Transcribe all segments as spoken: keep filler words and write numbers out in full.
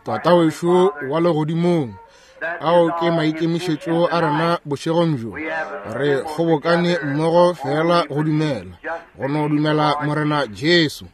Tata wešo wa legodimong, ao ke maikemišetšo a rena bošegong bjo. Re kgobokane mmogo fela go dumela, go no dumela Morena Jesu.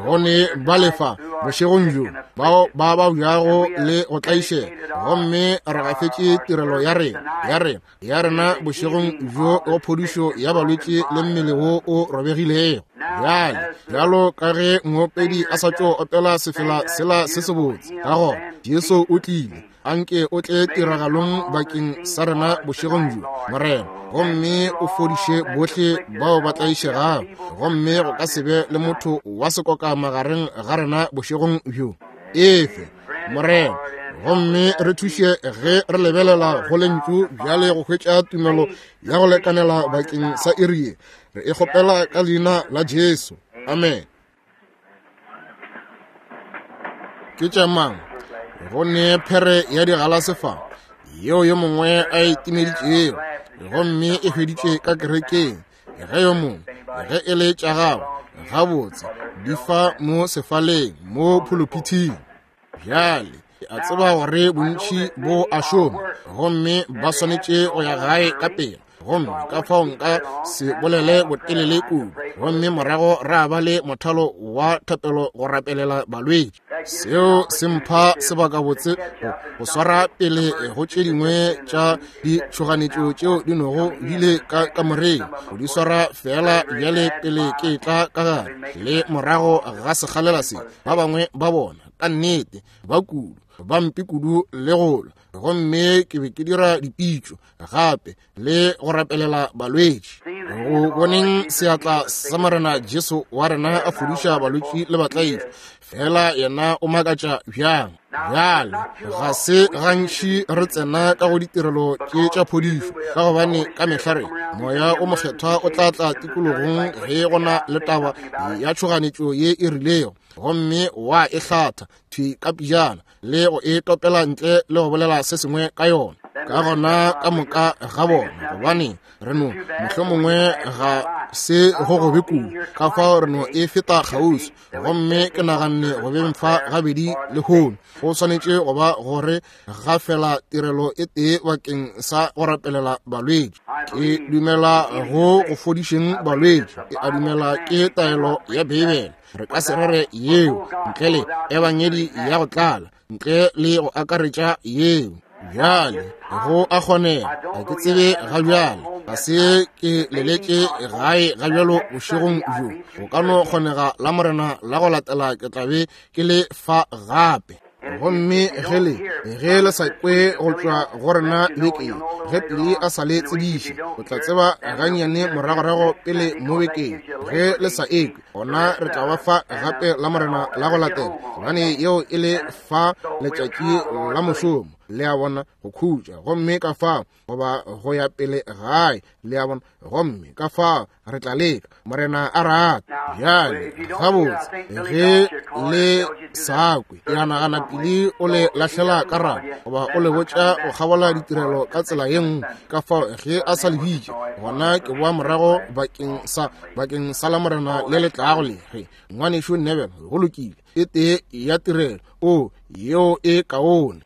Go ne ba lefa bošegong bjo bao ba babjago le go tlaišega, gomme re gafetše tirelo ya rena ya rena ya rena bošegong bjo go phodišo ya balwetši le mmele wo o robegilego. Bjale, bjalo ka ge moopedi a sa tšo opela sefela sela se sebotse, ka gona Jesu o tlile, anke o tle tiragalong bakeng sa rena bošegong bjo, Morena, gomme o fodiše bohle bao ba tlaišegago, gomme go ka se be le motho wa sekoka magareng ga rena bošegong bjo. Efe, Morena, gomme re thuše ge re lebelela go lentšu bjale go hwetša tumelo ya go lekanela bakeng sa iri ye. Re e kgopela ka leina la Jesu. Amen. Ke tša mang? Go ne phere ya digalase fa yeo yo mongwe a e timeditšego, gomme e hweditše ka kerekeng. Ge yo mongwe, ge e le tša gago, gabotse di fa mo sefaleng mo phuluphithing. Bjale ke a tseba gore bontši bo a šoma, gomme ba swanetše go ya gae ka pela, gomme ka fao nka se bolele botelele kudu, gomme morago ra ba le mothalo wa thapelo go rapelela balwetši. Seo se mpha sebakabotse go, go swara pele go tše dingwe tša ditšhoganetšo tšeo di nogo di le ka kamoreng, go di swara fela bjale pele ke tla ka gare le morago ga sekgalela se. Ba bangwe ba bona ka nnete ba kudu, ba mpe kudu le go lwa, gomme ke be ke dira dipitšo gape le go rapelela balwetši. Go boneng seatla sa Morena Jesu wa rena a fodiša balwetši le batlaišwa, fela yena o makatša bjang. Bjale ga se gantši re tsena ka go ditirelo tše tša phodišo, ka gobane ka mehla re moya o mokgethwa o tla tla tikologong ge go na le taba ya tšhoganetšo ye e rilego, gomme wa e hlatha thwi ka pejana le go e topela ntle le go bolela se sengwe ka yona. Ka gona ka moka ga bona, gobane re no mohlomongwe ga se go gobe kudu, ka fao re no e feta kgauswi. Gomme ke naganne go beng fa gabedi lehono go swanetše go ba gore ga fela tirelo e tee bakeng sa go rapelela balwetši. Ke dumela go go fodišeng balwetši, ke a dumela ke taelo ya Beibele. Re ka se rere yeo ntle le ebangedi ya go tlala, ntle le go akaretša yeo. Bjale go a kgonega, ga ke tsebe ga bjale, ga se ke leletše gae ga bjalo bošegong bjo. Go ka no kgonega la Morena la go latela ke tla be ke le fa gape. Gomme ge le ge le sa kwe go tšwa go rena bekeng, ge pele a sa le tsebiše, o tla tseba gannyane moragorago pele mo bekeng. Ge le sa ekwe, gona re tla ba fa gape la Morena la go latela, gobane yeo e le fa letšatši la mošomo, le a bona, go khutša, gomme ka fao goba go ya pele gae, le a bona, gomme ka fao re tla leka, Morena a rata. Bjale gabotse ge le sa kwe, ke a nagana pele o le lahlela ka rata goba o le botša go kgabola ditirelo ka tsela ye nngwe. Ka fao ge a sa le bitše, gona ke boa morago bakeng sa bakeng sa la Morena le le tlago le ge ngwanešu Neville, go lokile, e tee ya tirelo o yeo e kaone.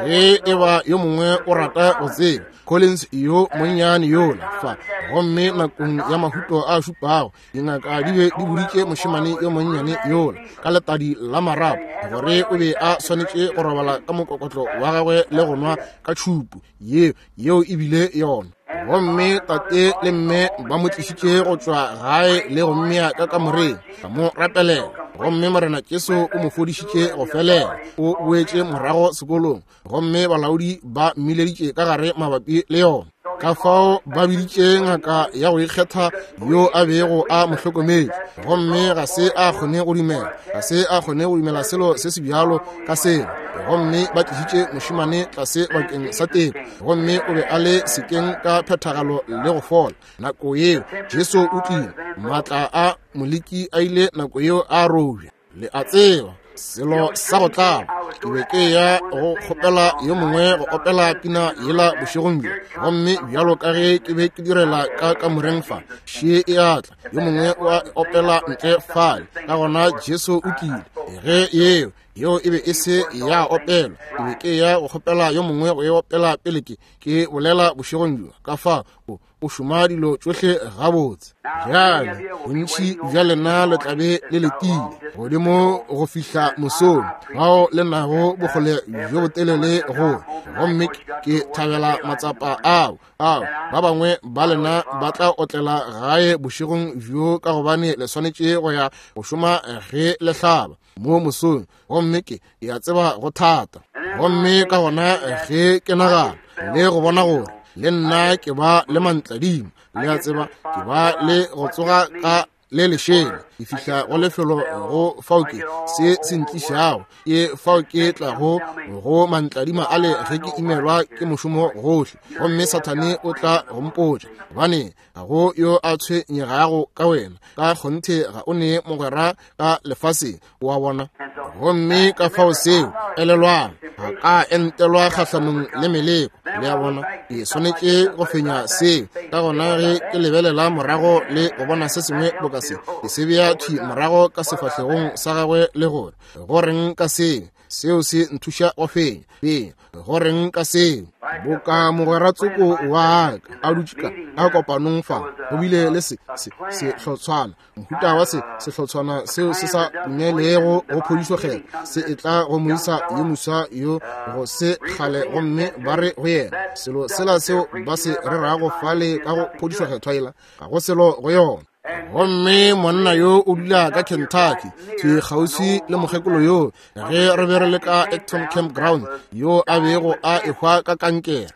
Ge e ba yo mongwe o rata go tseba, Collins yo monnyane yola fa, gomme nakong ya mahuto a šupago dingaka di be di boditše mošemane yo monnyane yola ka letadi la marapo gore o be a swanetše go robala ka mokokotlo wa gagwe le go nwa ka tšhupu yeo yeo e bile yona. Gomme tate le mme ba mo tlišitše go tšwa gae le go mmea ka kamoreng, ba mo rapelela, gomme Morena Jesu o mo fodišitše go felela. O boetše morago sekolong, gomme balaodi ba mmileditše ka gare mabapi le yona. Ka fao ba biditše ngaka ya go ikgetha yo a bego a mo hlokometše, gomme ga se a kgone go dumela, ga se a kgone go dumela selo se se bjalo ka selo. Gomme ba tlišitše mošemane tlase bakeng sa teko, gomme o be a le sekeng ka phethagalo le go fola. Nako yeo Jesu o tlile, maatla a moleki a ile nako yeo a robja. Le a tseba selo sa go tlaba. Ke be ke ya go kgopela yo mongwe go opela pina yela bošegong bjo. Gomme bjalo ka ge ke be ke direla ka kamoreng fa, še e a tla, yo mongwe o a opela ntle fale. Ka gona Jesu o tlile. Ge yeo yeo e be e se ya opelwa, ke be ke ya go kgopela yo mongwe go e opela pele ke ke bolela bošegong bjo. Ka fa o o šoma dilo tšohle gabotse. Bjale bontši bja lena le tla be le letile godimo go fihla mosong, bao le nago bokgole bjo botelele go, gomme ke thabela matsapa ao ao ba bangwe ba lena ba tla otlela gae bošegong bjo, ka gobane le swanetše go ya go šoma ge le hlaba mo mosong, gomme ke ya tseba go thata. Gomme ka gona ge ke nagana le go bona gore le nna ke ba le mantladimo, le a tseba ke ba le go tsoga ka le lešele, ke fihla go lefelo go fao ke se se ntlišago, ke fao ke tlago go mantladima a le ge ke imelwa ke mošomo gohle. Gomme Sathane o tla go mpotša, gobane ga go yo a tshwenyegago ka wena, ka kgonthe ga o ne mogwera ka lefaseng, wa bona. Gomme ka fao seo, elelwang, ga ka entelwa kgahlanong le meleko, le a bona, ke swanetše go fenya seo. Ka gona ge ke lebelela morago le go bona se sengwe boka se, ke se bea thwi morago ka sefahlegong sa gagwe le gore, go reng ka seo? Seo se nthuša go fenya. Fenya, go reng ka seo? Boka mogwera tsoko wa ka a dutše ka ka kopanong fa, go bile le se se sehlotshwana, mohuta wa se sehlotshwana seo se sa dumelego go phodišo kgetho, se e tla go moisa yo moswa yo go se kgale, gomme ba re go yena selo sela seo ba se rerago fale ka go phodišo kgethwa yela, ga go selo go yona. Gomme monna yo o dula ka Kentucky, thwi kgauswi le mokgekolo yo ge re be re le ka Acton Campground, yo a bego a ehwa ka kankere.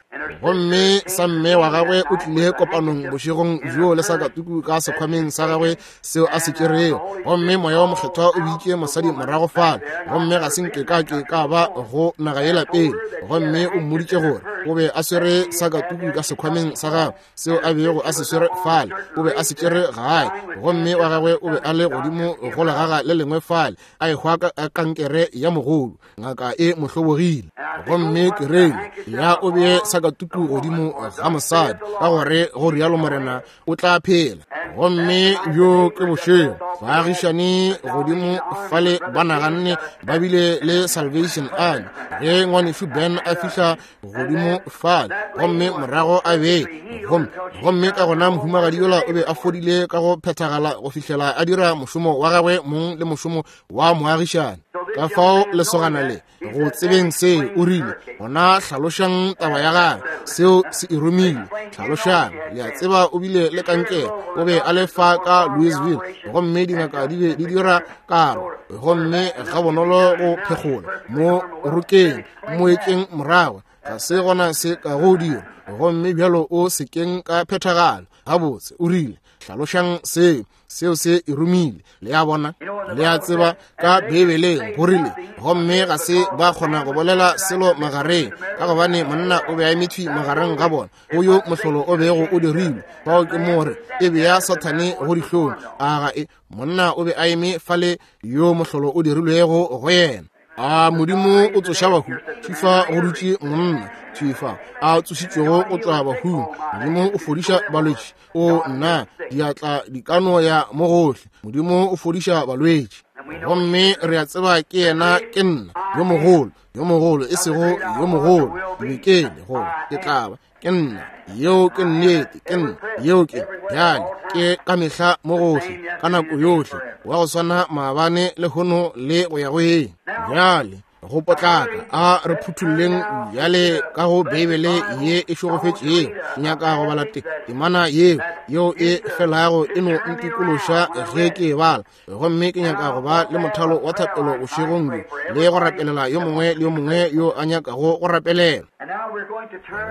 Gomme sa mme wa gagwe o tlile kopanong bošegong bjo le sakatuku ka sekhwameng sa gagwe seo a se tšerego. Gomme moya wa mokgethwa o bitše mosadi morago fale, gomme ga se nke ka ke ka ba go naga yela pele. Gomme o mmoditše gore o be a swere sakatuku ka sekhwameng sa gagwe seo a bego a se swere fale, o be a se tšere gae. Gomme wa gagwe o be a le godimo go legaga le lengwe fale, a ehwa ka kankere ya mogolo, ngaka e mo hlobogile. Gomme ke reile ya o bee sakatuku godimo ga mosadi, ka gore go rialo Morena, o tla phela. Gomme bjo ke bošego, baagišane godimo fale ba naganne ba bile le Salvation Army ge ngwanešu Ben a fihla godimo fale, gomme morago a be gomme gomme ka gona mohumagadi yola o be a fodile ka go phethagala go fihlela a dira mošomo wa gagwe mong le mošomo wa moagišane. Ka fao lesogana le go tsebeng seo, o rile, gona hlalošang taba ya gagwe, seo se e romile. Hlalošang, le a tseba o bile le kankere, o be a le fa ka Louisville, gomme dingaka di be di dira karo, gomme ga bonolo go phekgola mo rokeng moetšeng morago, ga se gona se ka go dira, gomme bjalo o sekeng ka phethagalo. Gabotse, o rile, hlalošang seo, seo se e romile. Le a bona, le a tseba ka Beibeleng go rile, gomme ga se ba kgona go bolela selo magareng, ka gobane monna o be a eme thwi magareng ga bona, go yo mohlolo o bego o dirilwe. Fao ke more e bea Sathane go dihlong. A ga e monna o be a eme fale yo mohlolo o dirilwego go yena. A Modimo o tsoša bahu, thwi fa go dutše monna thwi fa a tsošitšwego go tšwa bahung. Modimo o fodiša balwetši, o nna diatla di ka no ya mo gohle. Modimo o fodiša balwetši, gomme re a tseba ke yena, ke nna yo mogolo, yo mogolo, e sego yo mogolo, ke be go ke tla ba ke nna, yeo ke nnete, ke nna, yeo ke bjale, ke ka mehla mo gohle, ka nako yohle, wa go swana maabane lehono le go ya go eng. Bjale go potlaka a re phuthulleng bjale ka go Beibele ye e šegofetšego. Nyaka go bala temana yeo yeo e felago e no ntikološa ge ke e bala, gomme ke nyaka go ba le mothalo wa thapelo bošegong bjo le go rapelela yo mongwe le yo mongwe yo a nyakago go rapelela.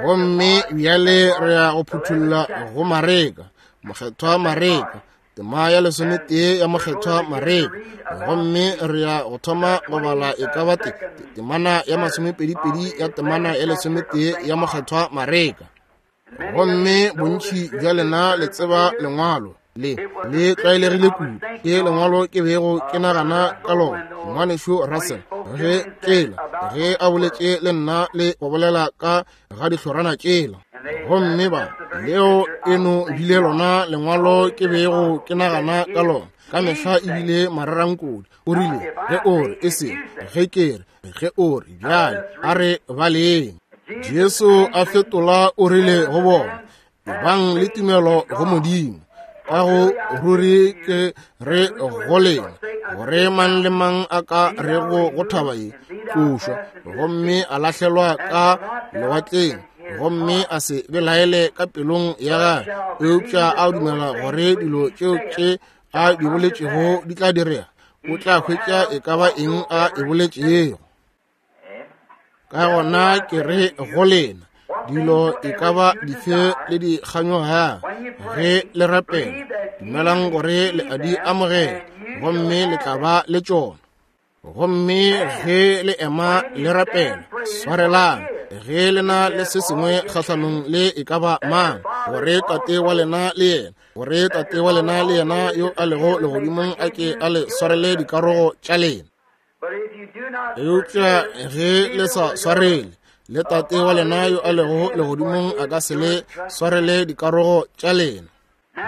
Gomme bjale re ya go phuthulla go Mareka, mokgethwa Mareka, tema ya lesometee ya mokgethwa Mareka, gomme re ya go thoma go bala e ka ba temana ya masomepedipedi ya temana ya lesometee ya mokgethwa Mareka. Gomme bontši bja lena le tseba lengwalo le le tlwaelegile kudu, ke lengwalo ke bego ke nagana ka lona, ngwanešu Russell, ge kela ge a boletše le nna le go bolela ka ga dihlorana tšela. Gomme ba leo e no bile lona lengwalo ke bego ke nagana ka lona ka mehla ebile mararankodi. O rile ge o re e se ge ke re ge o re bjale a re baleng. Jesu a fetola o rile go bona, ebang le tumelo go Modimo. Ka go ruri ke re go lena gore mang le mang a ka rego go thaba ye tlošwa gomme a lahlelwa ka lewatleng gomme a se belaele ka pelong ya gagwe, eupša a dumela gore dilo tšeo tše a di boletšego di tla direga, o tla hwetša e ka ba eng a e boletšego. Ka gona ke re go lena, dilo e ka ba dife le di kganyoga ge le rapela, dumelang gore le a di amogela gomme le tla ba le tšona. Gomme ge le ema le rapela, swarelang ge le na le se sengwe kgahlanong le e ka ba mang, gore Tate wa lena le yena, gore Tate wa lena le yena yo a lego legodimong a ke a le swarele dikarogo tša lena. Eupša ge le sa swarele, le Tate wa lena yo a lego legodimong a ka se le swarele dikarogo tša lena.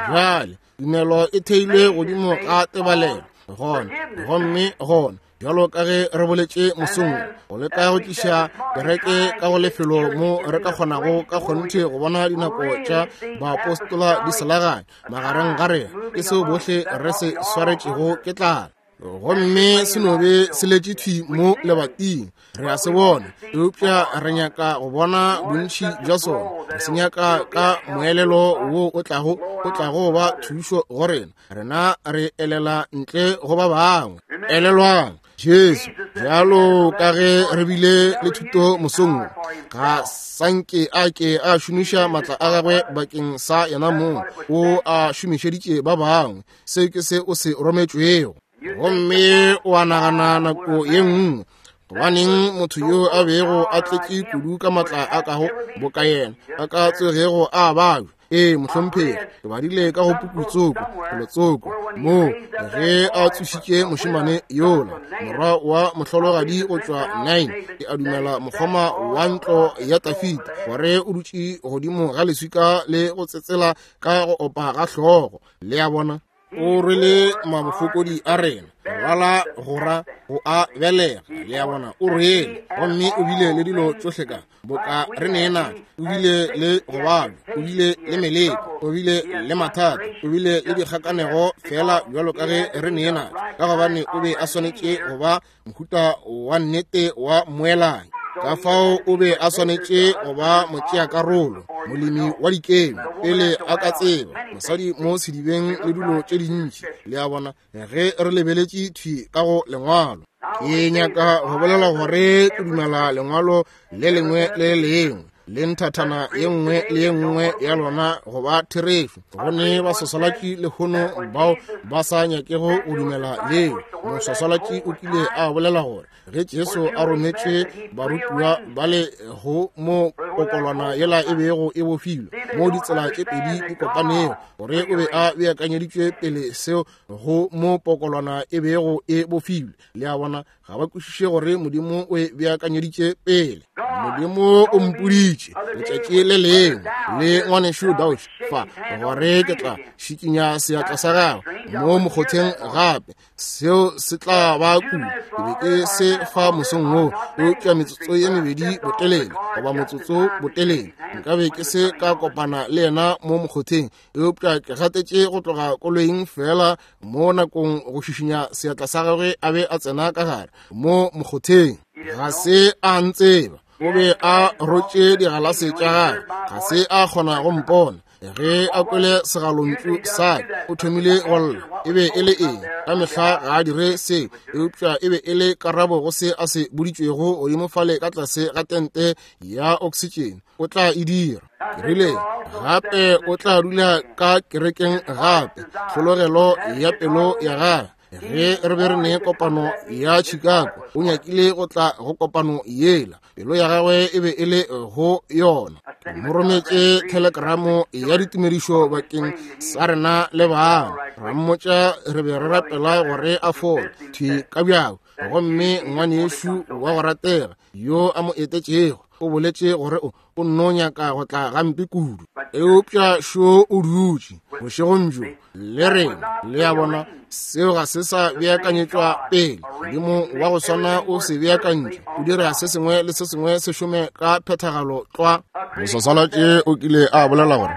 Bjale tumelo e theilwe godimo ga tebalelo gona gomme gona bjalo ka ge re boletše mosong, go leka go tliša kereke ka go lefelo mo re ka kgonago ka kgonthe go bona dinako tša baapostola di selaganya magareng ga rena, ke seo bohle re se swaretšego ke tlala. Gomme se no be se letše thwi mo lebating, re a se bona, eupša re nyaka go bona bontši bja sona. Re se nyaka ka moelelo wo o tlago o tlago ba thušo go rena, rena re elela ntle go ba bangwe. Elelwang Jesu, bjalo ka ge re bile le thuto mosong, ga sanke a ke a šomiša matla a gagwe bakeng sa yena mong, o a šomišeditše ba bangwe. Se ke se o se rometšwego. Gomme o a nagana nako ye nngwe, gobaneng motho yo a bego a tletše kudu ka matla a kago boka yena a ka tsogego a babja? Ee, mohlomphegi, ke badile ka go pukutsoko felotsoko moo ge a tsošitše mošemane yola morwa wa mohlologadi go tšwa Nain, ke a dumela mokgoma wa ntlo ya Tafita, gore o dutše godimo ga leswika le go tsetsela ka go opa ga hlogo. Le a bona, o rwele mabofokodi a rena, lwala gora go a belega. Le a bona, o rwele gomme o bile le dilo tšohle ka boka re neena. O bile le go babja, o bile le meleko, o bile le mathata, o bile le dikgakanego fela bjalo ka ge re neena, ka gobane o be a swanetše go ba mohuta wa nnete wa moelanyi. Ka fao o be a swanetše go ba motšeakarolo, molemi wa dikemi, pele a ka tseba mosadi mo sedibeng le dilo tše dintši. Le a bona, ge re lebeletše thwi ka go lengwalo, ke nyaka go bolela gore ke dumela lengwalo le lengwe le le lengwe le nthathana ye nngwe le ye nngwe ya lona go ba therešo. Go ne baswaswalatši lehono bao ba sa nyakego go dumela leo. Moswaswalatši o kile a bolela gore ge Jesu a rometše barutiwa ba le go mo kokolwana yela e bego e bofilwe mo ditsela tše pedi di kopanego, gore o be a beakanyeditšwe pele seo go mo pokolwana e bego e bofilwe. Le a bona, ga ba kwešiše gore Modimo o e beakanyeditše pele. Modimo o mpoditše letšatši le lengwe le ngwanešu Dauch fa gore ke tla šikinya seatla sa gagwe mo mokgotheng gape, seo se tla ba kudu. Ke be ke se fa mosong wo, eupša metsotso ye mebedi botelele goba motsotso botelele nkabe ke se ka kopana le yena mo mokgotheng, eupša ke gatetše go tloga koloing fela mo nakong go šišinya seatla sa gagwe a be a tsena ka gare mo mokgotheng. Ga se a ntseba, o be a rotše digalase tša gagwe, ga se a kgona go mpona. Ge a kwele segalontšu sa ka, o thomile go lla. E be e le eng? Ka mehla ga a dire seo, eupša e be e le karabo go se a se boditšwego godimo fale ka tlase ga tente ya oksitšene. O tla e dira. Ke rile gape o tla dula ka kerekeng gape, tlhologelo ya pelo ya gagwe. Ge re be re ne kopano ya Chicago, o nyakile go tla go kopano yela, pelo ya gagwe e be e le go yona. Ke mo rometše telegramo ya ditumedišo bakeng sa rena le bangwe, ra mmotša re be re rapela gore a fole thwi ka bjako. Gomme ngwanešu wa go ratega, yo a mo etetšego o boletše gore o o nno nyaka go tla gampe kudu. Eupša šo o dutše bošegong bjo le rena. Le a bona, seo ga se sa beakanyetšwa pele. Modimo wa go swana o se beakantše, o dira se sengwe le se sengwe se šome ka phethagalo tlwa. Moswasalatše o kile a bolela gore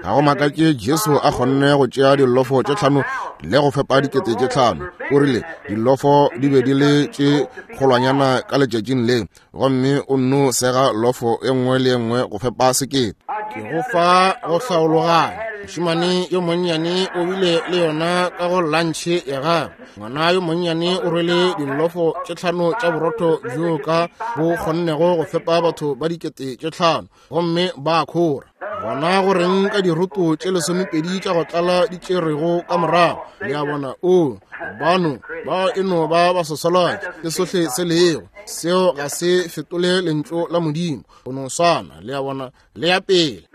ga go makatše Jesu a kgonne go tšea dilofo tše tlhano le go fepa dikete tše tlhano. O rile dilofo di be di le tše kgolwanyana ka letšatšing le, gomme o nno sega lofo e nngwe le e nngwe go fepa sekete. Ke go fa go hlaologanya. Mošemane yo monnyane o bile le yona ka go lantšhe ya gagwe. Ngwana yo monnyane o rwele dilofo tše tlhano tša borotho bjo ka bo kgonnego go fepa batho ba dikete tše tlhano, gomme ba khora. Gona go reng ka diroto tše lesomepedi tša go tlala di tšerego ka morago? Le a bona, o bano ba e no ba baswaswalatši, ke sohle se lego. Seo ga se fetole lentšu la Modimo, go no swana. Le a bona, le ya pele.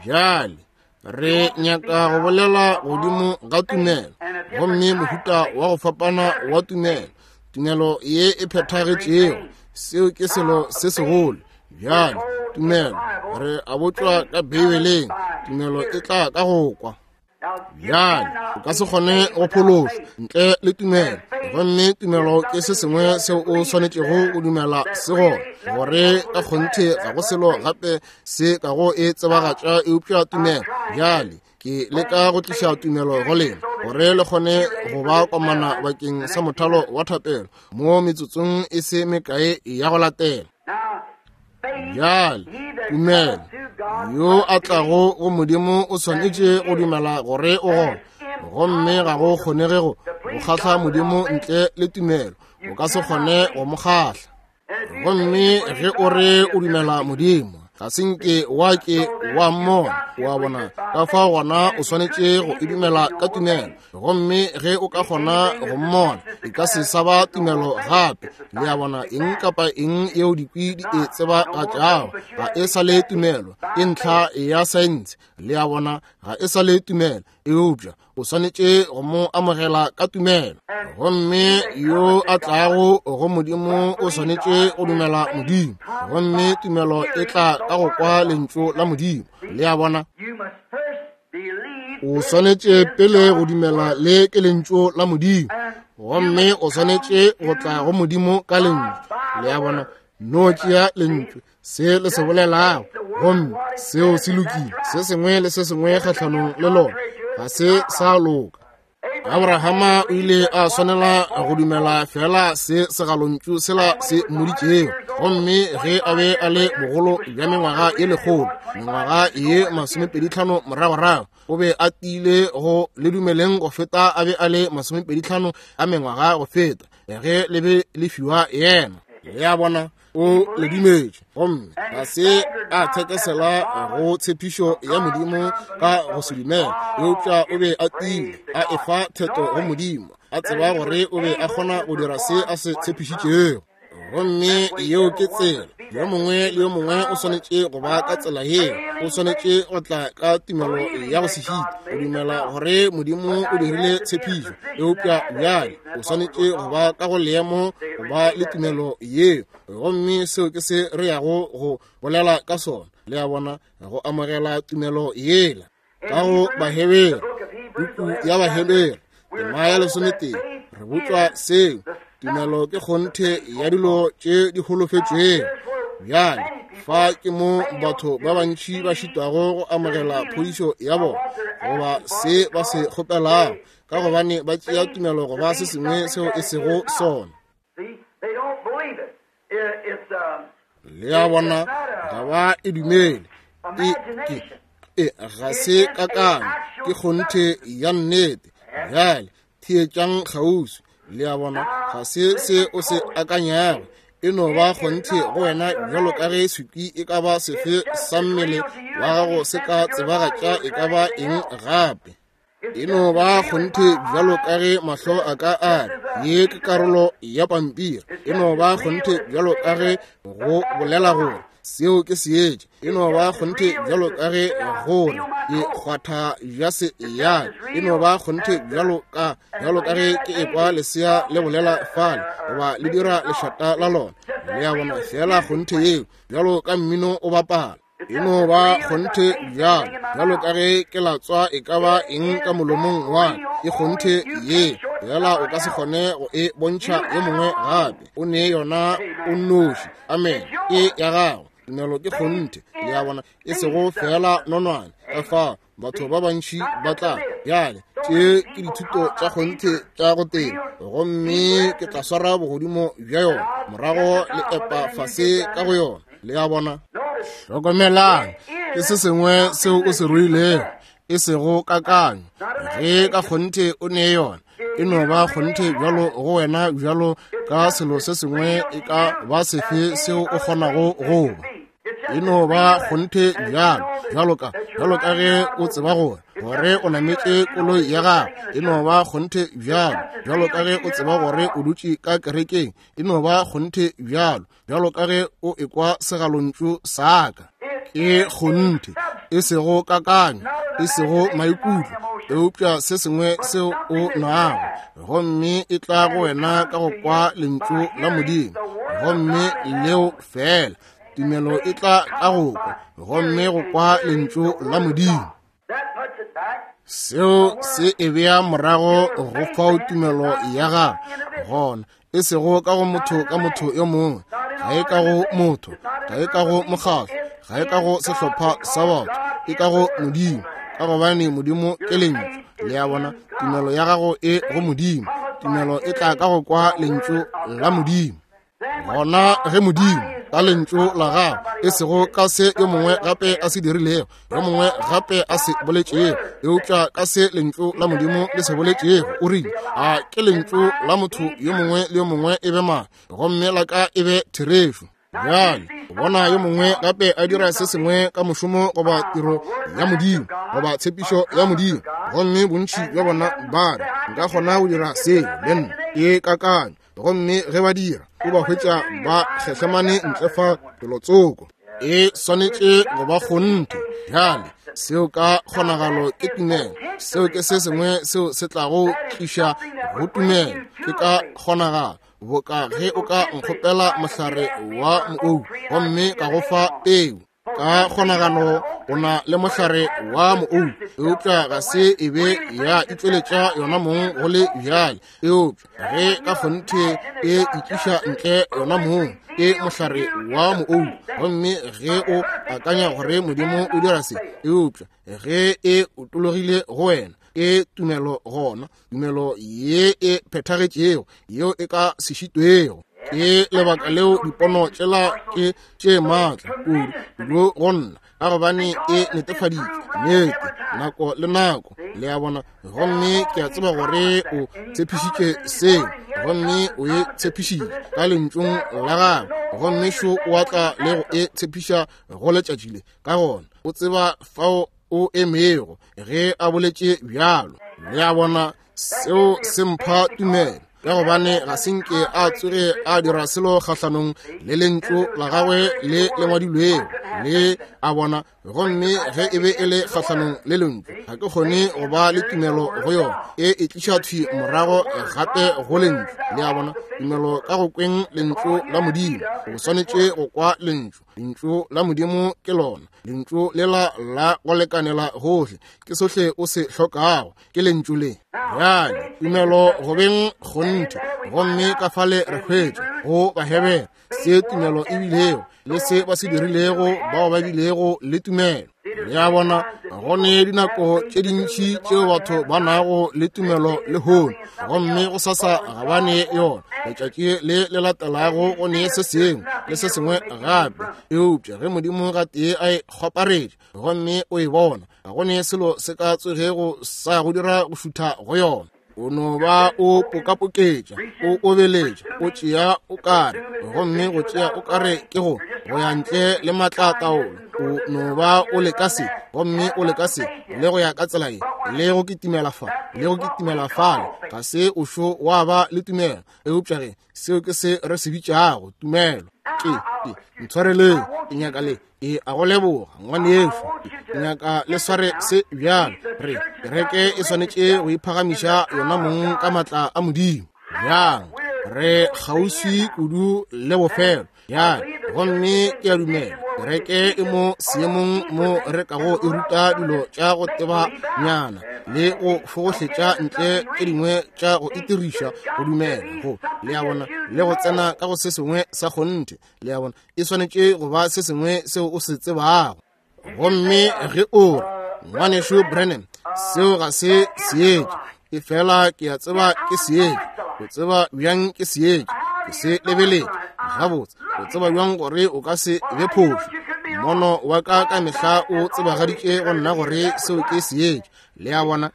Bjale re nyaka go bolela godimo ga tumelo, gomme mohuta wa go fapana wa tumelo, tumelo ye e phethagetšego. Seo ke selo se segolo. Bjale tumelo, re a botšwa ka Beibeleng, tumelo e tla ka go kwa. Bjale o ka se kgone go phološwa ntle le tumelo, gomme tumelo ke se sengwe seo o swanetšego go dumela se gona, gore ka kgonthe ga go selo gape se ka go e tsebagatša eupša tumelo. Bjale ke leka go tliša tumelo go lena gore le kgone go ba komana bakeng sa mothalo wa thapelo mo metsotsong e se mekae ya go latela. Bjale tumelo, yo a tlago go Modimo o swanetše go dumela gore o gona, gomme ga go kgonege go kgahla Modimo ntle le tumelo. O ka se kgone go mo kgahla. Gomme ge o re o dumela Modimo, ga se nke wa ke wa mmona, wa bona. Ka fao gona o swanetše go e dumela ka tumelo, gomme ge o ka kgona go mmona, e ka se sa ba tumelo gape. Le a bona, eng kapa eng yeo dikwi di e tsebagatšago ga e sa le tumelo, ke ntlha ya saense. Le a bona, ga e sa le tumelo, eupša o swanetše go mo amogela ka tumelo. Gomme yo a tlago go Modimo o swanetše go dumela Modimo, gomme tumelo e tla ka go kwa lentšu la Modimo. Le a bona, o swanetše pele go dumela le ke lentšu la Modimo, gomme o swanetše go tla go Modimo ka lentšu. Le a bona, no tšea lentšu se le se bolelago, gomme seo se lokile. Se sengwe le se sengwe kgahlanong le lona ga se sa loka. Abrahama o ile a swanela go dumela fela se segalontšu sela se mmoditšego, gomme ge a be a le bogolo bja mengwaga ye lekgolo, mengwaga ye masomepeditlhano moragorago, o be a tiile go le dumeleng go feta a be a le masomepeditlhano a mengwaga go feta ge le be le fiwa yena. Le a bona, o le dumetše, gomme ga se a thekesela go tshepišo ya Modimo ka go se dumela, eupša o be a tiile a efa theto go Modimo, a tseba gore o be a kgona go dira se a se tshepišitšego. Gomme yeo ke tsela. Yo mongwe le yo mongwe o swanetše go ba ka tsela yeo. O swanetše go tla ka tumelo ya go se šite, o dumela gore Modimo o dirile tshepišo, eupša bjale o swanetše go ba ka go leemo go ba le tumelo yeo. Gomme seo ke se re yago go bolela ka sona. Le a bona, go amogela tumelo yela. Ka go Bahebere, puku ya Bahebere tema ya lesometee, re botšwa seo. Tumelo ke kgonthe ya dilo tše di holofetšwego. Bjale fa ke mo batho ba bantši ba šitwago go amogela phodišo ya bona goba se ba se kgopelago, ka gobane ba tšea tumelo go ba se sengwe seo e sego sona. Le a bona, ga ba e dumele. E, ke, e, ga se kakanyo, ke kgonthe ya nnete. Bjale theetšang kgauswi. Le a bona, ga se se o se akanyago, e no ba kgonthe go wena bjalo ka ge sekwi e ka ba sefe sa mmele wa gago se ka tsebagatša e ka ba eng gape. E no ba kgonthe bjalo ka ge mahlo a ka a re ye ke karolo ya pampiri. E no ba kgonthe bjalo ka ge go bolela gore seo ke seetša. E no ba kgonthe bjalo ka ge gore ke kgwatha bja se ya. E no ba kgonthe bjalo ka bjalo ka ge ke ekwa lesea le bolela fale goba le dira lešata la lona. Le a bona, feela kgonthe yeo, bjalo ka mmino o bapala. E no ba kgonthe bjalo, bjalo ka ge ke latswa e ka ba eng ka molomong wa ka, ke kgonthe ye, fela o ka se kgone go e bontšha yo mongwe gape. O ne yona o nnoši. Amen. Ke ya gago. Tumelo ke kgonthe. Le a bona, e sego fela nonwane. Ka fao batho ba bantši ba tla bjale, tše ke dithuto tša kgonthe tša go teba, gomme ke tla swara bogodimo bja yona, morago le epa fase ka go yona. Le a bona? Hlokomelang, ke se sengwe seo o se ruilego, e sego kakanyo. Ge ka kgonthe o ne yona, e no ba kgonthe bjalo go wena bjalo ka selo se sengwe e ka ba sefe seo o kgonago go ba. E no ba kgonthe bjalo, bjalo ka, bjalo ka ge o tseba gore, gore o nametše koloi ya gago. E no ba kgonthe bjalo, bjalo ka ge o tseba gore o dutše ka kerekeng. E no ba kgonthe bjalo, bjalo ka ge o ekwa segalontšu sa ka. Ke kgonthe, e sego kakanyo, e sego maikutlo, eupša se sengwe seo o nago, gomme e tla go wena ka go kwa lentšu la Modimo, gomme leo fela. Tumelo e tla ka go kwa, gomme go kwa lentšu la Modimo. Seo se e bea morago go fao tumelo ya gago gona, e sego ka go motho ka motho yo mongwe, ga e ka go motho, ga e ka go mokgatlo, ga e ka go sehlopha sa batho, e ka go Modimo, ka gobane Modimo ke lentšu. Le a bona, tumelo ya gago e go Modimo. Tumelo e tla ka go kwa lentšu la Modimo. Gona ge Modimo ka lentšu la gago, e sego ka se yo mongwe gape a se dirilego, yo mongwe gape a se boletšego, eupša ka se lentšu la Modimo le se boletšego, o rile, a ke lentšu la motho yo mongwe le yo mongwe e be maaka, gomme la ka e be therešo. Bjale, o bona yo mongwe gape a dira se sengwe ka mošomo goba tiro ya Modimo goba tshepišo ya Modimo, gomme bontši bja bona ba re, nka kgona go dira seo le nna, ke kakanyo. Gomme ge ba dira, o ba hwetša ba kgehlemane ntle fa felotsoko. E swanetše go ba kgonthe. Bjale, seo ka kgonagalo ke tumelo. Seo ke se sengwe seo se tlago tliša go tumelo. Ke ka kgonagalo, boka ge o ka nkgopela mohlare wa moou, gomme ka go fa peu. Ka kgonagalo o na le mohlare wa moou, eupša ga se e be ya itšweletša yona mong go le bjale. Eupša ge ka kgonthe e itliša ntle yona mong, ke mohlare wa moou. Gomme ge o akanya gore Modimo o dira se, eupša ge e otologile go wena, ke tumelo gona, tumelo ye e phethagetšego, yeo e ka se šitwego. Ke lebaka leo dipono tšela ke tše maatla kudu kudu go nna, ka gobane e netefaditšwe nnete nako le nako. Le a bona? Gomme ke a tseba gore o tshepišitše seo, gomme o e tshepišitše ka lentšung la gagwe, gomme šo o atla le go e tshepiša go letšatši le. Ka gona o tseba fao o emego ge a boletše bjalo. Le a bona? Seo se mpha tumelo, ka gobane ga se nke a tsoge a dira selo kgahlanong le lentšu la gagwe le le ngwadilwego. Le a bona? Gomme ge e be e le kgahlanong le lentšu, ga ke kgone go ba le tumelo go yona. E e tliša thwi morago gape go lentšu. Le a bona? Tumelo ka go kweng lentšu la Modimo. O swanetše go kwa lentšu. Lentšu la Modimo ke lona. Lentšu lela la go lekanela gohle, ke sohle o se hlokago, ke lentšu le. Bjale, tumelo go beng kgonthe, gomme ka fale re hwetša go Bahebere se tumelo e bilego le se ba se dirilego bao ba bilego le tumelo. Le a bona, go ne dinako tše dintši tšeo batho ba nago le tumelo lehono, gomme go sasa ga ba ne yona. Letšatši le le latelago go ne se sengwe le se sengwe gape. Eupša ge Modimo gatee a e kgwaparetše gomme o e bona, ga go ne selo se ka tsogego sa go dira go šutha go yona. O no ba o pokapoketša, o obeletša, o tšea o kare, gomme go tšea o kare ke go go ya ntle le matla a taolo. O no ba o leka se, gomme o leka se, le go ya ka tsela ye, le go kitimela fa, le go kitimela fale. Ga se o šo wa ba le tumelo, eupša ge seo ke se re se bitšago tumelo. Ke, ke, ntshwareleng, ke nyaka le, ke a go leboga ngwanešu, ke nyaka le sware se bjalo. Re kereke e swanetše go iphagamiša yona mong ka matla a Modimo. Bjang, re kgauswi kudu le bofelo, Bjale, gomme ke a dumela kereke e mo seemong mo re kago e ruta dilo tša go teba nyana le go fogohletša ntle tše dingwe tša go itiriša go dumela go, le a bona, le go tsena ka go se sengwe sa kgonthe. Le a bona, e swanetše go ba se sengwe seo o se tsebago. Gomme ge o re, Ngwanešu Branham, seo ga se seetša, efela ke a tseba ke seetša. O tseba bjang ke seetša? Ke se lebeletše gabotse. O tseba bjang gore o ka se be phošo? Mono wa ka ka mehla o tsebagaditše go nna gore seo ke seetša. Le a bona?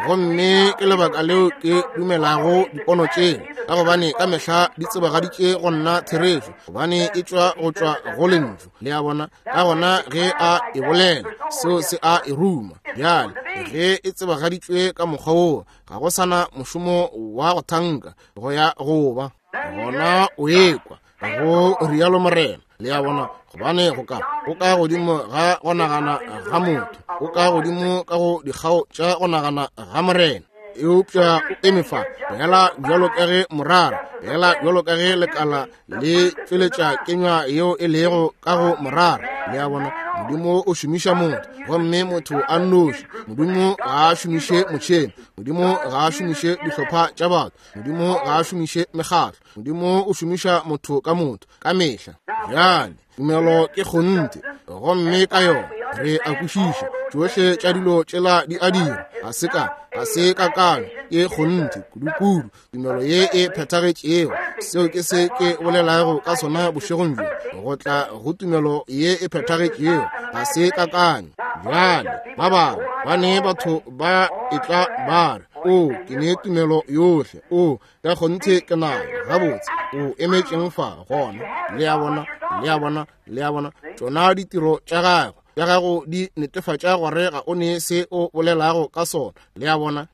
Gomme ke lebaka leo ke dumelago dipono tšeo, ka gobane ka mehla di tsebagaditše go nna therešo, gobane e tšwa go tšwa go lentšu. Le a bona? Ka gona ge a e bolela, seo se a e ruma. Bjale ge e tsebagaditšwe ka mokgwa woo, ga go sana mošomo wa go thanka go ya go ba gona o ekwa go rialo Morena. Le a bona? Gobane go ka go ka godimo ga go nagana ga motho, go ka godimo ka go dikgao tša go nagana ga Morena. Eupša o eme fa fela bjalo ka ge morara, fela bjalo ka ge lekala le tšweletša kenywa yeo e lego ka go morara. Le a bona? Modimo o šomiša motho, gomme motho a nnoši. Modimo ga a šomiše motšhene, Modimo ga a šomiše dihlopha tša batho, Modimo ga a šomiše mekgatlo. Modimo o šomiša motho ka motho ka mehla. Bjale tumelo ke kgonthe, gomme ka yona re a kwešiša tšohle tša dilo tšela di a dira. Ga se ka ga se kakanyo, ke kgonthe kudu-kudu, tumelo ye e phethagetšego. Seo ke se ke bolelago ka sona bošegong bjo, go tla go tumelo ye e phethagetšego, ga se kakanyo. Bjale ba bangwe ba ne batho ba etla ba re, o ke ne tumelo yohle, o ka kgonthe ke nayo. Gabotse, o emetšeng fa gona? Le a bona? Le a bona? Le a bona? Tšona ditiro tša gagwe tša gago di netefatša gore ga o ne se o bolelago ka sona. Le a bona?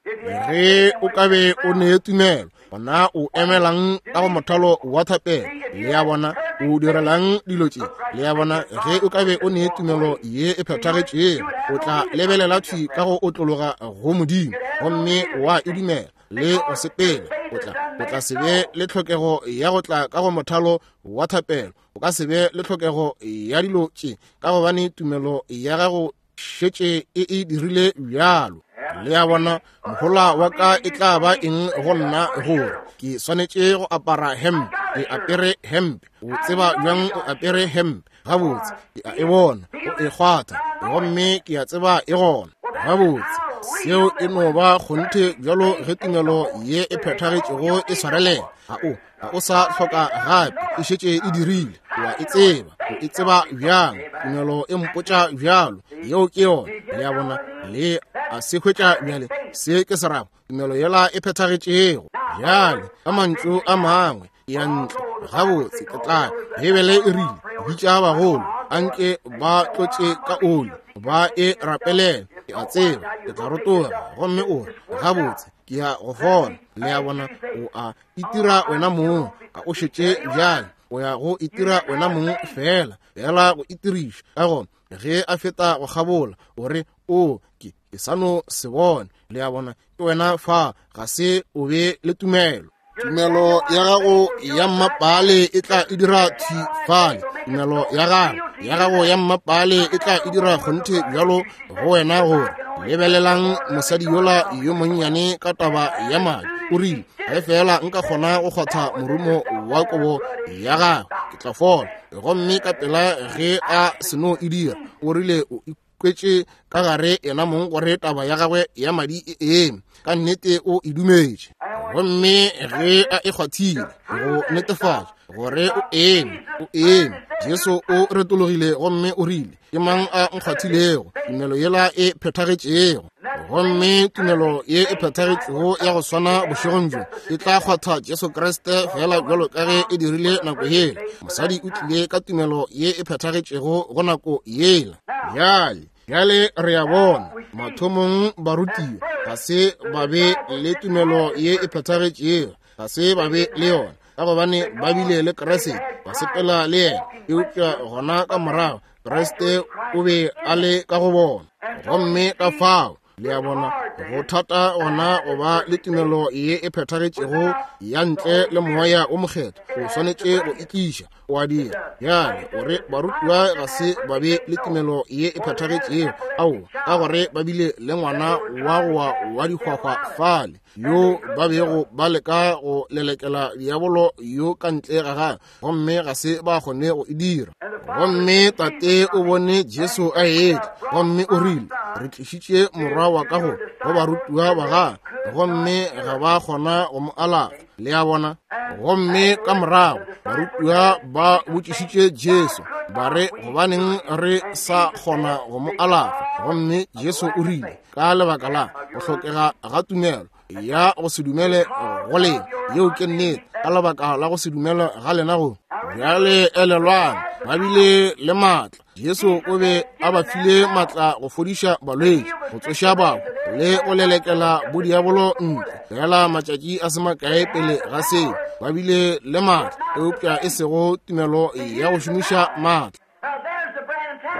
Ge o ka be o ne tumelo, gona o emelang ka go mothalo wa thapelo? Le a bona? O direlang dilo tše? Le a bona? Ge o ka be o ne tumelo ye e phethagetšego, o tla lebelela thwi ka go otlologa go Modimo, gomme wa e dumela le go sepela. O tla o tla se be le tlhokego ya go tla ka go mothalo wa thapelo. O ka se be le tlhokego ya dilo tše, ka gobane tumelo ya gago šetše e e dirile bjalo. Le a bona? Mohola wa ka e tla ba eng go nna gore ke swanetše go apara hempe? Ke apere hempe. O tseba bjang o apere hempe? Gabotse, ke a e bona, o e kgwatha, gomme ke a tseba e gona. Gabotse, seo e no ba kgonthe bjalo ge tumelo ye e phethagetšego e swarelela. Ga o ga o sa hloka gape, e šetše e dirile. O a e tseba. O e tseba bjang? Tumelo e mpotša bjalo. Yeo ke yona. Le a bona? Le a se hwetša bjale. Se ke se rago, tumelo yela e phethagetšego. Bjale ka mantšu a mangwe, ya ntle gabotse ke tla. Beibele e rile, bitša bagolo, anke ba tlotše ka oli, ba e rapelele. Ke a tseba ke tla rotoga, gomme o re, gabotse ke ya go fola. Le a bona? O a itira wena mong, ga o šetše bjale. O ya go itira wena mong fela, fela go itiriša. Ka gona ge a feta go kgabola, o re, o ke ke sa no se bone. Le a bona? Ke wena fa, ga se o be le tumelo. Tumelo ya gago ya mmapale e tla e dira thwi fale. Tumelo ya gago ya gago ya mmapale e tla e dira kgonthe bjalo go wena gore lebelelang mosadi yola yo monnyane ka taba ya madi. O rile, ge fela nka kgona go kgwatha morumo wa kobo ya gagwe, ke tla fola. Gomme ka pela ge a seno e dira, o rile o ikwetše ka gare yena mong gore taba ya gagwe ya madi e eme. Ka nnete o e dumetše. Gomme ge a e kgwathile go netefatša gore o eme, o eme, Jesu o retologile gomme o rile, ke mang a nkgwathilego? Tumelo yela e phethagetšego. Gomme tumelo ye e phethagetšego ya go swana bošegong bjo e tla kgwatha Jesu Kriste fela bjalo ka ge e dirile nako yela. Mosadi o tlile ka tumelo ye e phethagetšego go nako yela. Bjale bjale re a bona mathomong barutiwa ga se ba be le tumelo ye e phethagetšego, ga se ba be le yona, ka gobane ba bile le Kriste, ba sepela le yena. Eupša gona ka morago Kriste o be a le ka go bona, gomme ka fao Le a bona, go thata gona go ba le tumelo ye e phethagetšego ya ntle le Moya o Mokgethwa. O swanetše go itliša, o a dira. Bjale o re barutiwa ga se ba be le tumelo ye e phethagetšego, ao ka gore ba bile le ngwana wa go wa wa dihwahwa fale yo ba bego ba leka go lelekela diabolo yo ka ntle ga gagwe, gomme ga se ba kgone go e dira. Gomme tate o bone Jesu a etla, gomme o rile, re tlišitše morwa wa ka go go barutiwa ba gagwe, gomme ga ba kgona go mo alafa. Le a bona? Gomme ka morago barutiwa ba botšišitše Jesu ba re, gobaneng re sa kgona go mo alafa? Gomme Jesu o rile, ka lebaka la go hlokega ga tumelo ya go se dumele go lena. Yeo ke nnete, ka lebaka la go se dumele ga lena go. Bjale elelwang, ba bile le maatla. Jesu o be a ba file maatla go fodiša balwetši, go tsoša bahu le go lelekela bodiabolo ntle. Fela matšatši a se makae pele ga seo, ba bile le maatla, eupša e sego tumelo ya go šomiša maatla.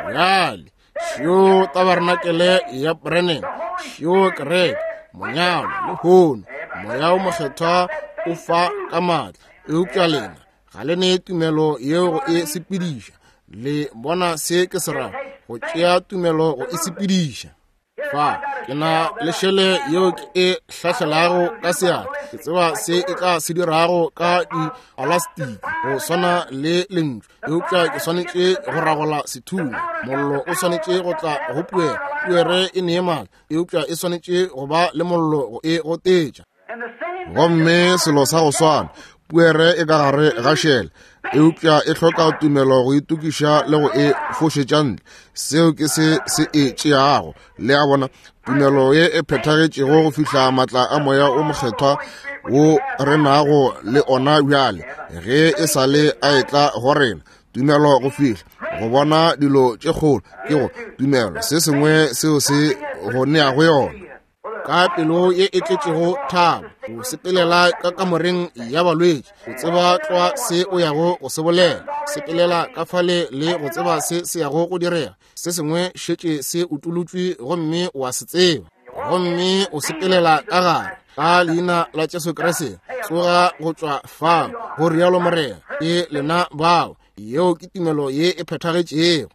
Bjale šio tabarenakele ya Branham, šio kereke, monyalo lehono, Moya o Mokgethwa o fa ka maatla, eupša lena ga le ne tumelo yeo go e sepediša. Le bona se ke se rago, go tšea tumelo go e sepediša. Fa ke na le šele yeo ke e hlahlelago ka seatla, ke tseba se e tla se dirago ka diplastiki go swana le lentšu, eupša ke swanetše go ragola sethunya. Mollo o swanetše go tla go puere, puere e nee maatla, eupša e swanetše go ba le mollo go e gotetša. Gomme selo sa go swana, puere e ka gare ga šele, eupša e hloka tumelo go itokiša le go e fošetša ntle. Seo ke se se e tšeago. Le a bona, tumelo ye e phethagetšego go fihla maatla a Moya o Mokgethwa wo re nago le ona bjale, ge e sa le a etla go rena. Tumelo go fihla go bona dilo tše kgolo ke go tumelo, se sengwe seo se go neago yona. Ka pelo ye e tletšego thabo, o sepelela ka kamoreng ya balwetši, o tseba tlwa se o yago go se bolela, sepelela ka fale le go tseba se se yago go direga. Se sengwe šetše se utolotšwe gomme o a se tseba, gomme o sepelela ka gare ka leina la Jesu Kriste. Tsoga go tšwa fao, go rialo Morena. Ke lena bao. Yeo ke tumelo ye e phethagetšego.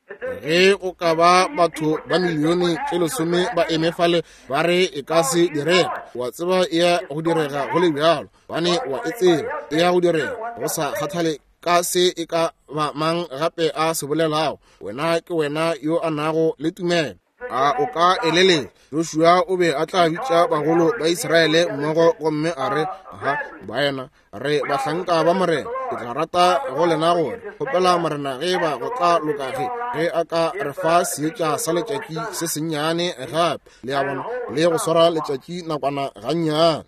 Ge o ka ba batho ba milione tše lesome ba eme fale ba re e ka se direge, wa tseba e ya go direga go le bjalo, bane wa e tseba e ya go direga, go sa kgathale ka se e ka ba mang gape a se bolelago. Wena ke wena yo a nago le tumelo. A o ka eleletša Joshua o be a tla bitša bagolo ba Israele mmogo gomme a re, aha baena, re bahlanka ba Morena, ke tla rata go lena gore kgopela Morena ge ba go tla loka ge ge a ka re fa seetša sa letšatši se sennyane gape, le a bona, le go swara letšatši nakwana gannyane.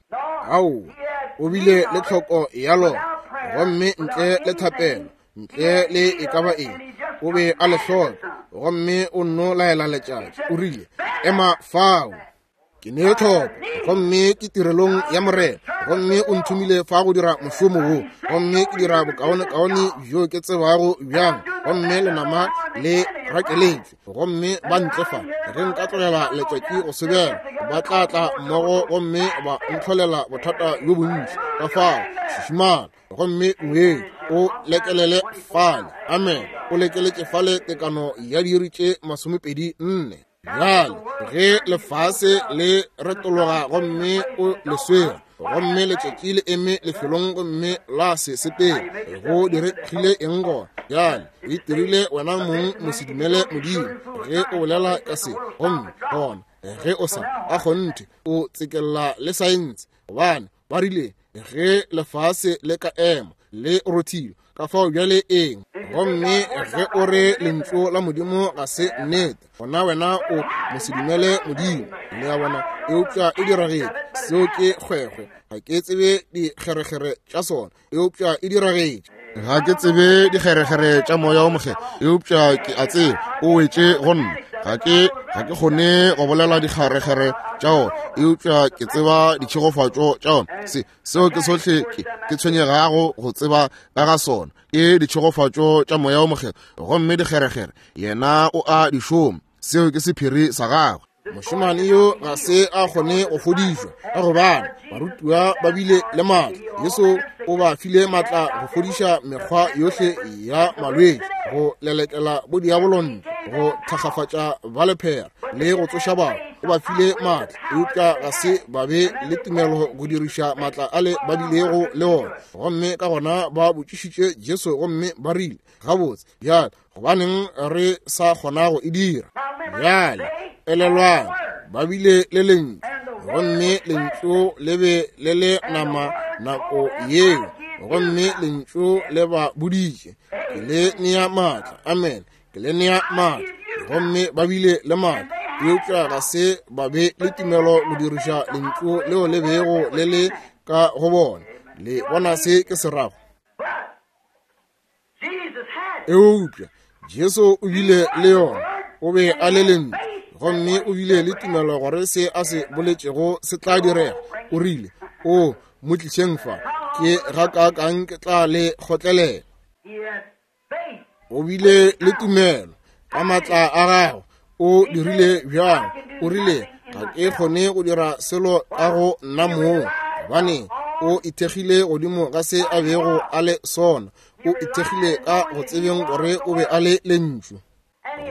Ao, o bile le tlhoko ya lona, gomme ntle le thapelo, ntle le e ka ba eng, o be a le hloka, gomme o nno laela letšatši, o rile, ema fao. Ke ne tlhoko, gomme ke tirelong ya Morena, gomme o nthomile fa go dira mošomo wo, gomme ke dira bokaonekaone bjo ke tsebago bjang, gomme lenama le rakeletšwe, gomme ba ntle fa. Ge nka tlogela letšatši go sebela, ba tla tla mmogo gomme ba ntlholela bothata bjo bontši. Ka fao, šišimala, gomme moedi o lekelele fale. Amen. O lekeletše fale tekano ya diiri tše masomepedi nne. Bjale ge lefase le retologa gomme o le swere, gomme letšatši le eme lefelong gomme la se sepele, go diregile eng gona? Bjale o itirile wena mong mosedumele Modimo ge o bolela ka se, gomme gona ge o sa a kgonthe o tsekella le saense, gobane ba rile ge lefase le ka ema le rothile, ka fao bjale eng? Gomme ge o re lentšu la Modimo ga se nnete, gona wena o mosedumele Modimo. Le a bona? Eupša e diragetše. Seo ke kgwekgwe, ga ke tsebe dikgerekgere tša sona, eupša e diragetše. Ga ke tsebe dikgerekgere tša Moya o Mokgethwa, eupša ke a tseba o wetše go nna. Ga ke ga ke kgone go bolela dikgerekgere tša ona, eupša ke tseba ditšhegofatšo tša ona. Se seo ke sohle ke ke tshwenyegago go tseba ka ga sona, ke ditšhegofatšo tša Moya o Mokgethwa, gomme dikgerekgere yena o a di šoma. Seo ke sephiri sa gagwe. Mošemane yo ga se a kgone go fodišwa, ka gobane barutiwa ba bile le maatla. Jesu o ba file maatla go fodiša mekgwa yohle ya malwetši, go lelekela bodiabolo ntle, go thakgafatša ba lephera le go tsoša batho. O ba file maatla, eupša ga se ba be le tumelo go diriša maatla ale ba bilego le ona. Gomme ka gona ba botšišitše Jesu gomme ba rile, gabotse bjale gobaneng re sa kgona go e dira? Bjale elelwang, ba bile le lentšu, gomme lentšu le be le le nama nako yeo, gomme lentšu le ba boditše, ke le nea maatla. Amen, ke le nea maatla. Gomme ba bile le maatla, eupša ga se ba be le tumelo go diriša lentšu leo le bego le le ka go bona. Le bona se ke se rago? Eupša Jesu o bile le yona, o be a le lentšu, gomme o bile le tumelo gore se a se boletšego se tla direga. O rile, o mo tlišeng fa, ke gakaakang ke tla le kgotlelela. O bile le tumelo ka maatla a gagwe. O dirile bjang? O rile, ga ke kgone go dira selo ka go nna mong, gobane o ithekgile godimo ga se a bego a le sona. O ithekgile ka go tsebeng gore o be a le lentšu,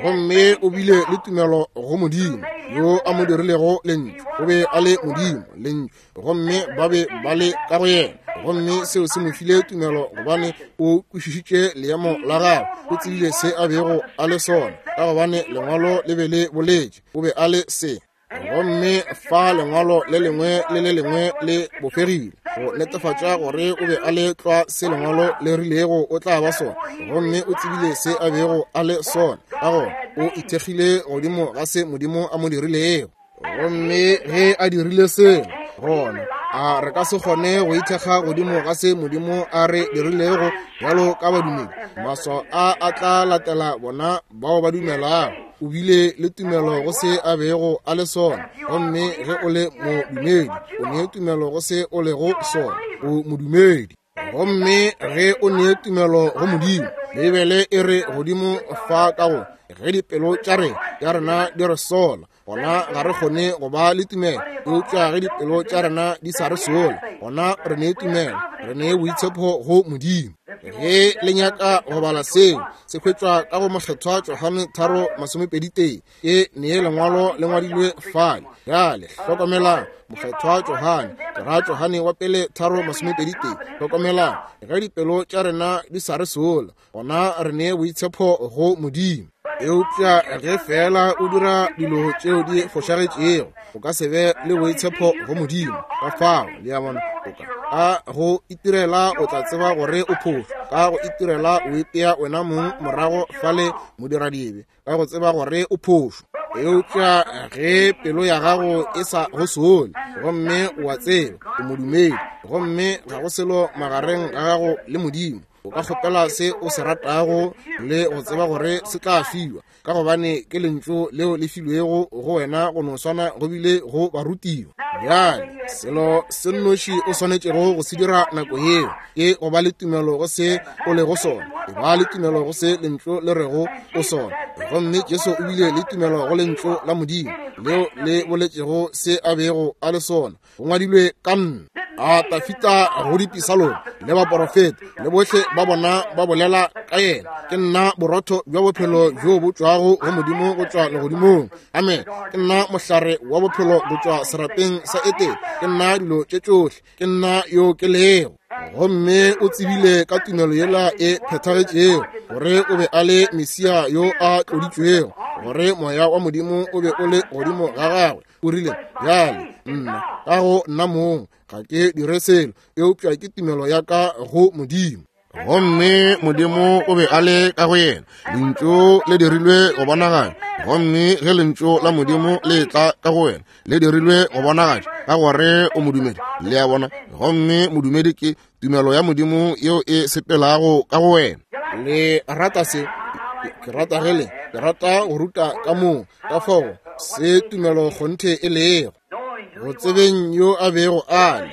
gomme o bile le tumelo go Modimo yo a mo dirilego lentšu. O be a le Modimo lentšu, gomme ba be ba le ka go yena, gomme seo se mo file tumelo gobane o kwešišitše leemo la gagwe. O tsebile se a bego a le sona, ka gobane lengwalo le be le boletše o be a le se. Gomme fa lengwalo le lengwe le le lengwe le bofegile go netefatša gore o be a le tlwa se lengwalo le rilego o tla ba sona, gomme o tsebile se a bego a le sona, ka gona o ithekgile godimo ga se Modimo a mo dirilego. Gomme ge a dirile selo, gona a re ka se kgone go ithekga godimo ga se Modimo a re dirilego bjalo ka badumedi? Maswao a a tla latela bona bao ba dumelago. O bile le tumelo go se a bego a le sona, gomme ge o le modumedi o ne tumelo go se o lego sona, o modumedi. Gomme ge o ne tumelo go Modimo, Beibele e re godimo fa ka go ge dipelo tša rena tša rena di re sola, gona ga re kgone go ba le tumelo. Eupša ge dipelo tša rena di sa re sola, gona re ne tumelo, re ne boitshepo go Modimo. Ge le nyaka go bala seo, se hwetšwa ka go Mokgethwa Johane tharo masomepedi tee. Ke nee lengwalo le ngwadilwe fale. Bjale hlokomelang, Mokgethwa Johane, ke ra Johane wa pele tharo masomepedi tee. Hlokomelang, ge dipelo tša rena di sa re sola, gona re ne boitshepo go Modimo. Eupša ge fela o dira dilo tšeo di fošagetšego, o ka se be le boitshepo go Modimo. Ka fao, le a bona, o ka ka go itirela o tla tseba gore o phošo. Ka go itirela o ipea wena mong morago fale modiradibe, ka go tseba gore o phošo. Eupša ge pelo ya gago e sa go sole, gomme o a tseba o modumedi, gomme ga go selo magareng ga gago le Modimo, o ka kgopela se o se ratago le go tseba gore se tla fiwa, ka gobane ke lentšu leo le filwego go wena go no swana go bile go barutiwa. Bjale selo se nnoši o swanetšego go se dira nako yeo ke go ba le tumelo go se o lego sona, e ba le tumelo go se lentšu le rego o sona. Gomme Jesu o bile le tumelo go lentšu la Modimo leo le boletšego se a bego a le sona. Go ngwadilwe ka nna. A Tafita go dipisalong le baporofeta le bohle ba bona ba bolela ka yena. Ke nna borotho bja bophelo bjo bo tšwago go Modimo go tšwa legodimong. Amen. Ke nna mohlare wa bophelo go tšwa serapeng sa Etene. Ke nna dilo tše tšohle. Ke nna yo ke lego. Gomme o tsebile ka tumelo yela e phethagetšego gore o be a le Mesia yo a tloditšwego, gore moya wa Modimo o be o le godimo ga gagwe. O rile, bjale nna ka go nna mong ga ke dire selo, eupša ke tumelo ya ka go Modimo. Gomme Modimo o be a le ka go yena. Lentšu le dirilwe go bonagatša. Gomme ge lentšu la Modimo le tla ka go wena, le dirilwe go bonagatša, ka gore o modumedi. Le a bona? Gomme modumedi ke tumelo ya Modimo yeo e sepelago ka go wena. Le rata se? Ke rata ge le ke rata go ruta ka moo, ka fao se tumelo kgonthe e lego. Go tsebeng yo a bego a le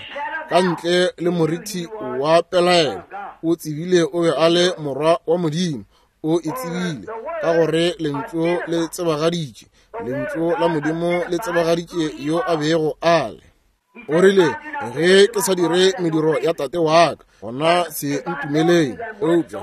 ka ntle le moriti wa pelaelo, o tsebile o be a le morwa wa Modimo. O e tsebile ka gore lentšu le tsebagaditše Lentšu la Modimo le tsebagaditše yo a bego a le. O rile, ge ke sa dire mediro ya tate wa ka, gona se ntumeleng. Eupša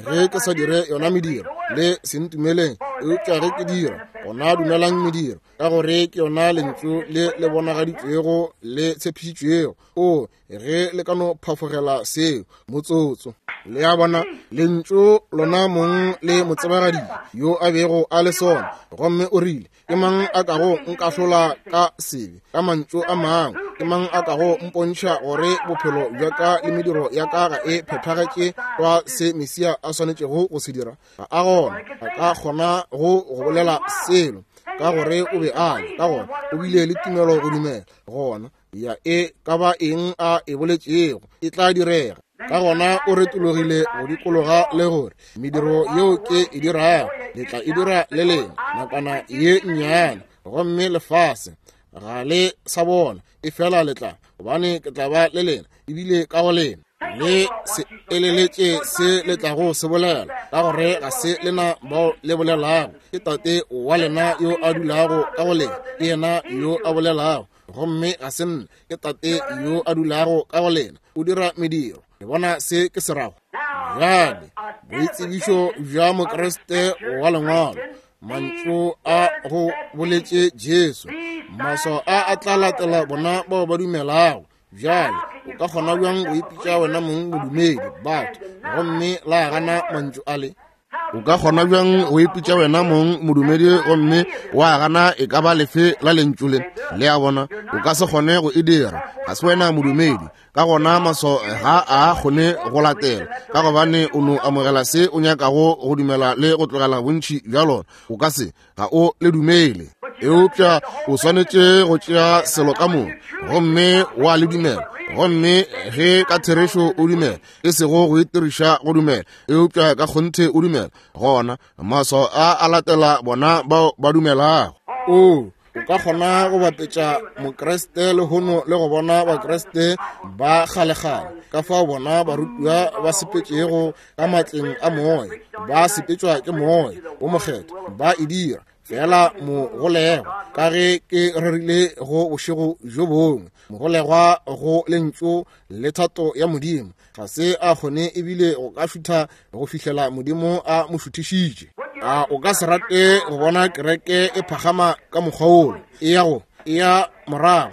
ge ke sa dire yona mediro, le se ntumeleng. Eupša ge ke dira, gona dumelang mediro, ka gore ke yona lentšu le le bonagaditšwego le tshepišitšwego. O ge le ka no phafogela seo motsotso. Le a bona, lentšu lona mong le motsebagadile yo a bego a le sona. Gomme o rile, ke mang a kago nkahlola ka sebe? Ka mantšu a mangwe, ke mang a kago mpontšha gore bophelo bja ka le mediro ya ka ga e phethagetše kwa se Mesia a swanetšego go se dira? Ga a gona a ka kgona go go bolela selo, ka gore o be a le. Ka gona o bile le tumelo go dumela gona ya e ka ba eng a e boletšego e tla direga. Ka gona o retologile go dikologa le gore mediro yeo ke e dirago le tla e dira le lena nakwana ye nnyane, gomme lefase ga le sa bona, e fela le tla, gobane ke tla ba le lena ebile ka go lena. Le se eleletše se le tlago se bolela, ka gore ga se lena bao le bolelago, ke Tate wa lena yo a dulago ka go lena, ke yena yo a bolelago. Gomme ga se nna, ke Tate yo a dulago ka go lena, o dira mediro. Le bona se ke se rago? Bjale, boitsebišo bja Mokriste wa lengwalo, mantšu a go boletše Jesu, maswao a a tla latela bona bao ba dumelago. Bjale, o ka kgona bjang go ipitša wena mong modumedi, batho, gomme la gana mantšu ale? O ka kgona bjang go ipitša wena mong modumedi gomme wa gana e ka ba lefe la lentšu le? Le a bona, o ka se kgone go e dira. Ga se wena modumedi. Ka gona maswao ga a kgone go latela, ka gobane o no amogela se o nyakago go dumela le go tlogela bontši bja lona. O ka se, ga o le dumele. Eupša o swanetše go tšea selo ka moka gomme wa le dumela. Gomme ge ka therešo o dumela, e sego go itiriša go dumela, eupša ka kgonthe o dumela, gona maswao a a latela bona bao ba dumelago. O o ka kgona go bapetša Mokriste lehono le go bona Bakriste ba kgalekgale, ka fao bona barutiwa ba sepetšego ka matleng a moya, ba sepetšwa ke moya wo mokgethwa, ba e dira fela mogolegwa, ka ge ke rerile go bošego bjo bongwe, mogolegwa go lentšu le thato ya Modimo, ga se a kgone ebile go ka šutha go fihlela Modimo a mo šuthišitše. A o ka se rate go bona kereke e phagama ka mokgwa wola? E ya go e ya morago,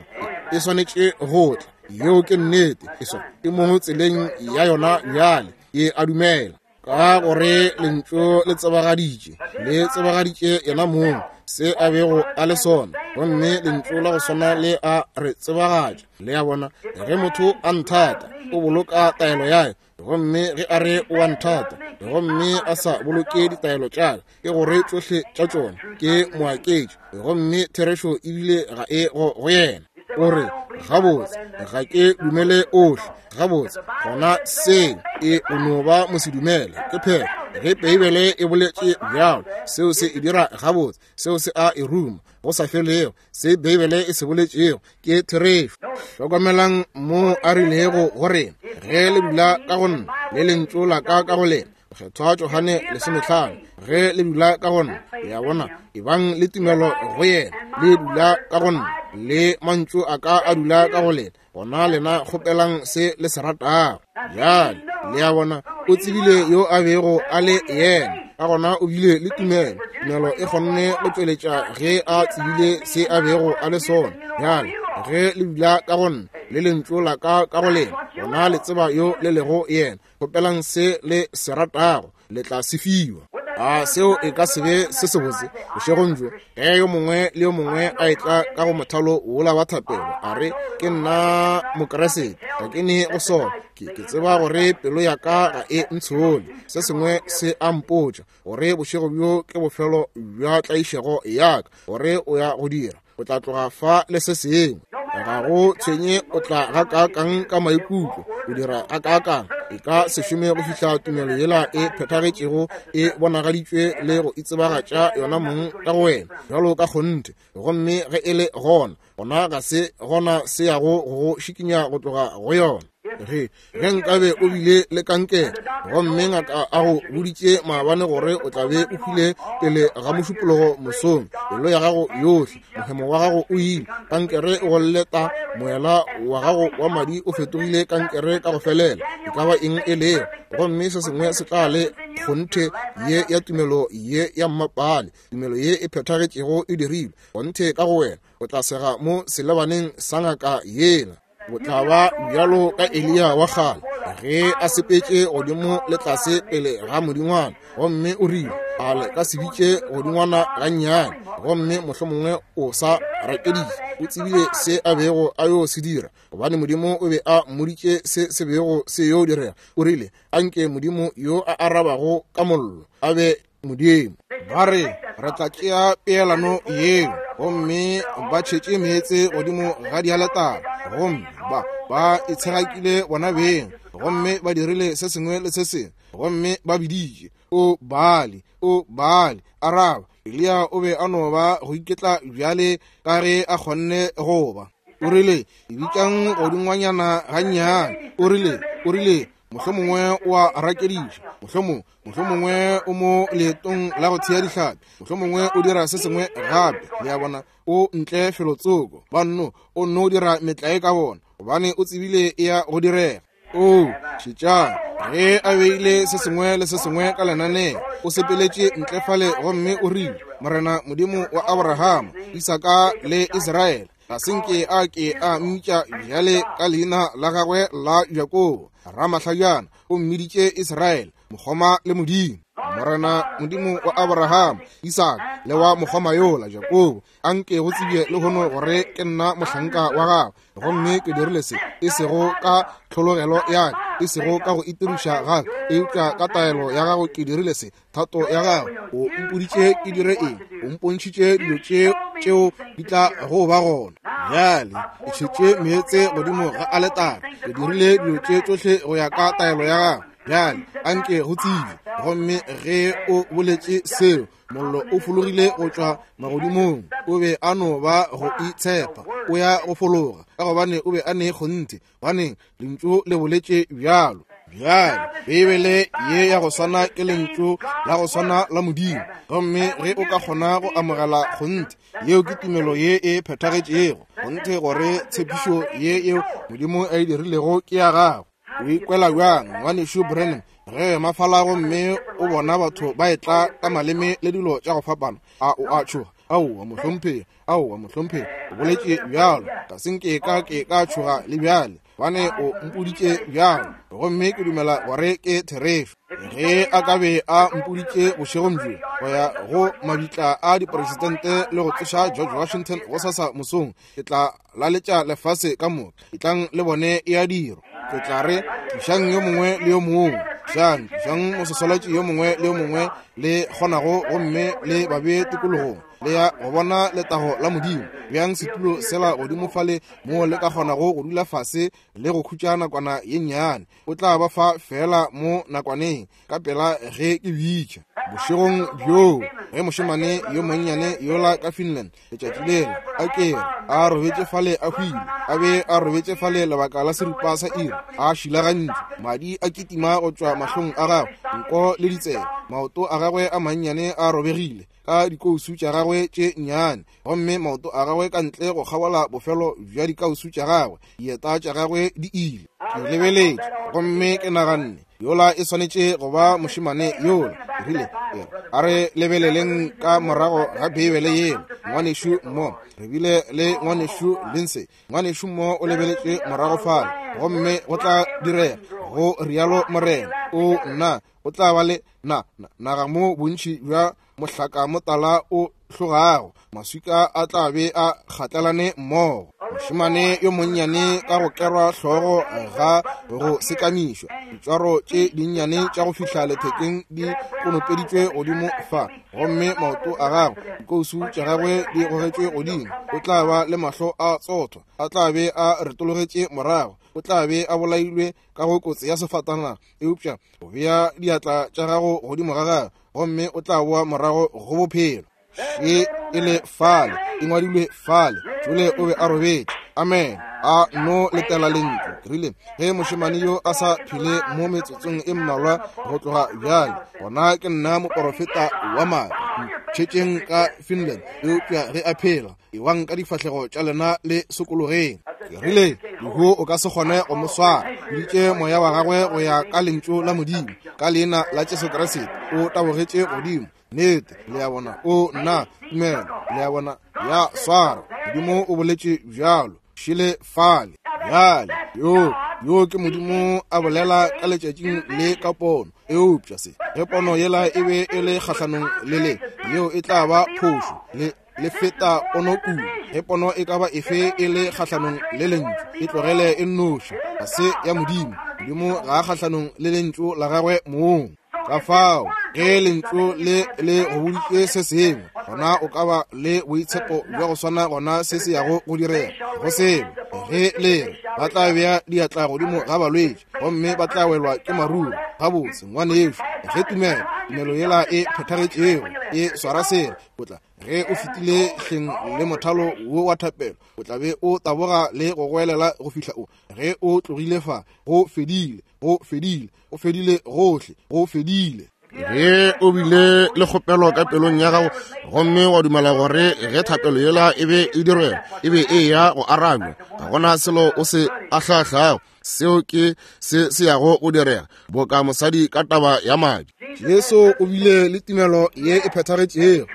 e swanetše go tla. Yeo ke nnete. E so e mo tseleng ya yona bjale, e a dumela, ka gore lentšu le tsebagaditše, le tsebagaditše yena mong se a bego a le sona, gomme lentšu la go swana le a re tsebagatša. Le a bona, ge motho a nthata, o boloka taelo ya ka, gomme ge a re o a nthata gomme a sa boloke ditaelo tša ka, ke gore tšohle tša tšona ke moaketši, gomme therešo ebile ga e go go yena. O re, gabotse, ga ke dumele ohle. Gabotse, gona seo e o no ba mosedumele. Ke phela ge Beibele e boletše bjalo, seo se e dira gabotse, seo se a e ruma go sa felego. Se Beibele e se boletšego ke therešo. Hlokomelang mo a rilego go rena, ge le dula ka go nna le lentšu la ka ka go lena, Mokgethwa Johane lesomehlano, ge le dula ka go nna, le a bona, ebang le tumelo go yena, le dula ka go nna, le mantšu a ka a dula ka go lena, gona lena kgopelang se le se ratago. Bjale, le a bona, o tsebile yo a bego a le yena, ka gona o bile le tumelo. Tumelo e kgonne go tšweletša ge a tsebile se a bego a le sona. Bjale, ge le dula ka go nna le lentšu la ka ka go lena, gona le tseba yo le lego yena, kgopelang se le se ratago, le tla se fiwa. A seo e ka se be se sebotse bošegong bjo, ge yo mongwe le yo mongwe a etla ka go mothalo wola wa thapelo, a re, ke nna Mokriste, ga ke ne go sona, ke ke tseba gore pelo ya ka ga e ntshole, se sengwe se a mpotša gore bošego bjo ke bofelo bja tlaišego ya ka, gore o ya go dira, o tla tloga fa le se sengwe. Ga go tshwenye o tla gakaakang ka maikutlo, o dira gakaakang, e ka se šome go fihla tumelo yela e phethagetšego e bonagaditšwe le go itsebagatša yona mong ka go wena bjalo ka kgonthe. Gomme ge e le gona, gona ga se gona se yago go go šikinya go tloga go yona. Ge ge nkabe o bile le kankere gomme ngaka a go boditše maabane gore o tla be o hwile pele ga mošupologo mosong, pelo ya gago yohle, mohemo wa gago o ile, kankere e go lleta, moela wa gago wa madi o fetogile kankere ka go felela, e ka ba eng e lego, gomme se sengwe se tla le kgonthe ye ya tumelo ye ya mmapale, tumelo ye e phethagetšego e dirilwe kgonthe ka go wena, o tla sega mo selebaneng sa ngaka yela. O tla ba bjalo ka Eliya wa kgale ge a sepetše godimo le tlase pele ga modingwana, gomme o rile a le ka se bitše godingwana gannyane, gomme mohlomongwe o sa rakediše. O tsebile se a bego a yo se dira, gobane Modimo o be a mmoditše se se bego se yo direga. O rile, anke Modimo yo a arabago ka mollo a be Modimo. Ba re re tla tšea peelano yeo, gomme ba tšhetše meetse godimo ga dialetara, gomme ba ba itshegakile bona beng, gomme ba dirile se sengwe le se sengwe, gomme ba biditše, o Baali, o Baali, araba. Eliya o be a no ba go iketla bjale ka ge a kgonne go ba. O rile, bitšang godingwanyana gannyane. O rile, o rile, mohlomongwe o a rakediša, mohlomongwe mohlomongwe o mo leetong la go thea dihlapi, mohlomongwe o dira se sengwe gape. Le a bona, o ntle felotsoko, ba nno o nno dira metlae ka bona, gobane o tsebile e ya go direga. O šetšang, ge a beile se sengwe le se sengwe ka lenaneo, o sepeletše ntle fale gomme o rile, Morena Modimo wa Abrahama, Isaka le Israele, ga se nke a ke a mmitša bjale ka leina la gagwe la Jakobo, ramahlajana, o mmiditše Israele, mokgoma le Modimo. Morena Modimo wa Abrahama, Isaka le wa mokgoma yola Jakobo, anke go tsebje lehono gore ke nna mohlanka wa gago, gomme ke dirile se e sego ka tlhologelo ya ka, e sego ka go itiriša ga ka, eupša ka taelo ya gago ke dirile se, thato ya gago. O mpoditše ke dire eng, o mpontšhitše dilo tše tšeo di tla go ba gona. Bjale ke tšhetše meetse godimo ga aletare, ke dirile dilo tše tšohle go ya ka taelo ya gago. Bjale anke go tsebje. Gomme ge o boletše seo, mollo o fologile go tšwa magodimong. O be a no ba go itshepa, o ya go fologa, ka gobane o be a ne kgonthe, gobane lentšu le boletše bjalo. Bjale Beibele ye ya go swana ke lentšu la go swana la Modimo, gomme ge o ka kgona go amogela kgonthe, yeo ke tumelo ye e phethagetšego, kgonthe gore tshepišo ye yeo Modimo a e dirilego ke ya gago. O ikwela bjang, ngwanešu Branham, ge mafala gomme o bona batho ba etla ka maleme le dilo tša go fapana? A o a tšhoga? Aowa mohlomphegi, aowa mohlomphegi, o boletše bjalo, ga se nke ka ke ka tšhoga le bjale, gobane o mpoditše bjalo, gomme ke dumela gore ke therešo. Ge a ka be a mpoditše bošegong bjo go ya go mabitla a dipresidente le go tsoša George Washington gosasa mosong, ke tla laletša lefase ka moka, etlang le bone e a dirwa. Ke tla re, tlišang yo mongwe le yo mongwe, tlišang tlišang mososolatši yo mongwe le yo mongwe le kgonago, gomme le ba bee tikologong, le ya go bona letago la Modimo. Bjang setulo sela godimo fale moo le ka kgonago go dula fase le go khutša nakwana ye nnyane. O tla ba fa fela mo nakwaneng ka pela ge ke bitša. Bošegong bjoo ge mošemane yo monnyane yola ka Finland letšatši lela a kere a robetše fale a hwile, a be a robetše fale lebaka la seripa sa iri, a šilagantšwe, madi a kitima go tšwa mahlong a gagwe, nko le ditsebe, maoto a gagwe a mannyane a robegile ka dikousu tša gagwe tše nnyane, gomme maoto a gagwe ka ntle go kgabola bofelo bja dikausu tša gagwe, dieta tša gagwe di ile. Ke lebeletše gomme ke naganne, yola e swanetše go ba mošemane yola. Rile, a re lebeleleng ka morago ga Beibele yela, ngwanešu mo re bile le ngwanešu Lindsay, ngwanešu mo o lebeletše morago fale, gomme go tla direga, go rialo Morena, o nna o tla ba le na naga mo bontši bja mohlaka motala o hlogago, maswika a tla be a kgatlelane mmogo. Mošemane yo monnyane ka go kerwa hlogo ga go sekamišwa, ditšwaro tše dinnyane tša go fihla lethekeng di konopeditšwe godimo fa, gomme maoto a gagwe, dikousu tša gagwe di gogetšwe godimo. O tla ba le mahlo a tsothwa, a tla be a retologetše morago, o tla be a bolailwe ka go kotsi ya sefatanaga, eupša o bea diatla tša gago godimo ga gagwe, gomme o tla boa morago go bophelo. Še e le fale, e ngwadilwe fale, tšole o be a robetše. Amen. A no letela lentšu. Ke rile, ge mošemane yo a sa phele mo metsotsong e mmalwa go tloga bjale, gona ke nna moporofeta wa maaka. Ntšhetšeng ka Finland, eupša ge a phela, ewang ka difahlego tša lena le sokologeng. Ke rile, lehu o ka se kgone go mo swara. Biditše moya wa gagwe go ya ka lentšu la Modimo, ka leina la Jesu Kriste, o tabogetše godimo. Nnete, le a bona, o nna tumelo, le a bona, ya swara. Modimo o boletše bjalo, šele fale. Bjale, yo, yo ke Modimo a bolela ka letšatšing le ka pono. Eupša se, ge pono yela e be e le kgahlanong le le, yeo e tla ba phošo, le le feta pono kudu. Ge pono e ka ba efe e le kgahlanong le lentšu, e tlogele e nnoši, ga se ya Modimo. Modimo ga a kgahlanong le lentšu la gagwe mong. Ka fao, ge lentšu le le go boditše se sengwe, gona o ka ba le boitshepo bja go swana gona se se yago go direga. Go sebe, ge le re ba tla bea diatla godimo ga balwetši gomme ba tla welwa ke maruru, gabotse ngwanešo, ge tumelo, tumelo yela e phethagetšego e swara sela, o tla ge o fetile hleng le mothalo wo wa thapelo, o tla be o taboga le go goelela go fihla o ge o tlogile fa, go fedile, go fedile, go fedile gohle, go fedile. Ge o bile le kgopelo ka pelong ya gago gomme wa dumela gore ge thapelo yela e be e dirwela, e be e ya go arabja, ga gona selo o se ahlaahlago, seo ke se se yago go direga, boka mosadi ka taba ya madi. Jesu o bile le tumelo ye e phethagetšego,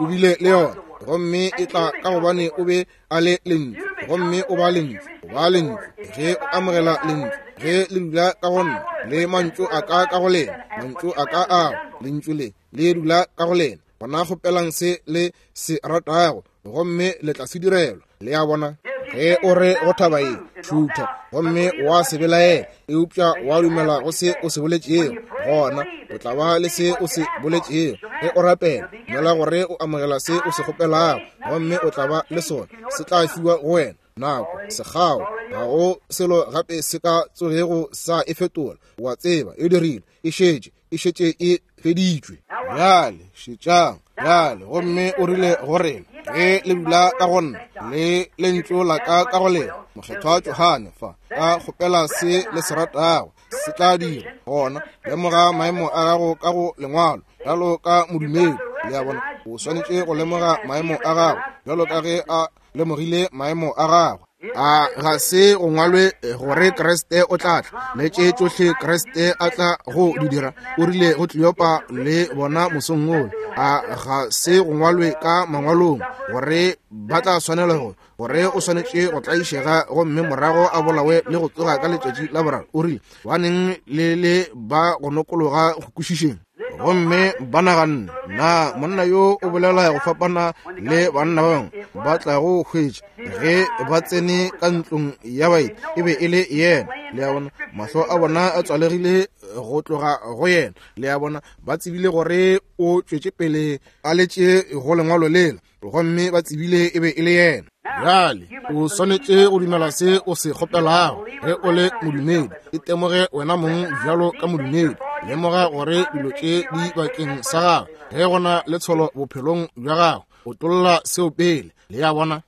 o bile le yona, gomme e tla ka gobane o be a le lentšu, gomme o ba lentšu, o ba lentšu. Ge o amogela lentšu, ge le dula ka go nna, le mantšu a ka ka go lena, mantšu a ka ao, lentšu le le dula ka go lena, gona kgopelang se le se ratago, gomme le tla se direlwa. Le a bona? Ge o re go thaba ye, šutha, gomme wa se belaela, eupša wa dumela go se o se boletšego, gona o tla ba le se o se boletšego. Ge o rapela, dumela gore o amogela se o se kgopelago, gomme o tla ba le sona, se tla fiwa go wena. Nako sekgao, ga go selo gape se ka tsogego sa e fetola. O a tseba, e dirile, e šetše, e šetše e feditšwe. Bjale šetšang, bjale, gomme o rile go rena, ge le dula ka go nna, le lentšu la ka ka go lena, mokgethwa Johane fa, ka kgopela se le se ratago, se tla dira. Gona lemoga maemo a gago ka go lengwalo, bjalo ka modumedi. Le a bona, o swanetše go lemoga maemo a gago, bjalo ka ge a lemogile maemo a gagwe. A ga se go ngwalwe gore Kriste o tla tla, le tše tšohle Kriste a tla go di dira? O rile go Kleopa le bona mosong wola. A ga se go ngwalwe ka mangwalong gore ba tla swanela go gore o swanetše go tlaišega gomme morago a bolawe le go tsoga ka letšatši la boraro? O rile, baneng le le ba go nokologa go kwešišeng. Gomme ba naganne, na monna yo o bolela go fapana le banna ba bangwe ba tla go hwetša ge ba tsene ka ntlong ya baeti, e be e le yena. Le a bona, mahlo a bona a tswalegile go tloga go yena. Le a bona, ba tsebile gore o tšwetše pele a letše go lengwalo lela, gomme ba tsebile e be e le yena. Bjale o swanetše go dumela se o se kgopelago. Ge o le modumedi, itemoge wena mong bjalo ka modumedi. Lemoga gore dilo tše di bakeng sa gago. Ge go na le tsholo bophelong bja gago, o tlolla seo pele. Le a bona,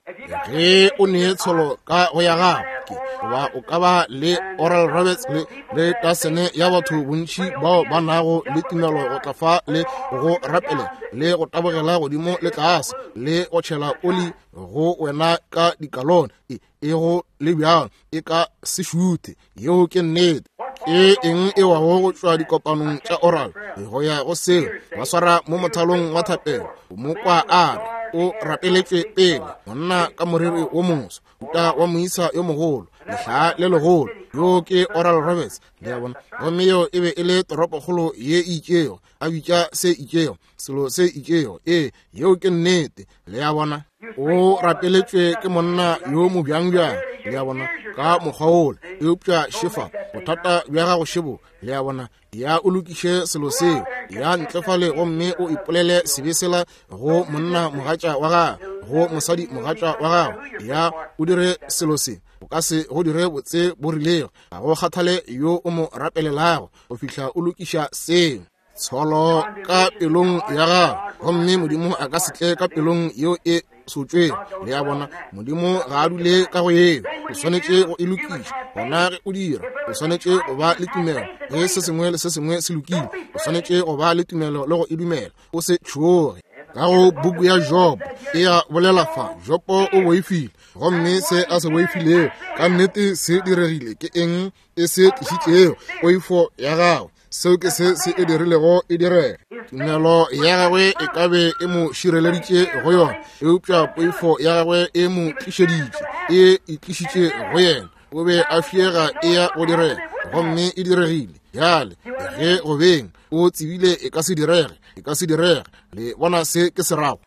ge o ne tsholo ka go ya gago, ke goba o ka ba le Oral Roberts le le tasene ya batho bontši bao ba nago le tumelo go tla fa le go rapele le go tabogela godimo le tlase le go tšhela oli go wena ka dikalone, e e go le bjalo e ka se šuthe. Yeo ke nnete. Ke eng e wago go tšwa dikopanong tša oral go ya go seo ba swara mo mothalong wa thapelo, mo kwa a re o rapeletšwe pele, monna ka moriri wo moso, uta wa moisa yo mogolo, lehlaa le legolo, yo ke Oral Roberts. Le a bona, gomme yo e be e le toropokgolo ye e itšego, a bitša se itšego, selo se itšego. Ee, yeo ke nnete. Le a bona, o rapeletšwe ke monna yo mobjangbjang. Le a bona, ka mokgwa wola. Eupša šefa bothata bja gago šebo. Le a bona, ya o lokiše selo seo, ya ntle fale gomme o ipolele sebe sela go monna mogatša wa gago, go mosadi mogatša wa gago. Ya o dire selo se, o ka se go dire botse bo rilego, ga go kgathale yo o mo rapelelago go fihla o lokiša seo. Tsholo ka pelong ya gago, gomme Modimo a ka se tle ka pelong yeo e sotšwego. Le a bona, Modimo ga a dule ka go yeo. O swanetše go e lokiša. Gona ge o dira, o swanetše go ba le tumelo. Ge se sengwe le se sengwe se lokile, o swanetše go ba le tumelo le go e dumela. O se tšhoge. Ka go buku ya Job e a bolela fa, Jobo o boifile, gomme se a se boifilego ka nnete se diregile. Ke eng e se tlišitšego? Poifo ya gagwe. Seo ke se se e dirilego e direge. Tumelo ya gagwe e ka be e mo šireleditše go yona, eupša poifo ya gagwe e mo tlišeditše, e e tlišitše go yena. O be a fiega e ya go direga, gomme e diregile. Bjale ge go beng o tsebile e ka se direge, e ka se direge. Le bona se ke se rago.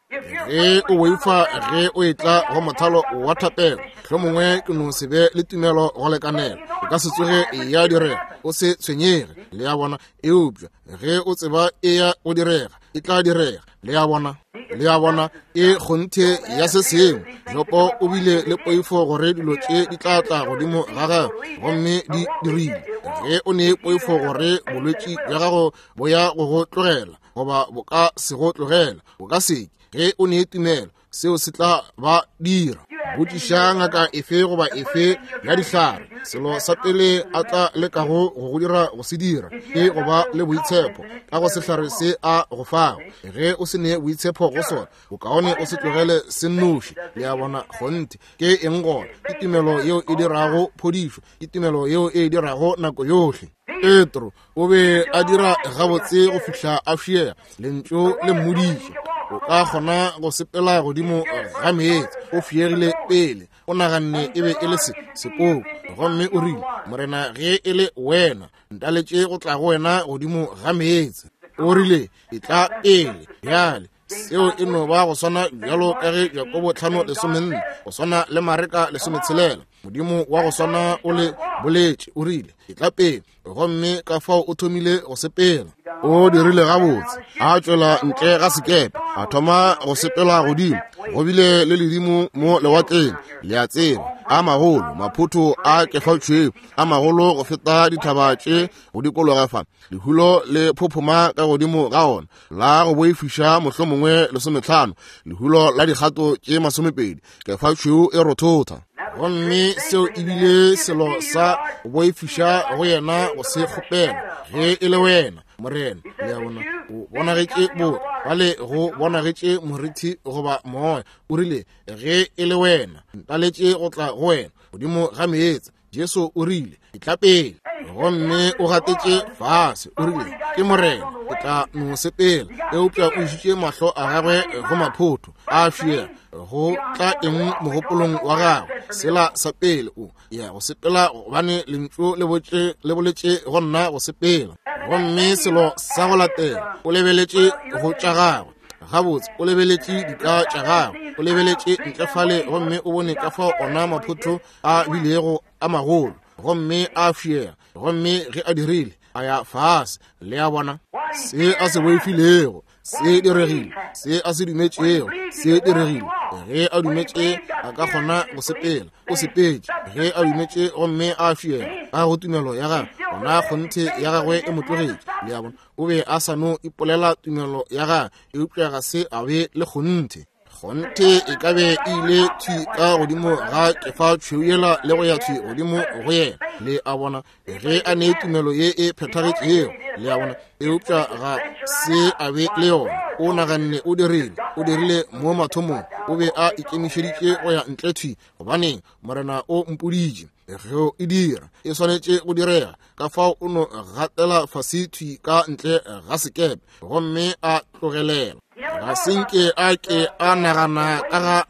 Ge o boifa ge o etla go mothalo wa thapelo, hlomongwe ke no se be le tumelo go lekanela, e ka se tsoge ya direga. O se tshwenyege, le a bona. Eupša ge o tseba e ya go direga, e tla direga. Le a bona, le a bona, e kgonthe ya se sengwe. Jobo o bile le poifo gore dilo tše di tla tla godimo ga gagwe, gomme di dirile. Ge o ne poifo gore bolwetši bja gago bo ya go go tlogela, goba bo ka se go tlogela, bo ka se ke. Ge o ne tumelo, seo se tla ba dira. Botšiša ngaka efe goba efe ya dihlare, selo sa pele a tla lekago go go dira go se dira ke go ba le boitshepo ka go sehlare se a go fago. Ge o se ne boitshepo go sona, bokaone o se tlogele se nnoši. Le a bona, kgonthe ke eng gona? Ke tumelo yeo e dirago phodišo, ke tumelo yeo e dirago nako yohle. Petro o be a dira gabotse go fihla a fiega, lentšu le mmoditše o ka kgona go sepela godimo ga meetse. O fiegile pele, o naganne e be e le se sepoko, gomme o rile, Morena, ge e le wena, ntaletše go tla go wena godimo ga meetse. O rile, e tla pele. Bjale seo e no ba go swana bjalo ka ge Jakobo tlhano lesomenne, go swana le Mareka lesometshelela. Modimo wa go swana o le boletše, o rile, e tla pele, gomme ka fao o thomile go sepela. O dirile gabotse, a tšwela ntle ga sekepe, a thoma go sepela godimo. Go bile le ledimo mo lewatleng, le a tseba, a magolo, maphotho a kefatšweu a magolo go feta dithaba tše go dikologa fa. Lehulo le phophoma ka godimo ga ona, la go boifiša mohlomongwe lesometlhano, lehulo la dikgato tše masomepedi, kefatšweu e rothotha. Gomme seo e bile selo sa go boifiša go yena go se kgopela. Ge e le wena, Morena, le a bona, o bonagetše bo bale go bonagetše morithi goba moya. O rile, ge e le wena, ntaletše go tla go wena godimo ga meetse. Jesu o rile, e tla pele. Gomme o gatetše fase, o rile, ke Morena, ke tla no sepela. Eupša o išitše mahlo a gagwe go maphotho a fiega. Go tla eng mogopolong wa gagwe? Sela sa pele, o ya go sepela gobane lentšu le botše le boletše go nna go sepela. Gomme selo sa go latela, o lebeletše go tša gagwe gabotse, o lebeletše dika tša gagwe, o lebeletše ntle fale, gomme o bone ka fao ona maphotho a bilego a magolo, gomme a fiega. Gomme ge a dirile, a ya fase. Le a bona, se a se boifilego se diregile, se a se dumetšego se diregile. Ge a dumetše a ka kgona go sepela, o sepetše. Ge a dumetše gomme a fiega ka go tumelo ya gagwe, gona kgonthe ya gagwe e mo tlogetše. Le a bona, o be a sa no ipolela tumelo ya gagwe, eupša ga se a be le kgonthe. Kgonthe e ka be e ile thwi ka godimo ga kefa tšhweu yela le go ya thwi godimo go yena. Le a bona, ge a ne tumelo ye e phethagetšego. Le a bona, eupša ga se a be le yona. O naganne o dirile, o dirile mo mathomong. O be a ikemišeditše go ya ntle thwi, gobaneng Morena o mpoditše ge e dira, e swanetše go direga. Ka fao o no gatela fase thwi ka ntle ga sekepe, gomme a tlogelela. Ga se nke a ke a nagana ka ga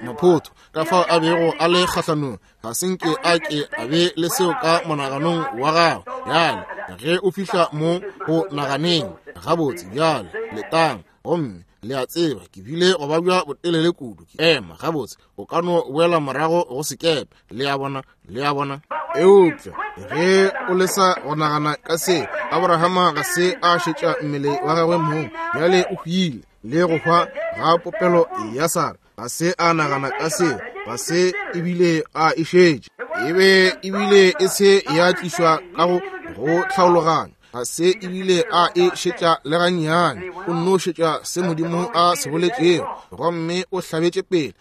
maphotho, ka fao a bego a le kgahlanong. Ga se nke a ke a be le seo ka monaganong wa gagwe. Bjale ge o fihla mo go naganeng gabotse, bjale letang, gomme le a tseba ke bile go babja botelele kudu, ke ema gabotse, o ka no boela morago go sekepe. Le a bona, le a bona. Eupša ge o lesa go nagana ka se, Abrahama ga se a šetša mmele wa gagwe mong, bjale o hwile le go hwa ga popelo ya Sara. Ga se a nagana ka se, ga se ebile a e šetše, e be ebile e se ya tlišwa ka go go tlhaologanyo. Ga se ebile a e šetša le gannyane. O nno šetša se Modimo a se boletšego, gomme o hlabetše pele.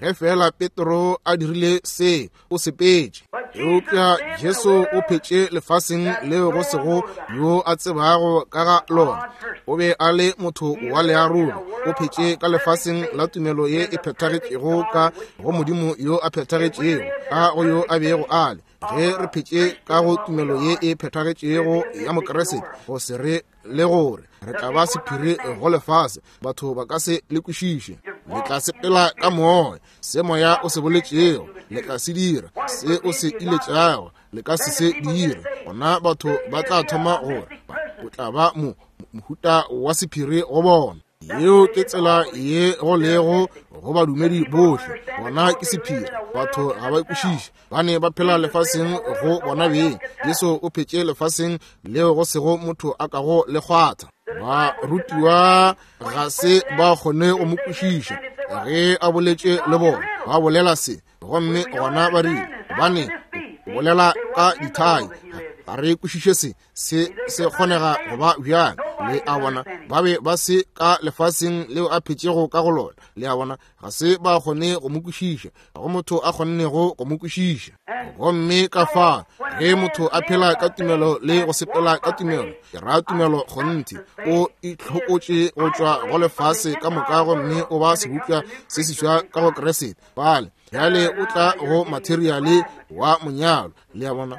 Ge fela Petro a dirile se, o sepetše. Eupša Jesu o phetše lefaseng leo go sego yo a tsebago ka ga lona. O be a le motho wa learogo. O phetše ka lefaseng la tumelo ye e phethagetšego ka go Modimo yo a phethagetšego, ka go yo a bego a le. Ge re phetše ka go tumelo ye e phethagetšego ya Mokriste, go se re le gore re tla ba sephiri go lefase, batho ba ka se le kwešiše. Le tla sepela ka moya, se moya o se boletšego le tla se dira, se o se iletšago le ka se se dire. Gona batho ba tla thoma gore o tla ba mo mohuta wa sephiri go bona. Yeo ke tsela ye go lego go badumedi bohle. Bona ke sephiri, batho ga ba kwešiše. Ba ne ba phela lefaseng go bona beng. Jesu o phetše lefaseng leo go sego motho a kago le kgwatha. Barutiwa ga se ba kgone go mo kwešiša ge a boletše le bona. Ba bolela se, gomme gona ba rile, gobane o bolela ka dithai, ga re kwešiše se, se se kgonega go ba bjang. Le a bona, ba be ba se ka lefaseng leo a phetšego ka go lona. Le a bona, ga se ba kgone go mo kwešiša. Ga go motho a kgonnego go mo kwešiša. Gomme ka fa, ge motho a phela ka tumelo le go sepela ka tumelo, ke ra tumelo kgonthe, o itlhokotše go tšwa go lefase ka moka, gomme o ba sebopša se seswa ka go Kriste. Bale bjale o tla go materiale wa monyalo. Le a bona,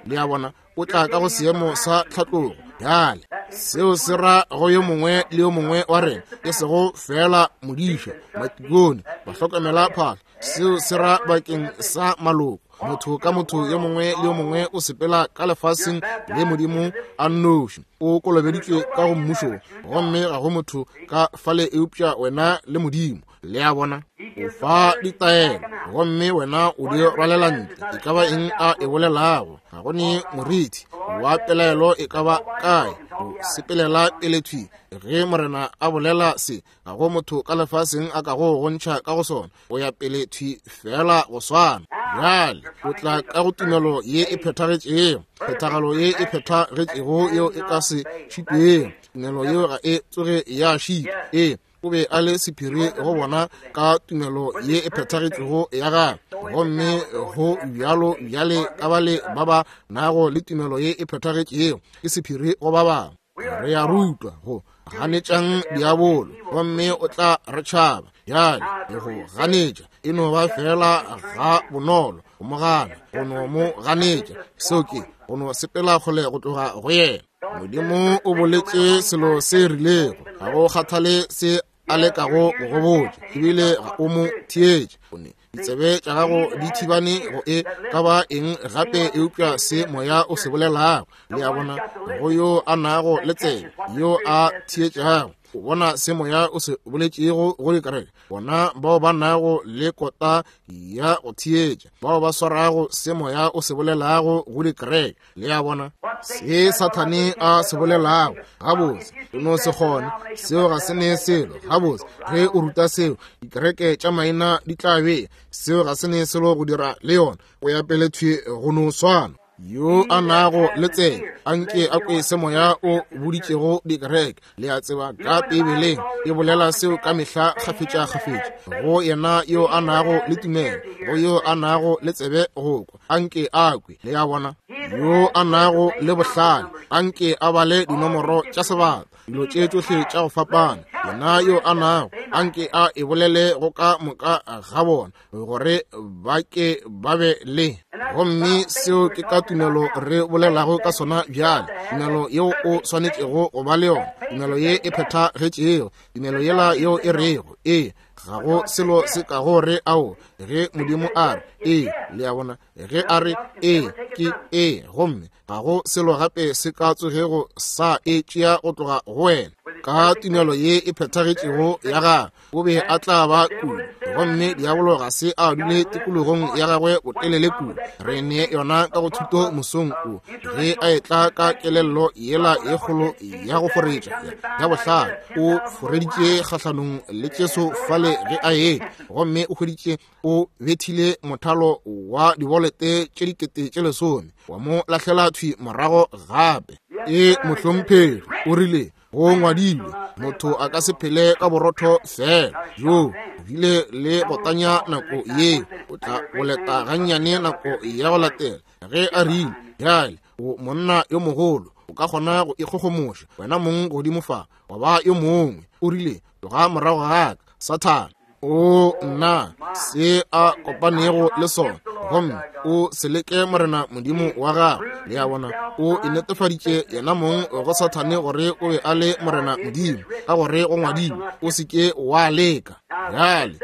le a bona, o tla ka go seemo sa tlhatlogo. Bjale seo se ra go yo mongwe le yo mongwe wa rena, e sego fela modiša, matikone, bahlokomela phahlo. Seo se ra bakeng sa maloko. Motho ka motho yo mongwe le yo mongwe o sepela ka lefaseng le Modimo a nnoši. O kolobeditšwe ka go mmušo, gomme ga go motho ka fale eupša wena le Modimo. Le a bona, o fa ditaelo, gomme wena o di rwalela ntle. E ka ba eng a e bolelago, ga go ne morithi wa pelaelo e ka ba kae. O sepelela pele thwi. Ge Morena a bolela se, ga go motho ka lefaseng a ka go gontšha ka go sona. O ya pele thwi fela go swana. Bjale o tla ka go tumelo ye e phethagetšego, phethagalo ye e phethagetšego yeo e ka se šitwego. Tumelo yeo ga e tsoge ya šitwa. Ee, o be a le sephiri go bona ka tumelo ye e phethagetšego ya gagwe. Gomme go bjalo bjale ka bale ba ba nago le tumelo ye e phethagetšego, ke sephiri go ba bangwe. Re a rutwa go ganetšang diabolo, gomme o tla re tšhaba. Bjale go ganetša e no ba fela ga bonolo go mo gana, go no mo ganetša. Seo ke go no sepela kgole go tloga go yena. Modimo o boletše selo se rilego, ga go kgathale se a lekago go go botša, ebile ga o mo theetše. O ne ditsebe tša gago di thibane go e ka ba eng gape eupša se moya o se bolelago. Le a bona, go yo a nago le tsebe, yo a theetšago, o bona se moya o se boletšego go dikereke. Bona bao ba nago le kota ya go theetša, bao ba swarago se moya o se bolelago go dikereke. Le a bona se Sathane a se bolelago. Gabotse o no se kgone, seo ga se ne selo. Gabotse ge o ruta seo, dikereke tša maina di tla be. Seo ga se ne selo go dira le yona. O ya pele thwi go no swana. Yo a nago le tsebe, anke a kwe se moya o boditšego dikereke. Le a tseba ka Bibeleng e bolela seo ka mehla kgafetša-kgafetša. Go yena yo a nago le tumelo, go yo a nago le tsebe go kwa, anke a kwe. Le a bona, yo a nago le bohlale, anke a bale dinomoro tša sebata, dilo tše tšohle tša go fapana. Yena yo a nago, anke a e bolele go ka moka ga bona, gore ba ke ba be le. Gomme seo ke ka tumelo re bolelago ka sona bjale. Tumelo yeo o swanetšego go ba le yona, tumelo ye e phethagetšego, tumelo yela yeo e rego ee, ga go selo se ka go re ao. Ge Modimo a re ee, le a bona, ge a re ee ke ee, gomme ga go selo gape se ka tsogego sa e tšea go tloga go wena. Ka tumelo ye e phethagetšego ya gagwe, o be a tla ba kudu. Gomme diabolo ga se a dule tikologong ya gagwe botelele kudu. Re ne yona ka go thuto mosong o, ge a etla ka kelello yela ye kgolo ya go foretša ya bohlale, o foreditše kgahlanong le Jesu fale ge a etla, gomme o hweditše o bethile mothalo wa dibolete tše dikete tše lesome, wa mo lahlela thwi morago gape. E mohlomphegi o rile, go ngwadilwe, motho a ka se phele ka borotho fela. Jo bile le go tanya nako ye, o tla boleta gannyane nako ya go latela. Ge a rile, bjale o monna yo mogolo, o ka kgona go ikgogomoša wena mong godimo fa, wa ba yo mongwe. O rile, tloga morago ga ka, Sathane. O nna se a kopanego le sona, gomme o se leke Morena Modimo wa gago. Le a bona, o e netefaditše yena mong go Sathane gore o be a le Morena Modimo, ka gore go ngwadilwe, o se ke wa leka. Bjale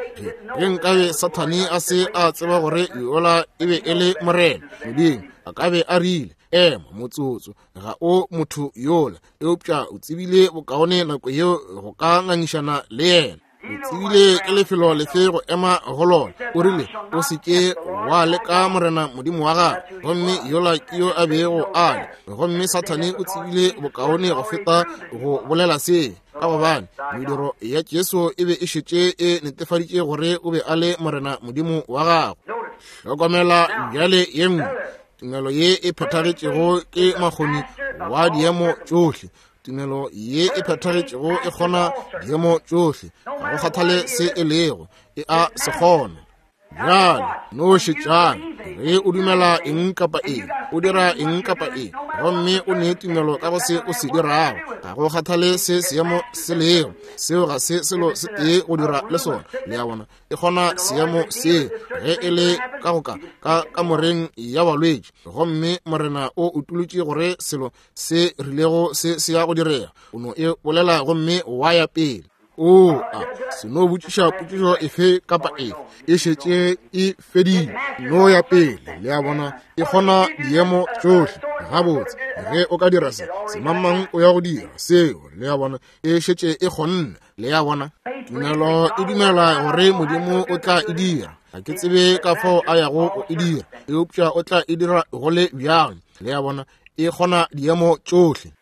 ge nkabe Sathane a se a tseba gore yola e be e le Morena Modimo, a ka be a rile, ema motsotso, ga o motho yola. Eupša o tsebile bokaone nako yeo go ka ngangišana le yena. O tsebile ke lefelo lefe go ema go lona. O rile, o se ke wa leka Morena Modimo wa gago. Gomme yola ke yo a bego a le. Gomme Sathane o tsebile bokaone go feta go bolela se, ka gobane mediro ya Jesu e be e šetše e netefaditše gore o be a le Morena Modimo wa gago. Hlokomela bjale ye nngwe tumelo ye e phethagetšego ke makgoni wa diemo tšohle. Tumelo ye e phethagetšego e kgona diemo tšohle, ga go kgathale se e lego, e a se kgona. Bjale no šetšang, ge o dumela eng kapa eng, o dira eng kapa eng, gomme o ne tumelo ka go se o se dirago, ga go kgathale se seemo se lego, seo ga se selo se tee go dira le sona. Le a bona, e kgona seemo se ge e le ka go ka ka kamoreng ya balwetši, gomme Morena o utolotše gore selo se rilego se se ya go direga, o no e bolela gomme wa ya pele. O a se no botšiša potšišo efe kapa efe, e šetše e fedile, no ya pele. Le a bona, e kgona diemo tšohle. Gabotse, ge o ka dira se, semangmang o ya go dira seo. Le a bona, e šetše e kgonne. Le a bona, tumelo e dumela gore Modimo o tla e dira. Ga ke tsebe ka fao a yago go e dira, eupša o tla e dira go le bjang. Le a bona, e kgona diemo tšohle.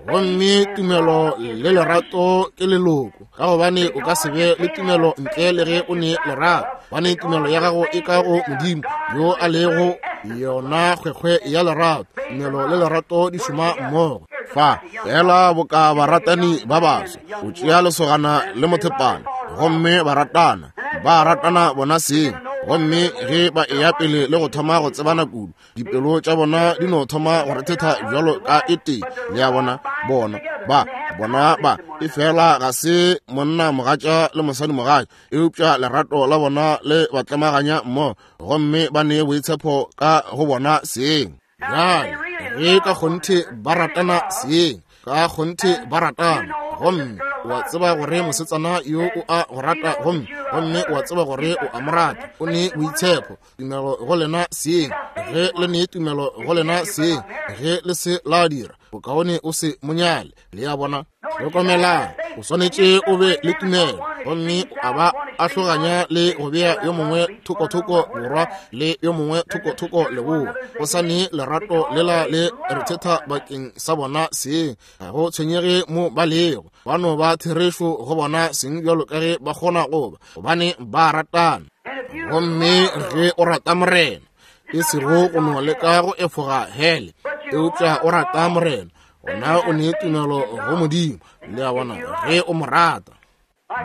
Gomme tumelo le lerato ke leloko, ka gobane o ka se be le tumelo ntle le ge o ne lerato. Gobane tumelo ya gago e ka go Modimo yo a lego yona kgwekgwe ya lerato. Tumelo le lerato di šoma mmogo. Fa fela boka baratani ba baswa, o tšea lesogana le mothepana, gomme ba ratana, ba ratana bona seng. Gomme ge ba eya pele le go thoma go tsebana kudu, dipelo tša bona di no thoma go rethetha bjalo ka e tee. Le a bona, bona ba bona ba e fela ga se monna mogatša le mosadi mogatša, eupša lerato la bona le ba tlemaganya mmogo, gomme ba ne boitshepo ka go bona seng. Bjale ge ka kgonthe ba ratana seng, ka kgonthe ba ratana, gomme o a tseba gore mosetsana yo o a go rata, gomme gomme o a tseba gore o a mo rata, o ne boitshepo tumelo go lena seng. Ge le ne tumelo go lena seng, ge le se la dira, bokaone o se monyale. Le a bona, hlokomelang, o swanetše o be le tumelo, gomme a ba a hloganya le go bea yo mongwe thokothoko borwa le yo mongwe thokothoko leboa. Go sa ne lerato lela le rethetha bakeng sa bona seng, ga go tshwenyege mo ba lego, ba no ba therešo go bona seng bjalo ka ge ba kgona go ba, gobane ba ratana. Gomme ge o rata Morena, e sego go no leka go efoga hele, eupša o rata Morena, gona o ne tumelo go Modimo. Le a bona, ge o mo rata.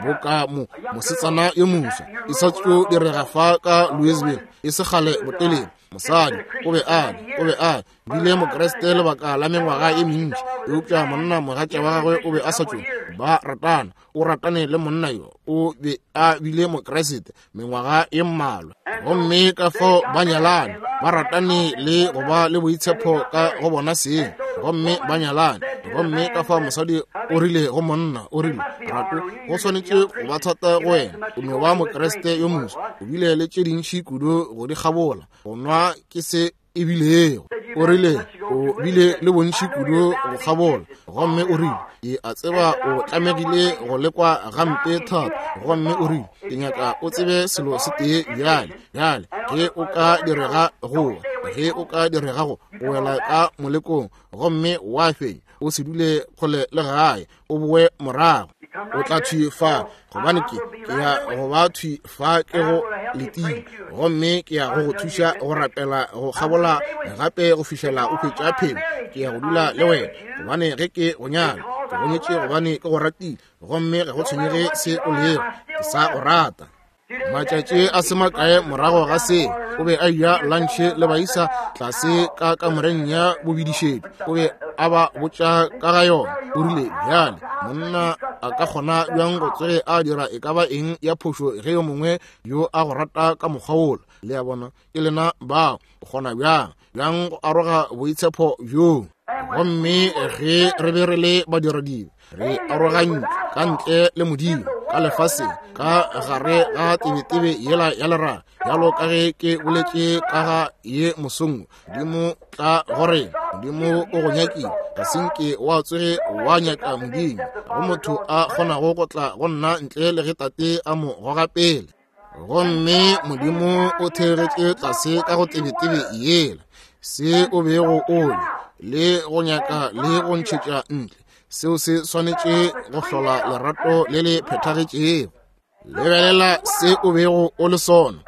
Boka mo mosetsana yo moswa e sa tšo direga fa ka Louisville e se kgale botelele. Mosadi o be a o be a bile Mokreste lebaka la mengwaga e mentši, eupša monna mogatša wa gagwe o be a sa tšo ba ratana. O ratane le monna yo, o be a bile Mokreste mengwaga e mmalwa, gomme ka fao ba nyalane, ba ratane le go ba le boitshepo ka go bona seng, gomme ba nyalane. Gomme ka fao mosadi o rile go monna, o rile, rato, go swanetše go ba thata go wena, o no ba Mokreste yo moswa, o bile le tše dintši kudu go di kgabola, go nwa ke se e bilego. O rile o bile le bontši kudu go kgabola, gomme o rile ke a tseba o tlamegile go lekwa gampe thata, gomme o rile ke nyaka o tsebe selo se tee bjale, bjale ge o ka direga go ge o ka direga go wela ka molekong gomme wa fenya, o se dule kgole le gae, o boe morago, o tla thwi fa, gobane ke ke ya go ba thwi fa ke go letile, gomme ke ya go go thuša go rapela go kgabola gape go fihlela o hwetša phelo. Ke ya go dula le wena, gobane ge ke go nyala ke go nyetše gobane ke go ratile, gomme ga go tshwenyege se o lego, ke sa go rata. Matšatši a se makae morago ga se, o be a eja lantšhe le baisa tlase ka kamoreng ya bobidišetšo. O be a ba botša ka ga yona. O rile bjale monna a ka kgona bjang go tsoge a dira e ka ba eng ya phošo ge yo mongwe yo a go rata ka mokgwa wola? Le a bona, ke lena bao. O kgona bjang bjang go aroga boitshepo bjoo? Gomme ge re be re le badiradibe, re arogantšwe ka ntle le Modimo ka lefaseng, ka gare ga tebetebe yela ya lerato, bjalo ka ge ke boletše ka ga ye mosong. Modimo tla gore Modimo o go nyakile, ga se nke wa tsoge wa nyaka Modimo. Ga go motho a kgonago go tla go nna ntle le ge Tate a mo goga pele. Gomme Modimo o theegetše tlase ka go tebetebe yela, se o bego o le le go nyaka le go ntšhetša ntle, seo se swanetše go hlola lerato le le phethagetšego. Lebelela se o bego o le sona,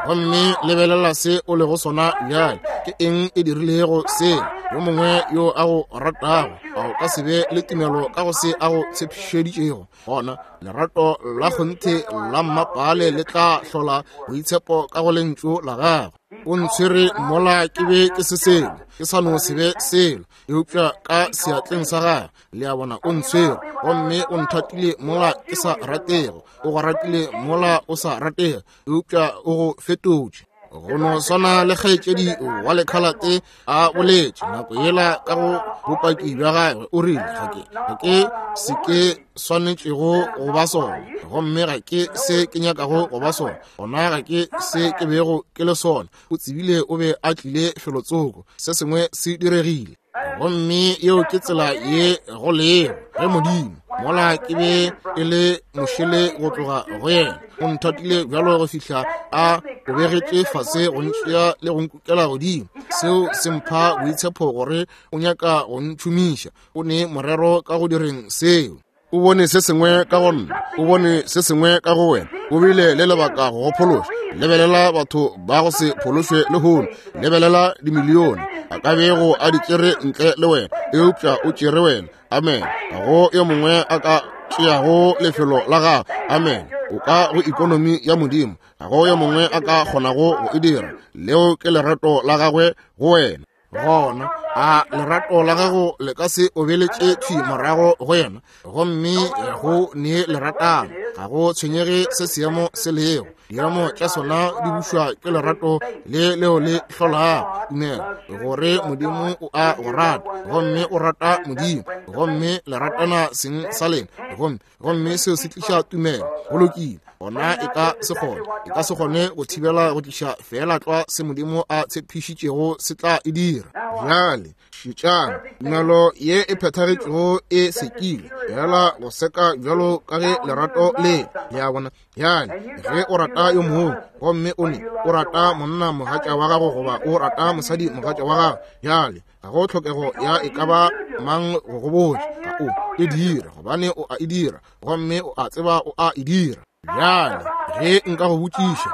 gomme lebelela se o lego sona bjale. Ke eng e dirilego se? Yo mongwe yo a go ratago, a o ka se be le tumelo ka go se a go tshepišeditšego? Gona lerato la kgonthe la mmapale le tla hlola boitshepo ka go lentšu la gagwe. O ntshwere mola ke be ke se selo, ke sa no se be selo, eupša ka seatleng sa gagwe, le a bona, o ntshwere, gomme o nthatile mola ke sa ratego, o go ratile mola o sa ratege, eupša o go fetotše. Go no swana le kgaetšedi wa lekhalate a boletše nako yela ka go bopaki bja gagwe, o rile ga ke ga ke se ke swanetšego go ba sona, gomme ga ke se ke nyakago go ba sona, gona ga ke se ke bego ke le sona. O tsebile o be a tlile felotsoko, se sengwe se diregile. Gomme yeo ke tsela ye go lego ge Modimo, mola ke be ke le mošele go tloga go yena, o nthatile bjalo go fihla a obegetše fase go ntšea le go nkukela godimo. Seo se mpha boitshepo gore o nyaka go ntšhomiša. O ne morero ka go direng seo. O bone se sengwe ka go nna, o bone se sengwe ka go wena, o bile le lebaka go go phološa. Lebelela batho ba go se phološwe lehono, lebelela dimilione a ka bego a di tšere ntle le wena, eupša o tšere wena. Amen. Ga go yo mongwe a ka tšeago lefelo la gago. Amen. O ka go ikonomi ya Modimo, ga go yo mongwe a ka kgonago go e dira. Leo ke lerato la gagwe go wena. Gona a lerato la gago le ka se obeletše thwi morago go yena, gomme go ne leratano. Ga go tshwenyege se seemo se lego, diemo tša sona di bušwa ke lerato le leo le hlolago tumelo gore Modimo o a go rata, gomme o rata Modimo, gomme le ratana seng sa lena, gomme gomme seo se tliša tumelo. Go lokile. Gona e ka se kgone, e ka se kgone go thibela go tliša feela tlwa se Modimo a tshepišitšego se tla e dira. Bjale šetšang, tumelo ye e phethagetšego e sekile fela go seka bjalo ka ge lerato le le a bona. Bjale ge o rata yo mongwe, gomme o ne o rata monna mogatša wa gago goba o rata mosadi mogatša wa gago, bjale ga go tlhokego ya e ka ba mang go go botša, ga o e dira gobane o a e dira, gomme o a tseba o a e dira. Bjale ge nka go botšiša,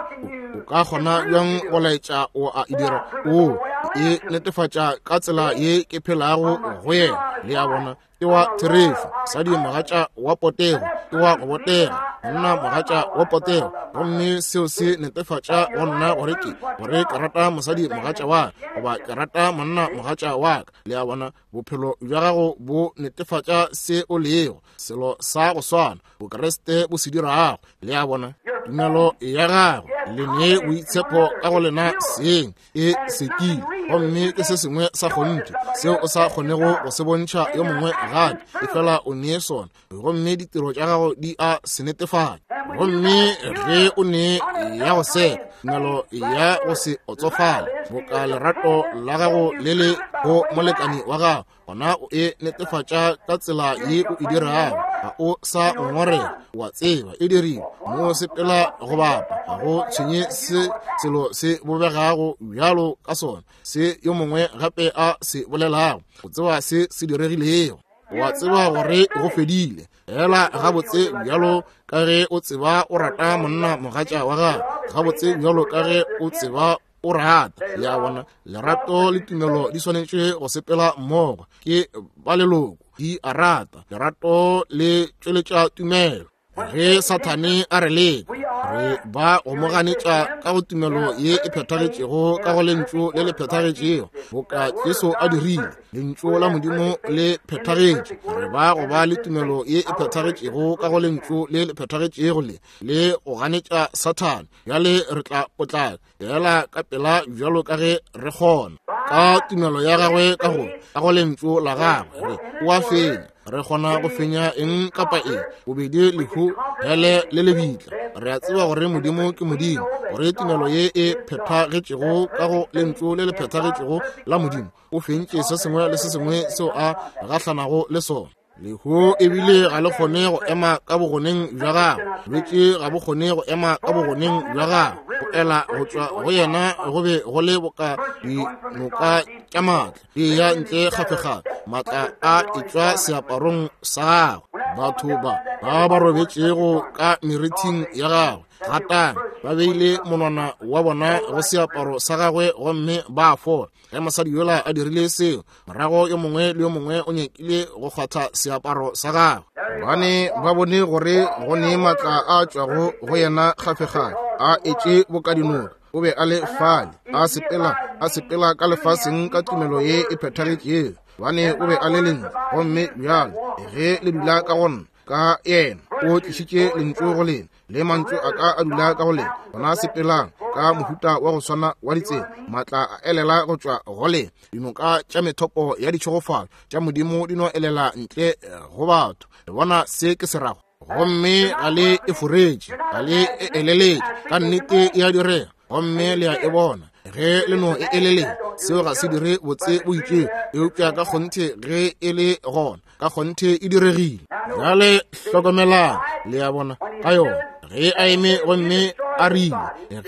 o ka kgona bjang go laetša o a e dira? O e netefatša ka tsela ye ke phelago go yena. Le a bona, ke wa therešo. Mosadi mogatša wa potego ke wa go botega, monna mogatša wa potego, gomme seo se netefatša go nna gore ke gore ke rata mosadi mogatša wa ka goba ke rata monna mogatša wa ka. Le a bona, bophelo bja gago bo netefatša se o lego, selo sa go swana Bokreste bo se dirago. Le a bona, tumelo ya gago le ne boitshepo ka go lena seng e sekile, Gomme ke se sengwe sa kgonthe seo o sa kgonego go se bontšha yo mongwe gape, efela o nee sona, gomme ditiro tša gago di a se netefatša. Gomme ge o ne ya go seka, tumelo ya go se otsofale, boka lerato la gago le le go molekani wa gago, gona o e netefatša ka tsela ye o e dirago. Ga o sa ngongorega, wa tseba e dirile mo sepela go bapa, ga go tshwenye se selo se bobegago bjalo ka sona, se yo mongwe gape a se bolelago, o tseba se se diregilego, wa tseba gore go fedile. Fela gabotse bjalo ka ge o tseba o rata monna mogatša wa gago, gabotse bjalo ka ge o tseba o rata. Ya bona, lerato le tumelo di swanetše go sepela mmogo, ke ba leloko, di a rata. Lerato le tšweletša tumelo. Ge Sathane a re leka, re ba go mo ganetša ka go tumelo ye e phethagetšego, ka go lentšu le le phethagetšego, boka Jesu a dirile. Lentšu la Modimo le phethagetše. Re ba go ba le tumelo ye e phethagetšego ka go lentšu le le phethagetšego le le go ganetša Sathane. Bjale re tla potlaka fela ka pela bjalo ka ge re kgona, ka tumelo ya gagwe ka go ka go lentšu la gagwe, re o a fenya. Re kgona go fenya eng kapa eng, bobedi lehu, hele le lebitla. Re a tseba gore Modimo ke Modimo, gore tumelo ye e phethagetšego ka go lentšu le le phethagetšego la Modimo o fentše se sengwe le se sengwe seo a gahlanago le sona. Lehu ebile ga le kgone go ema ka bogoneng bja gagwe, bolwetši ga bo kgone go ema ka bogoneng bja gagwe. Go ela go tšwa go yena go be go le boka dinoka tša maatla di ya ntle kgafekgafe, maatla a etšwa seaparong sa gagwe. Batho ba ba ba robetšego ka merithing ya gagwe gatang ba beile monwana wa bona go seaparo sa gagwe gomme ba fola. Ge mosadi yola a dirile seo, morago yo mongwe le yo mongwe o nyakile go kgwatha seaparo sa gagwe, gobane ba bone gore go ne maatla a tšwago go yena kgafekgafe, a etše boka dinoka. O be a le fale, a sepela, a sepela ka lefaseng ka tumelo ye e phethagetšego, gobane o be a le lentšu. Gomme bjalo ge le dula ka go nna, ka yena o tlišitše lentšu go lena, le mantšu a ka a dula ka go lena, gona sepelang ka mohuta wa go swana wa ditsela, maatla a elela go tšwa go lena. Dinoka tša methopo ya ditšhegofalo tša Modimo di no elela ntle go batho. Le bona se ke se rago? Gomme ga le e foretše, ga le e eleletše, ka nnete e a direga, gomme le a e bona. Ge le no e eleletše, seo ga se dire botse bo itšego, eupša ka kgonthe ge e le gona, ka kgonthe e diregile. Bjale hlokomelang, le a bona ka yona. Ge a eme gomme a rile,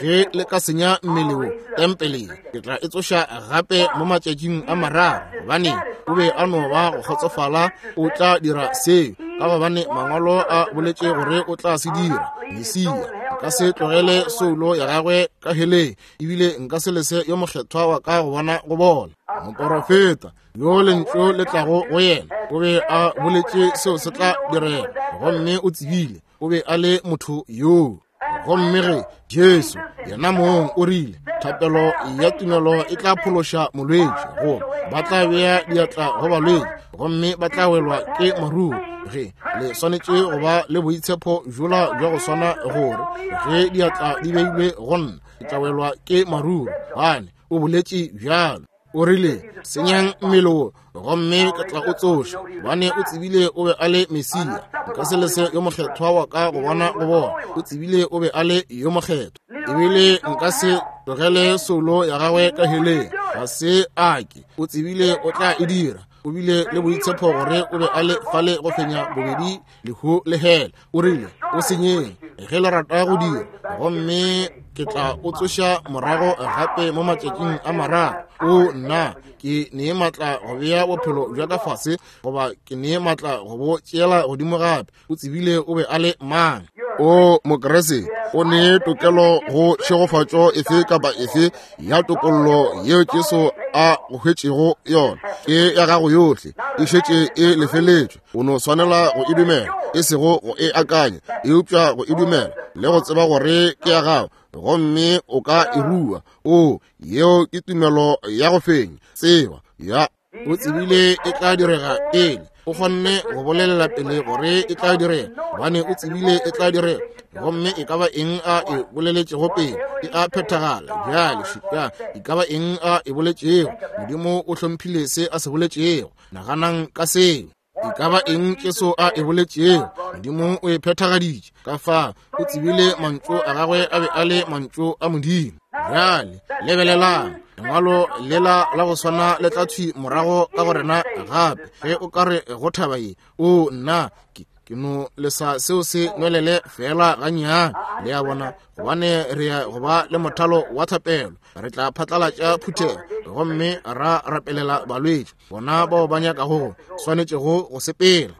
ge le ka senya mmele wo tempeleng, ke tla e tsoša gape mo matšatšing a mararo. Gobane o be a no ba go kgotsofala o tla dira seo, ka gobane mangwalo a boletše gore o tla se dira. Mesia nka se tlogele soulo ya gagwe ka heleng, ebile nka se lese yo mokgethwa wa ka go bona go bona. Moporofeta yo lentšu le tlago go yena o be a boletše seo se tla direga, gomme o tsebile o be a le motho yoo. Gomme ge Jesu yena mong o rile, thapelo ya tumelo e tla phološa molwetši, goba ba tla bea diatla go balwetši gomme ba tla welwa ke maruru. Ge le swanetše go ba le boitshepo bjola bja go swana, gore ge diatla di beilwe go nna ke tla welwa ke maruru, gobane o boletše bjalo. O rile, senyang mmele wo gomme ke tla o tsoša, gobane o tsebile o be a le Mesia. Nka se lese yo mokgethwa wa ka go bona go bona. O tsebile o be a le yo mokgethwa, ebile nka se tlogele soulo ya gagwe ka heleng. Ga se ake, o tsebile o tla e dira. O bile le boitshepo gore o be a le fale go fenya bobedi lehu le hele. O rile, o senyeng ge le rata go dira, gomme ke tla o tsoša morago gape mo matšatšing a mararo. O nna ke nee maatla go bea bophelo bja ka fase, goba ke nee maatla go bo tšeela godimo gape. O tsebile o be a le mang. O Mokriste o ne tokelo go tšhegofatšo efe kapa efe ya tokollo yeo Jesu a go hwetšego yona. Ke ya gago yohle, e šetše e lefeletšwe. O no swanela go e dumela, e sego go e akanya, eupša go e dumela le go tseba gore ke ya gago, gomme o ka e rua. O yeo ke tumelo ya go fenya. Tseba ya o tsebile e tla direga pele. O kgonne go bolelela pele gore e tla direga, gobane o tsebile e tla direga. Gomme e ka ba eng a e boleletšego pele e a phethagala. Bjale šupa e ka ba eng a e boletšego. Modimo o hlomphile se a se boletšego. Naganang ka seo. E ka ba eng Jesu a e boletšego, Modimo o e phethagaditše. Ka fa o tsebile mantšu a gagwe a be a le mantšu a Modimo. Bjale lebelelang lengwalo lela la go swana le tla thwi morago ka go rena gape. Ge o ka re go thaba ye, o nna ke ke no lesa seo se nwelele fela gannyane, le a bona, gobane re ya go ba le mothalo wa thapelo. Re tla phatlalatša phuthego gomme ra rapelela balwetši, bona bao ba nyakago go swanetšego go sepela.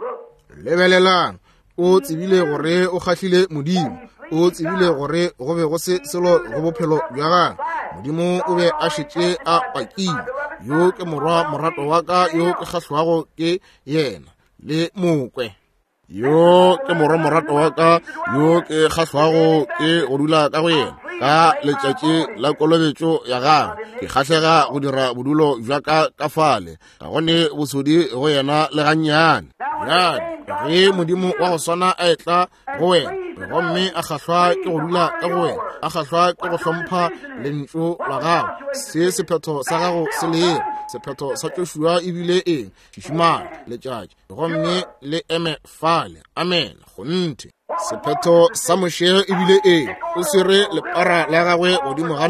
Lebelelang, o tsebile gore o kgahlile Modimo. O tsebile gore go be go se selo go bophelo bja gagwe. Modimo o be a šetše a pakile, yo ke morwa morato wa ka yo ke kgahlwago ke yena, le mokwe. Yo ke morwa morato wa ka yo ke kgahlwago ke go dula ka go yena. Ka letšatši la kolobetšo ya gagwe ke kgahlega go dira bodulo bja ka ka fale, ga gone bosodi go yena le gannyane. Bjale ge Modimo wa go swana a etla go wena gomme a kgahlwa ke go dula ka go wena, a kgahlwa ke go hlompha lentšu la gago, se sephetho sa gago se lego. Sephetho sa Joshua ebile eng? Šišimala letšatši gomme le eme fale. Amen. Kgonthe. Sephetho sa Moshe ebile eng? O swere lepara la gagwe godimo ga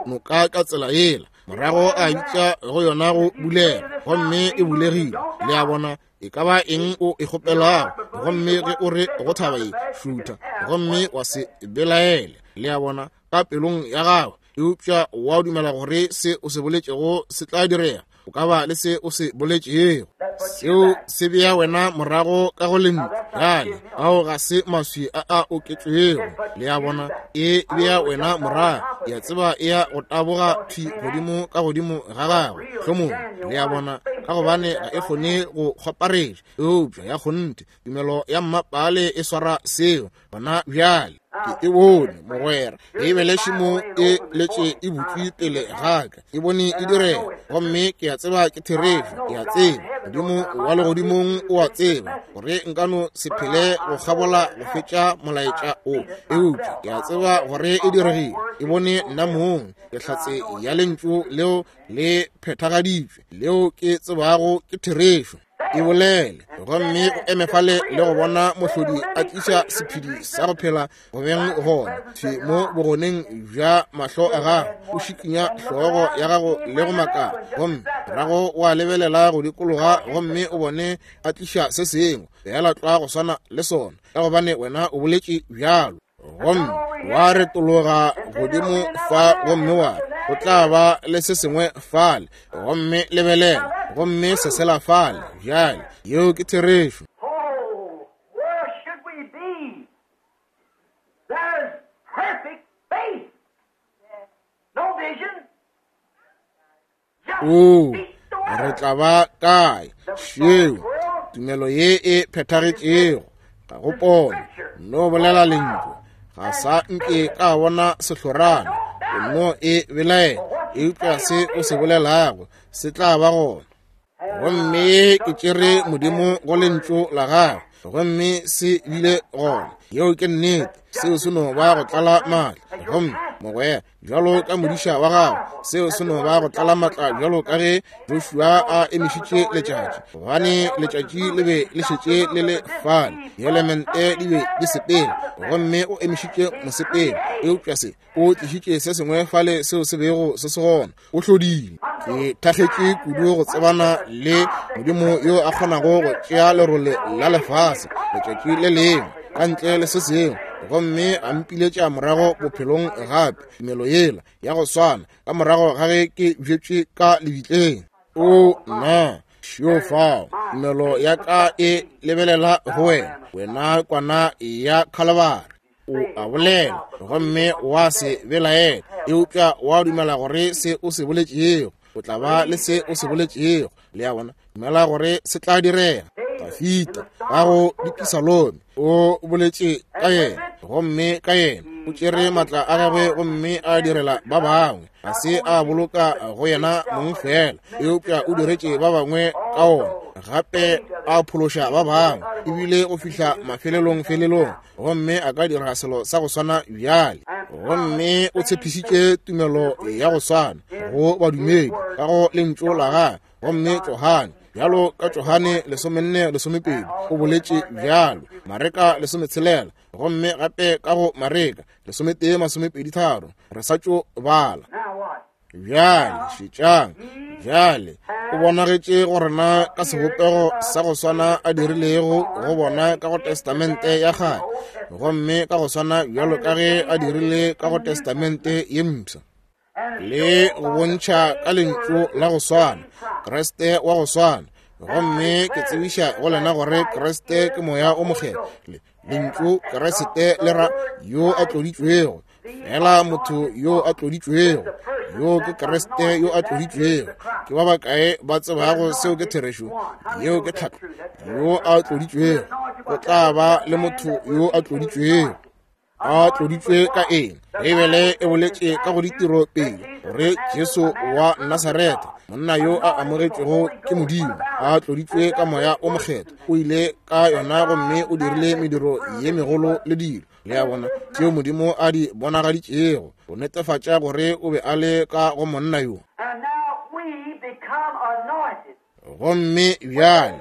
noka ka tsela yela, morago a bitša go yona go bulega, gomme e bulegile. Le a bona, e ka ba eng o e kgopelago, gomme ge o re go thaba ye, šutha gomme wa se belaele. Le a bona, ka pelong ya gago, eupša wa dumela gore se o se boletšego se tla direga, o ka ba le se o se boletšego. Seo se bea wena morago ka go lentšu. Bjale ao ga se maswi a a oketšwego. Le a bona, e bea wena morago. Ya tseba e ya go taboga thwi godimo ka godimo ga gagwe hlomong. Le a bona, ka gobane ga e kgone go kgwaparetša, eupša ya kgonthe tumelo ya mmapale e swara seo gona bjale. Ke e bone mogwera, Beibele šimo e letše e butšwe pele ga ka, e bone e direga, gomme ke a tseba ke therešo. Ke a tseba Modimo wa legodimong o a tseba gore nka no se phele go kgabola go fetša molaetša o, eupša ke a tseba gore e diregile. E bone nna mong, ke hlatse ya lentšu leo le phethagaditšwe, leo ke tsebago ke therešo. E bolele gomme o eme fale le go bona mohlodi a tliša sephedi sa go phela go beng gona thwi mo bogoneng bja mahlo a gago. O šikinya hlogo ya gago le go makala, gomme morago wa lebelela go dikologa gomme o bone a tliša se sengwe feela tlwa go swana le sona, ka gobane wena o boletše bjalo. Gomme wa retologa godimo fa gomme wa re go tla ba le se sengwe fale, gomme lebelela, gomme se sela fale. Bjale yeo ke therešo. Oh, where should we be? There's perfect faith. No vision. Just O speak the word. re tla ba kae? Šeo tumelo ye e phethagetšego, ga go pono, no bolela lentšu. Ga sa nke ka bona sehlorana, o no e belaela, eupša se o se bolelago se tla ba gona. Gomme ke tšere Modimo go lentšu la gagwe, gomme se bile gona. Yeo ke nnete. Seo se no ba go tlala maatla. Gomme mogwera, bjalo ka modiša wa gago, seo se no ba go tlala maatla bjalo ka ge Joshua a emišitše letšatši, gobane letšatši le be le šetše le le fale, dielemente di be di sepela, gomme o emišitše mosepelo. Eupša se o tlišitše se sengwe fale seo se bego se se gona. O hlodile. Ke thakgetše kudu go tsebana le Modimo yo a kgonago go tšea lerole la lefase letšatši le lengwe ka ntle le se sengwe, gomme a mpiletša morago bophelong gape, tumelo yela ya go swana ka morago ga ge ke bjetšwe ka lebitleng. O nna šio fao, tumelo ya ka e lebelela go wena, wena kwana ya Khalabari. O a bolela gomme wa se belaela, eupša wa dumela gore se o se boletšego o tla ba le se o se boletšego. Le a bona, dumela gore se tla direga. Dafita ka go Dipisalome o boletše ka yena, gomme ka yena o tšere maatla a gagwe gomme a direla ba bangwe. Ga se a boloka go yena mong fela, eupša o diretše ba bangwe ka ona. gape a phološa ba bangwe, ebile go fihla mafelelong felelong, gomme a ka dira selo sa go swana bjale. Gomme o tshepišitše tumelo ya go swana go badumedi ka go lentšu la gagwe. Gomme Johane, bjalo ka Johane lesomenne lesomepedi, o boletše bjalo, Mareka lesometshelela, gomme gape ka go Mareka lesometee masomepedi tharo, re sa tšo bala. Bjale šetšang, bjale o bonagetše go rena ka sebopego sa go swana a dirilego go bona ka go Testamente ya kgale, gomme ka go swana bjalo ka ge a dirile ka go Testamente ye mpsha, le go bontšha ka lentšu la go swana, Kriste wa go swana. Gomme ke tsebiša go lena gore Kriste ke Moya o Mokgethwa. Lentšu Kriste le ra yo a tloditšwego, fela motho yo a tloditšwego, yo ke Kriste yo a tloditšwego. Ke ba bakae ba tsebago seo ke therešo? Yeo ke tlhahlo. Yo a tloditšwego, o tla ba le motho yo a tloditšwego. A tloditšwe ka eng? Beibele e boletše ka go ditiro pele gore Jesu wa Nasaretha, monna yo a amogetšwego ke Modimo, a tloditšwe ka Moya o Mokgethwa, o ile ka yona gomme o dirile mediro ye megolo le dilo, le a bona, tšeo Modimo a di bonagaditšego go netefatša gore o be a le ka go monna yo. Gomme bjale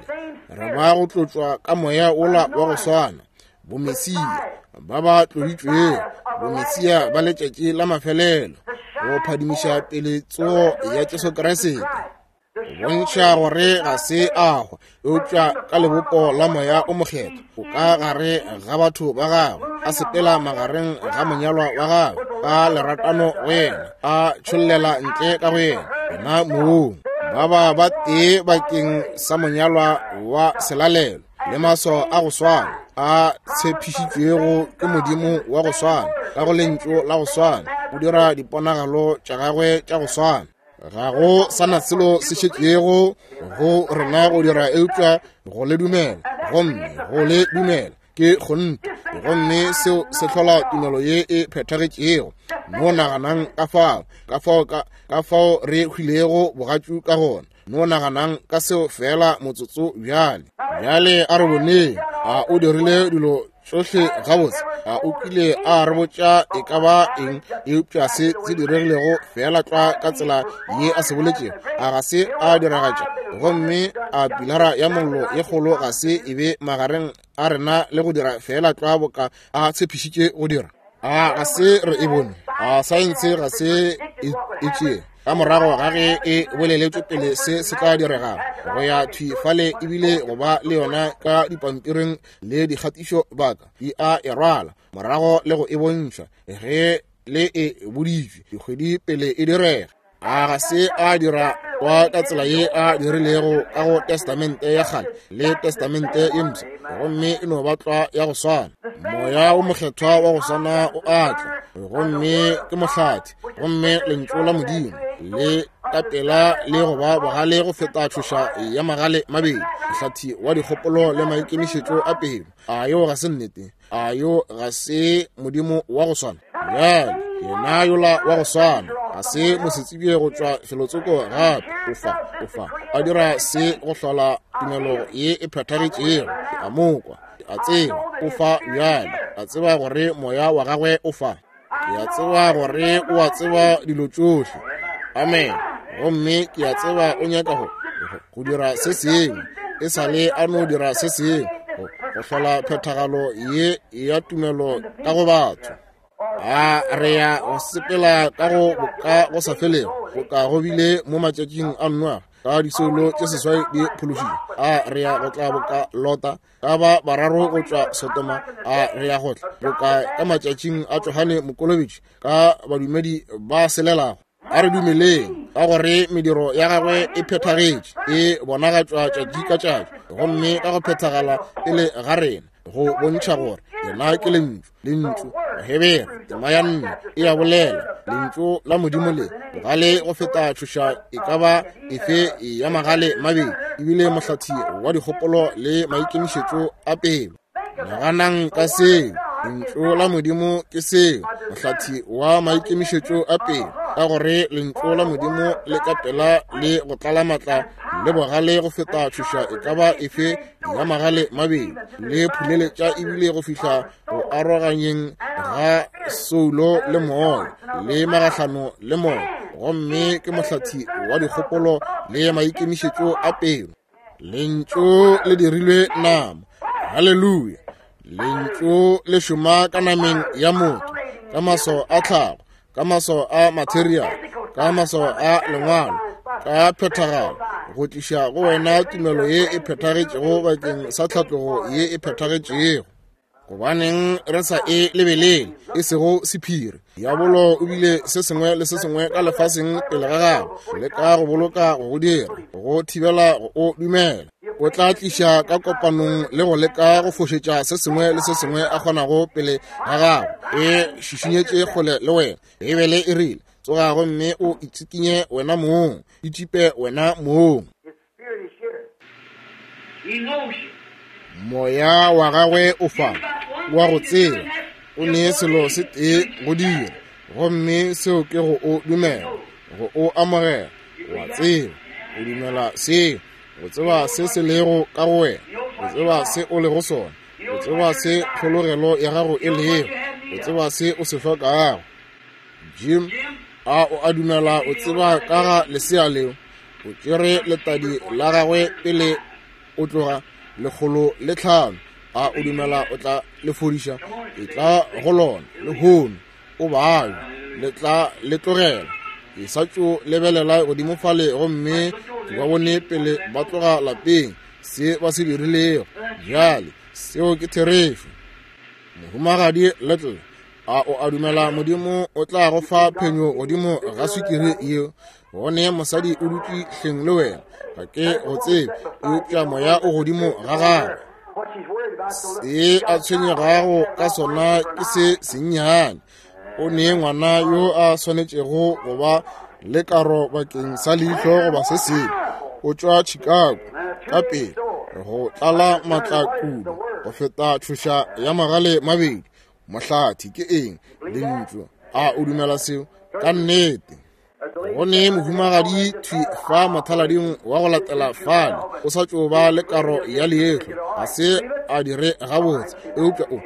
re ba go tlotšwa ka Moya wola wa go swana, bomesia ba ba tloditšwego, bomesia ba letšatši la mafelelo, go phadimiša pele tsogo ya Jesu Kriste, go bontšha gore ga se a hwa, eupša ka lebopo la Moya o Mokgethwa o ka gare ga batho ba gagwe, a sepela magareng ga monyalwa wa gagwe ka leratano go yena, a tšhollela ntle ka go yena, yena mong. Ba ba ba tee bakeng sa monyalwa wa selalelo, le maswao a go swana a tshepišitšwego ke Modimo wa go swana, ka go lentšu la go swana, o dira diponagalo tša gagwe tša go swana. Ga go sana selo se šetšego go rena go dira eupša go le dumela, gomme go le dumela ke kgonthe, gomme seo se hlola tumelo ye e phethagetšego. No naganang ka fao, ka fao ka, ka fao re hwilego bogatšu ka gona. No naganang ka seo fela motsotso bjale. Bjale a re boneng, a o dirile dilo tšohle gabotse? A o kile a re botša e ka ba eng eupša se se diregilego fela tlwa ka tsela ye a se boletšego? A ga se a diragatša? Gomme a pilara ya mollo ye kgolo ga se e be magareng a rena le go dira fela tlwa boka a tshepišitše go dira? A ga se re e bone? A saense ga se e tšee ka morago ga ge e boleletšwe pele se se tla diregago, go ya thwi fale ebile go ba le yona ka dipampiring le dikgatišo baka di a e rwala morago le go e bontšha ge le e boditšwe dikgwedi pele e direga? A ga se a dira wa ka tsela ye a dirilego ka go Testamente ya kgale le Testamente ye mpsha, gomme e no ba tlwa ya go swana. Moya o Mokgethwa wa go swana o a tla, gomme ke mohlathi, gomme lentšu la Modimo le ka pela le go ba bogale go feta tšhoša ya magale mabedi, mohlathi wa dikgopolo le maikemišetšo a pelo. A yo ga se nnete? A yo ga se Modimo wa go swana? Bjale yena yola wa go swana ga se mosetsebje go tšwa felotsoko gape, o fa, o fa a dira se go hlola tumelo ye e phethagetšego. Ke a mo kwa, ke a tseba o fa bjale, a tseba gore moya wa gagwe o fa. Ke a tseba gore o a tseba dilo tšohle. Amen. Gomme ke a tseba o nyaka go go dira se sengwe, e sa le a no dira se sengwe go hlola phethagalo ye ya tumelo ka go batho. A re ya go sepela ka go boka go sa felego, boka go bile mo matšatšing a Noa ka disoulo tše seswai di phološitšwe? A re ya go tla boka Lota ka ba bararo go tšwa Sodoma? A re ya go tla boka ka matšatšing a Johane Mokolobetši ka badumedi ba selelago? A re dumeleng ka gore mediro ya gagwe e phethagetše, e bonagatšwa tšatši ka tšatši, gomme ka go phethagala pele ga rena, go bontšha gore yena ke lentšu. Lentšu Bahebere tema ya nne e a bolela, lentšu la Modimo le bogale go feta tšhoša e ka ba efe ya magale mabedi, ebile mohlathi wa dikgopolo le maikemišetšo a pelo. Naganang ka seo. Lentšu la Modimo ke seo, mohlathi wa maikemišetšo a pelo, ka gore lentšu la Modimo le ka pela le go tlala matla le bogale go feta tšhoša e ka ba efe ya magale mabedi, le phuleletša ebile go fihla go aroganyeng ga soulo le moya le magahlano le moya, gomme ke mohlathi wa dikgopolo le maikemišetšo a pelo. Lentšu le dirilwe nama. Haleluya! Lentšu le šoma ka nameng ya motho, ka maswao a tlhago, ka maswao a material, ka maswao a lengwalo, ka phethagalo, go tliša go wena tumelo ye e phethagetšego bakeng sa tlhatlogo ye e phethagetšego. Gobaneng re sa e lebelele, e sego sephiri. Diabolo o bile se sengwe le se sengwe ka lefaseng pele ga gago, leka go boloka go go dira, go thibela go o dumela. O tla tliša ka kopanong le go leka go fošetša se sengwe le se sengwe a kgonago pele ga gago, e šišinyetše kgole le wena. Beibele e rile, tsoga gomme o itsikinye wena mong, itšipe wena mong. Moya wa gagwe o fa, wa go tseba, o ne selo se tee go dira, gomme seo ke go o dumela, go o amogela. Wa tseba, o dumela seo, o tseba se se lego ka go wena, o tseba se o lego sona, o tseba se tlhologelo ya gago e lego, o tseba se o se hlokago. Jim, a o a dumela o tseba ka ga lesea leo? O tšere letadi la gagwe pele o tloga, lekgolo le tlhano. A o dumela o tla le fodiša? E tla go lona lehono, o bayo, le tla le tlogela. Ke sa tšo lebelela godimo fale gomme ke ba bone pele ba tloga lapeng, se ba se dirilego. Bjale seo ke therešo. Mohumagadi Little, a o a dumela Modimo o tla go fa phenyo godimo ga swikiri yeo? Gone mosadi o dutše hleng le wena, ga ke go tsebe, eupša moya o godimo ga gagwe. Se a tshwenyegago ka sona ke se sennyane. O ne ngwana yo a swanetšego go ba le karo bakeng sa leihlo goba se sengwe. O tšwa Chicago ka pele, go tlala maatla kudu go feta tšhoša ya magale mabedi. Mohlathi ke eng? Lentšu. A o dumela seo? Ka nnete. Go ne mohumagadi thwi fa mothalading wa go latela fale, o sa tšo ba le karo ya leihlo, ga se a dire gabotse, eupša o, o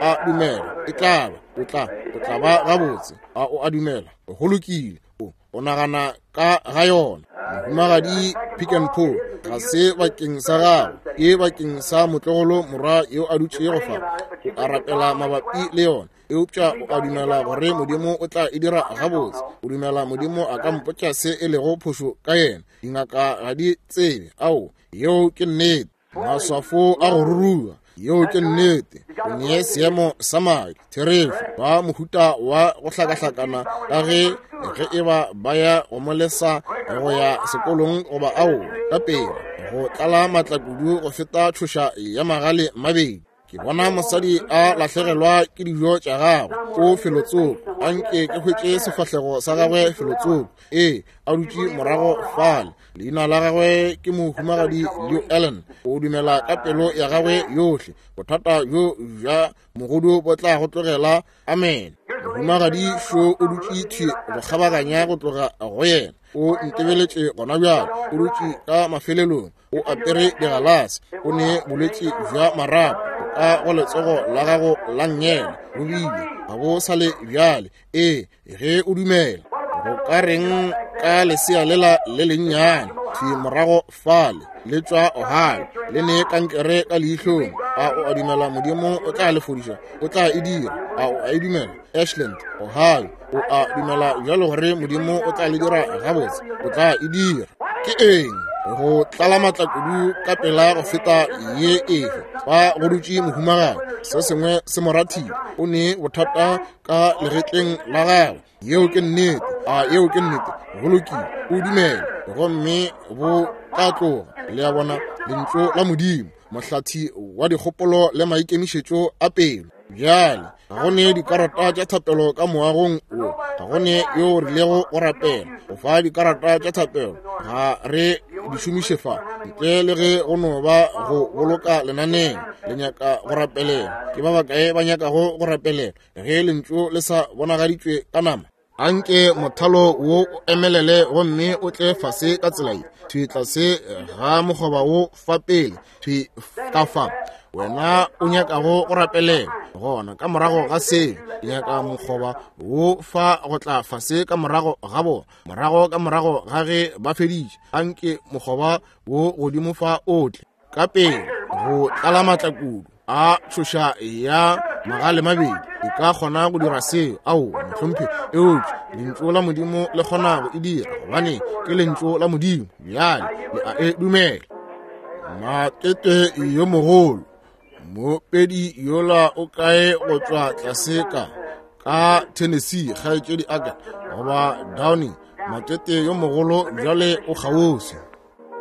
a dumela e tla ba, o tla, o tla ba gabotse. A o a dumela? Go lokile. O, o nagana ka ga yona. Mohumagadi Pick and Pull, ga se bakeng sa gago, ke bakeng sa motlogolo morwa yo a dutšego fa. O a rapela mabapi le yona, eupša o a dumela gore Modimo o tla e dira gabotse. O dumela Modimo a ka mpotša se e lego phošo ka yena? Dingaka ga di tsebe. Ao, yeo ke nnete. Maswafo a go ruruga, yeo ke nnete. O nee seemo sa madi, therešo, ba mohuta wa go hlakahlakana ka ge ge e ba ba ya go mo lesa go ya sekolong goba ao ka pele, go tlala maatla kudu go feta tšhoša ya magale mabedi. Ke bona mosadi a lahlegelwa ke dijo tša gagwe o felotsoko. Anke ke hwetše sefahlego sa gagwe felotsoko. Ee, a dutše morago fale. Leina la gagwe ke mohumagadi Leo Ellen. O dumela ka pelo ya gagwe yohle. Bothata bjo bja mogodu bo tla go tlogela. Amen. Mohumagadi šo o dutše thwi go kgabaganya go tloga go yena. O ntebeletše gona bjale. O dutše ka mafelelong. O apere digalase. O ne bolwetši bja marapo ka go letsogo la gago la nngele, bo bile ga bo sa le bjale. Ee, ge o dumela. Go ka reng ka lesea lela le lennyane thwi morago fale, le tšwa Ohio, le ne kankere ka leihlong? A o a dumela Modimo o tla le fodiša? O tla e dira. A o a e dumela? Ashland, Ohio, o a dumela bjalo gore Modimo o tla le dira gabotse? O tla e dira. Ke eng? Go tlala maatla kudu ka pela go feta ye efe. Fa go dutše mohumagadi, se sengwe se mo rathile. O ne bothata ka legetleng la gagwe. Yeo ke nnete. A yeo ke nnete? Go lokile. O dumele gomme bo tla tloga. Le a bona, lentšu la Modimo, mohlathi wa dikgopolo le maikemišetšo a pelo. Bjale ga go ne dikarata tša thapelo ka moagong wo, ga go ne yo rilego go rapela. Go fa dikarata tša thapelo ga re di šomiše fa, ntle le ge go no ba go boloka lenaneo. Le nyaka go rapelela? Ke ba bakae ba nyakago go rapelela ge lentšu le sa bonagaditšwe ka nama? Anke mothalo wo o emelele gomme o tle fase ka tsela ye, thwi tlase ga mokgoba wo fa pele, thwi ka fa wena o nyakago go rapelela. Gona ka morago ga seo, ke nyaka mokgoba wo fa go tla fase ka morago ga bona, morago ka morago ga ge ba feditše. Anke mokgoba wo godimo fa o tle ka pele go tlala maatla kudu a tšhoša ya magale mabedi e ka kgona go dira seo. Ao, mohlomphegi, eupša lentšu la Modimo le kgona go e dira, gobane ke lentšu la Modimo. Bjale le a e dumela. Matete yo mogolo mopedi yola o kae go tšwa tlase ka ka Tennessee, kgaetšedi aka goba Downey? Matete yo mogolo bjale o kgauswi.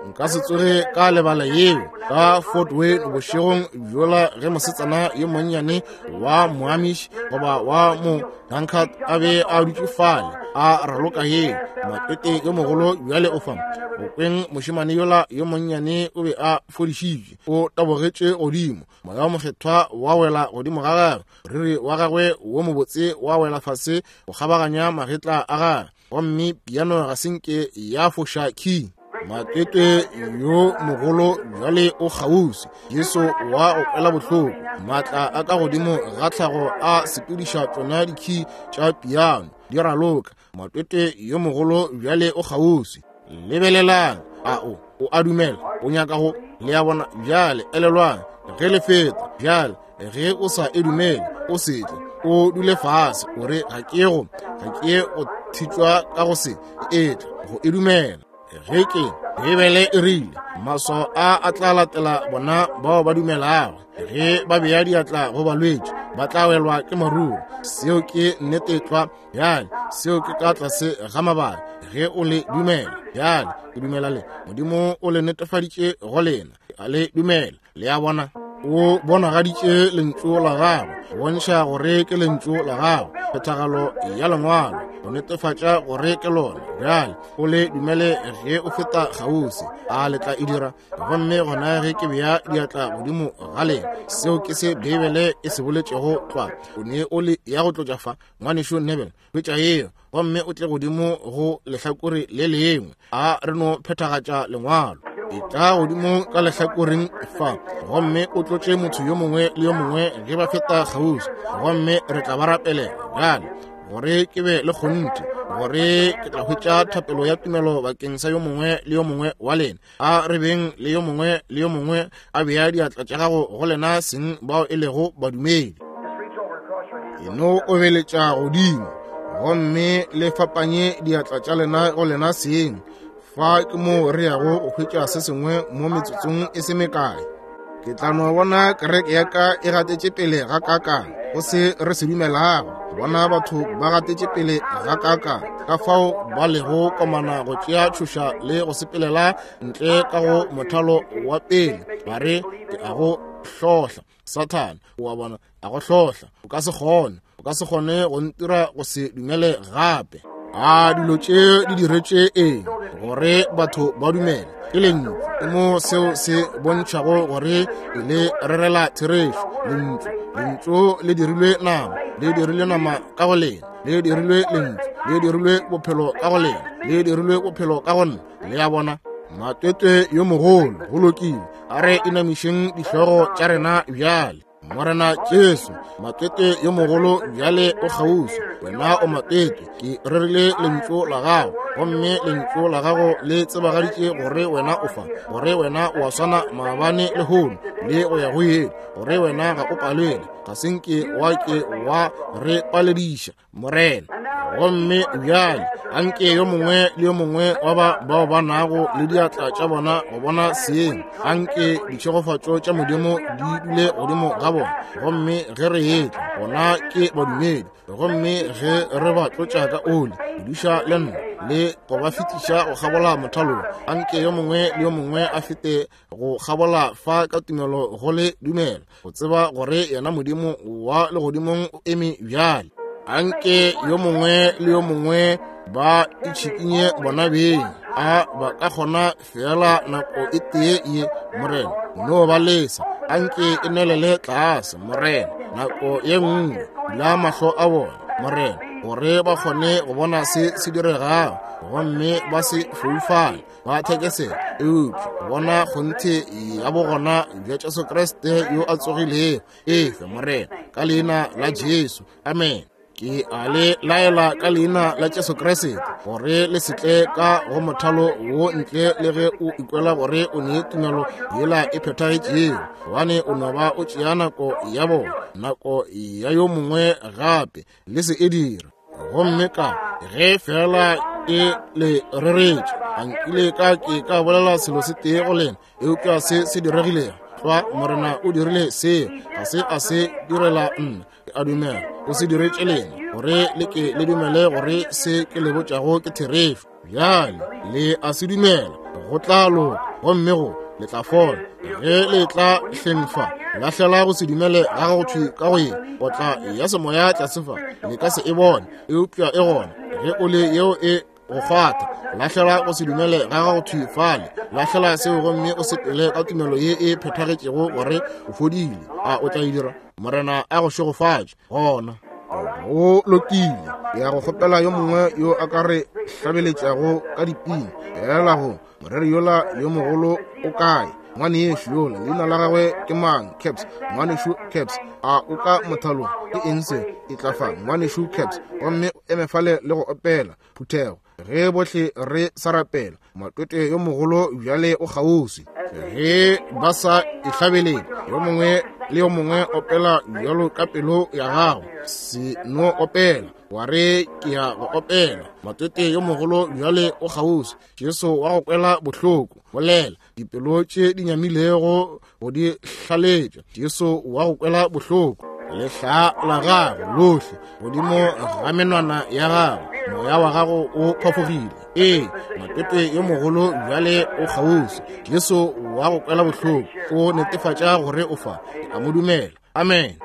Nka se tsoge ka lebala yeo ka Fort Wayne bošegong bjola ge mosetsana yo monnyane wa Moamish goba wa mo Dunkard a be a dutše fale a raloka yeo. Matete yo mogolo bjale o fa. Go kweng mošemane yola yo monnyane o be a fodišitšwe, o tabogetše godimo, moya wa mokgethwa wa wela godimo ga gagwe, moriri wa gagwe wo mobotse wa wela fase go kgabaganya magetla a gagwe, gomme piano ga se nke ya foša key. Matete yo mogolo bjale o kgauswi. Jesu wa go kwela bohloko, maatla a ka godimo ga tlhago a sepediša tšona dikey tša piano di raloka. Matete yo mogolo bjale o kgauswi. Lebelelang, a o o a dumela, o nyaka go le a bona bjale. Elelwang ge le feta bjale, ge o sa e dumele o se tle, o dule fase o re ga ke go ga ke go thitšwa ka go se etle go e dumela. Ge ke Bibele e rile maswao a a tla latela bona bao ba dumelago, ge ba bea diatla go balwetši ba tla welwa ke maruru. Seo ke nnete tlwa. Bjale seo ke ka tlase ga mabaka ge o le dumela. Bjale ke dumela le Modimo o le netefaditše go lena, a le dumela. Le a bona, o bonagaditše lentšu la gagwe, bontšha gore ke lentšu la gagwe, phethagalo ya lengwalo go netefatša gore ke lona. Bjale o le dumele ge o feta kgauswi, a le tla e dira. Gomme gona ge ke bea diatla godimo ga lena, seo ke se Beibele e se boletšego tlwa. O ne o le ya go tlotša fa, ngwanešu Nebel, hwetša yeo gomme o tle godimo go lehlakore le lengwe. A re no phethagatša lengwalo. E tla godimo ka lehlakoreng fa gomme o tlotše motho yo mongwe le yo mongwe ge ba feta kgauswi, gomme re tla ba rapelela. Bjale gore ke be le kgonthe gore ke tla hwetša thapelo ya tumelo bakeng sa yo mongwe le yo mongwe wa lena. A re beng le yo mongwe le yo mongwe a bea diatla tša gago go lena seng bao e lego badumedi. E no obeletša godimo gomme le fapanye diatla tša lena go lena seng. Fa ke mo re yago go hwetša se sengwe mo metsotsong e se mekae. Ke tla no bona kereke ya ka e gatetše pele ga kakang go se re se dumelago, bona batho ba gatetše pele ga kakang ka fao ba lego komana go tšea tšhoša le go sepelela ntle ka go mothalo wa pele. Ba re ke a go hlohla, Sathane, o a bona, a go hlohla. O ka se kgone, o ka se kgone go ntira go se dumele gape. A dilo tše di diretše eng? Gore batho ba dumele. Ke lentšu, ke mo seo se bontšhago gore le rerela therešo. Lentšu, lentšu le dirilwe nama, le dirilwe nama ka go lena, le dirilwe lentšu, le dirilwe bophelo ka go lena, le dirilwe bophelo ka go nna. Le a bona, Matete yo mogolo go lokile. A re inamišeng dihlogo tša rena bjale. Morena Jesu, Matete yo mogolo bjale o kgauswi. Wena o Matete, ke rerile lentšu la gago, gomme lentšu la gago le tsebagaditše gore wena o fa, gore wena o a swana maabane lehono le go ya go ile, gore wena ga o palelwe, ga se nke wa ke wa re palediša, Morena. Gomme bjale anke yo mongwe le yo mongwe wa ba bao ba nago le diatla tša bona go bona seeng, anke ditšhegofatšo tša Modimo di dule godimo ga bona. Gomme ge re etla gona ke badumedi, gomme ge re ba tlotša ka oli, duša le nna le go ba fetiša go kgabola mothalong, anke yo mongwe le yo mongwe a fete go kgabola fa ka tumelo go le dumela, go tseba gore yena Modimo wa legodimong o eme bjale. Anke yo mongwe le yo mongwe ba itšhikinye bona beng, a ba ka kgona fela nako e tee ye, Morena, no ba lesa. Anke e nwelele tlase, Morena, nako ye nngwe. Bula mahlo a bona, Morena, gore ba kgone go bona se se diregago, gomme ba se foufale, ba thekesela, eupša bona kgonthe ya bogona bja Jesu Kriste yo a tsogilego. Efe, Morena, ka leina la Jesu. Amen. Ke a le laela ka leina la Jesu Kriste gore le se tle ka go mothalo wo ntle le ge o ikwela gore o ne tumelo yela e phethagetšego, gobane o no ba o tšea nako ya bona, nako ya yo mongwe gape, le se e dira. Gomme ka ge fela ke le reretše, a nkile ka ke ka bolela selo se tee go lena, eupša se se diregilego tlwa, Morena o dirile seo, ga se a se direla nna, ke a dumela o se diretše lena, gore le ke le dumele gore se ke le botšago ke therešo. Bjale le a se dumela, go tla loka, gomme go le tla fola. Ge le tla hleng fa, lahlela go se dumele ga gago thwi ka go ye potla ya semoya tlase fa, le ka se e bone, eupša e gona. Ge o le yeo e go kgwatha, lahlela go se dumele ga gago thwi fale, lahlela seo gomme o sepele ka tumelo ye e phethagetšego gore o fodile. A o tla e dira? Morena a go šegofatše. Gona go lokile. Ke ya go kgopela yo mongwe yo a ka re hlabeletšago ka dipina. Ela go moreri yola yo mogolo o kae? Ngwanešu yola, leina la gagwe ke mang? Caps. Ngwanešu Caps, a o ka mothalong? Ke eng se? E tla fa, ngwanešu Caps, gomme o eme fale le go opela. Phuthego, ge bohle re sa rapela, matwetwe yo mogolo bjale o kgauswi. Ge ba sa e hlabelele, yo mongwe le yo mongwe opela bjalo ka pelo ya gago, se no opela wa re ke ya go opela. Matwetwe yo mogolo bjale o kgauswi, Jesu wa go kwela bohloko, bolela dipelo tše di nyamilego go di hlaletša, Jesu wa go kwela bohloko. Lehla la gago lohle godimo ga menwana ya gago, moya wa gago o phafogile. Ee, matwetwe yo mogolo bjale o kgauswi, Jesu wa go kwela bohloko, o netefatša gore o fa. Ke a mo dumela. Amen.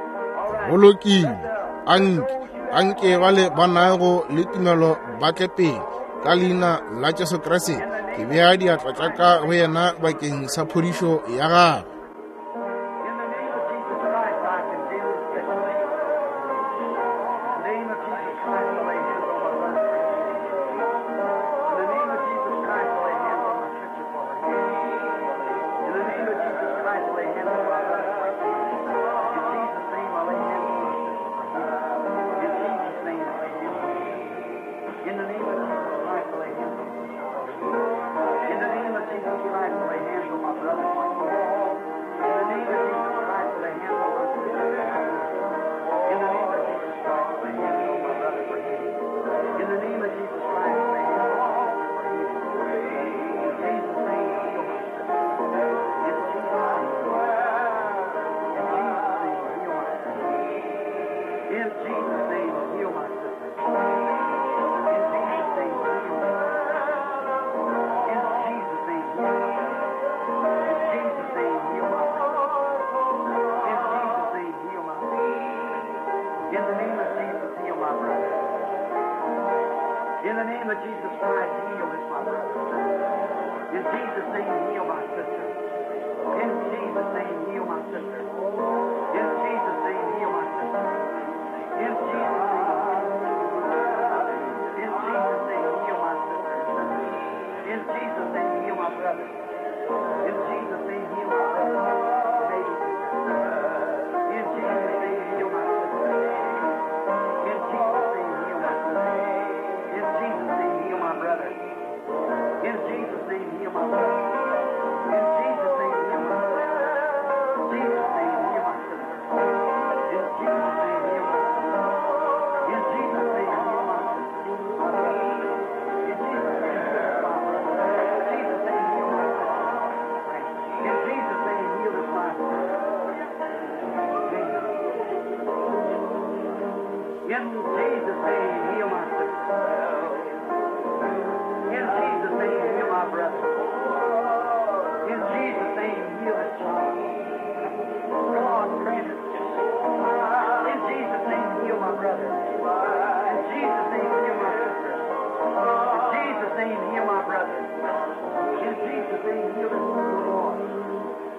Go lokile. Anke anke bale ba nago le tumelo ba tle pele ka leina la Jesu Kriste. Ke bea diatla tša ka go yena bakeng sa phodišo ya gagwe.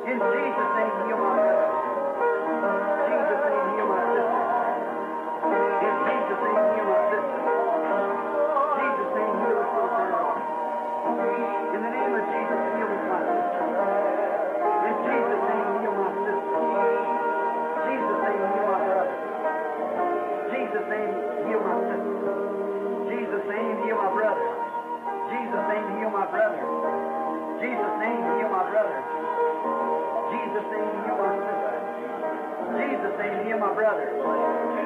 In Jesus' name, heal my brother. In Jesus' name, heal my sister. name, heal my sister. Jesus' name, heal my brother. Jesus' name, heal my brother. Jesus' name, heal my brother. Jesus' name, heal my sister. Jesus' name, heal my brother.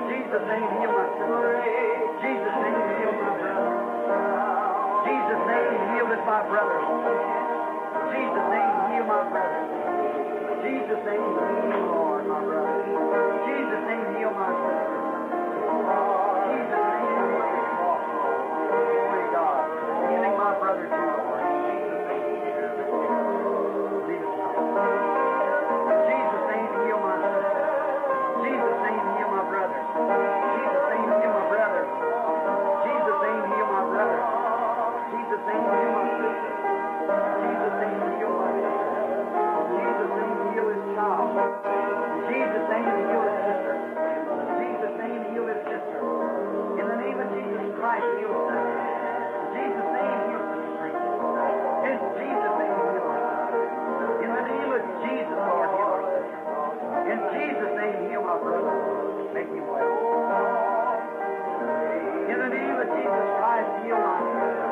Jesus' name, heal my sister. Jesus' name, heal my brother. Jesus' name, heal this my brother. Jesus' name, heal my brother. Jesus' name, heal, Lord, my brother. Jesus' name, heal my sister. Jesus' name, heal my Glory God. Healing my brother too, Lord. Jesus' name. Lead us now. Jesus' name, heal my sister. Jesus' name, heal my brother. Jesus' name, heal my brother. Jesus' name, heal my brother. Jesus' name, heal my sister. Jesus' name, heal my sister. Jesus' name, heal his child. Jesus' name, heal his sister. Jesus' name, heal his sister. In the name of Jesus Christ, heal his sister. Jesus' name, heal sister. In Jesus' name, heal our sister. In the name of Jesus, Lord, heal our sister. In Jesus' name, heal my brother. Make him well. In the name of Jesus Christ, heal my sister.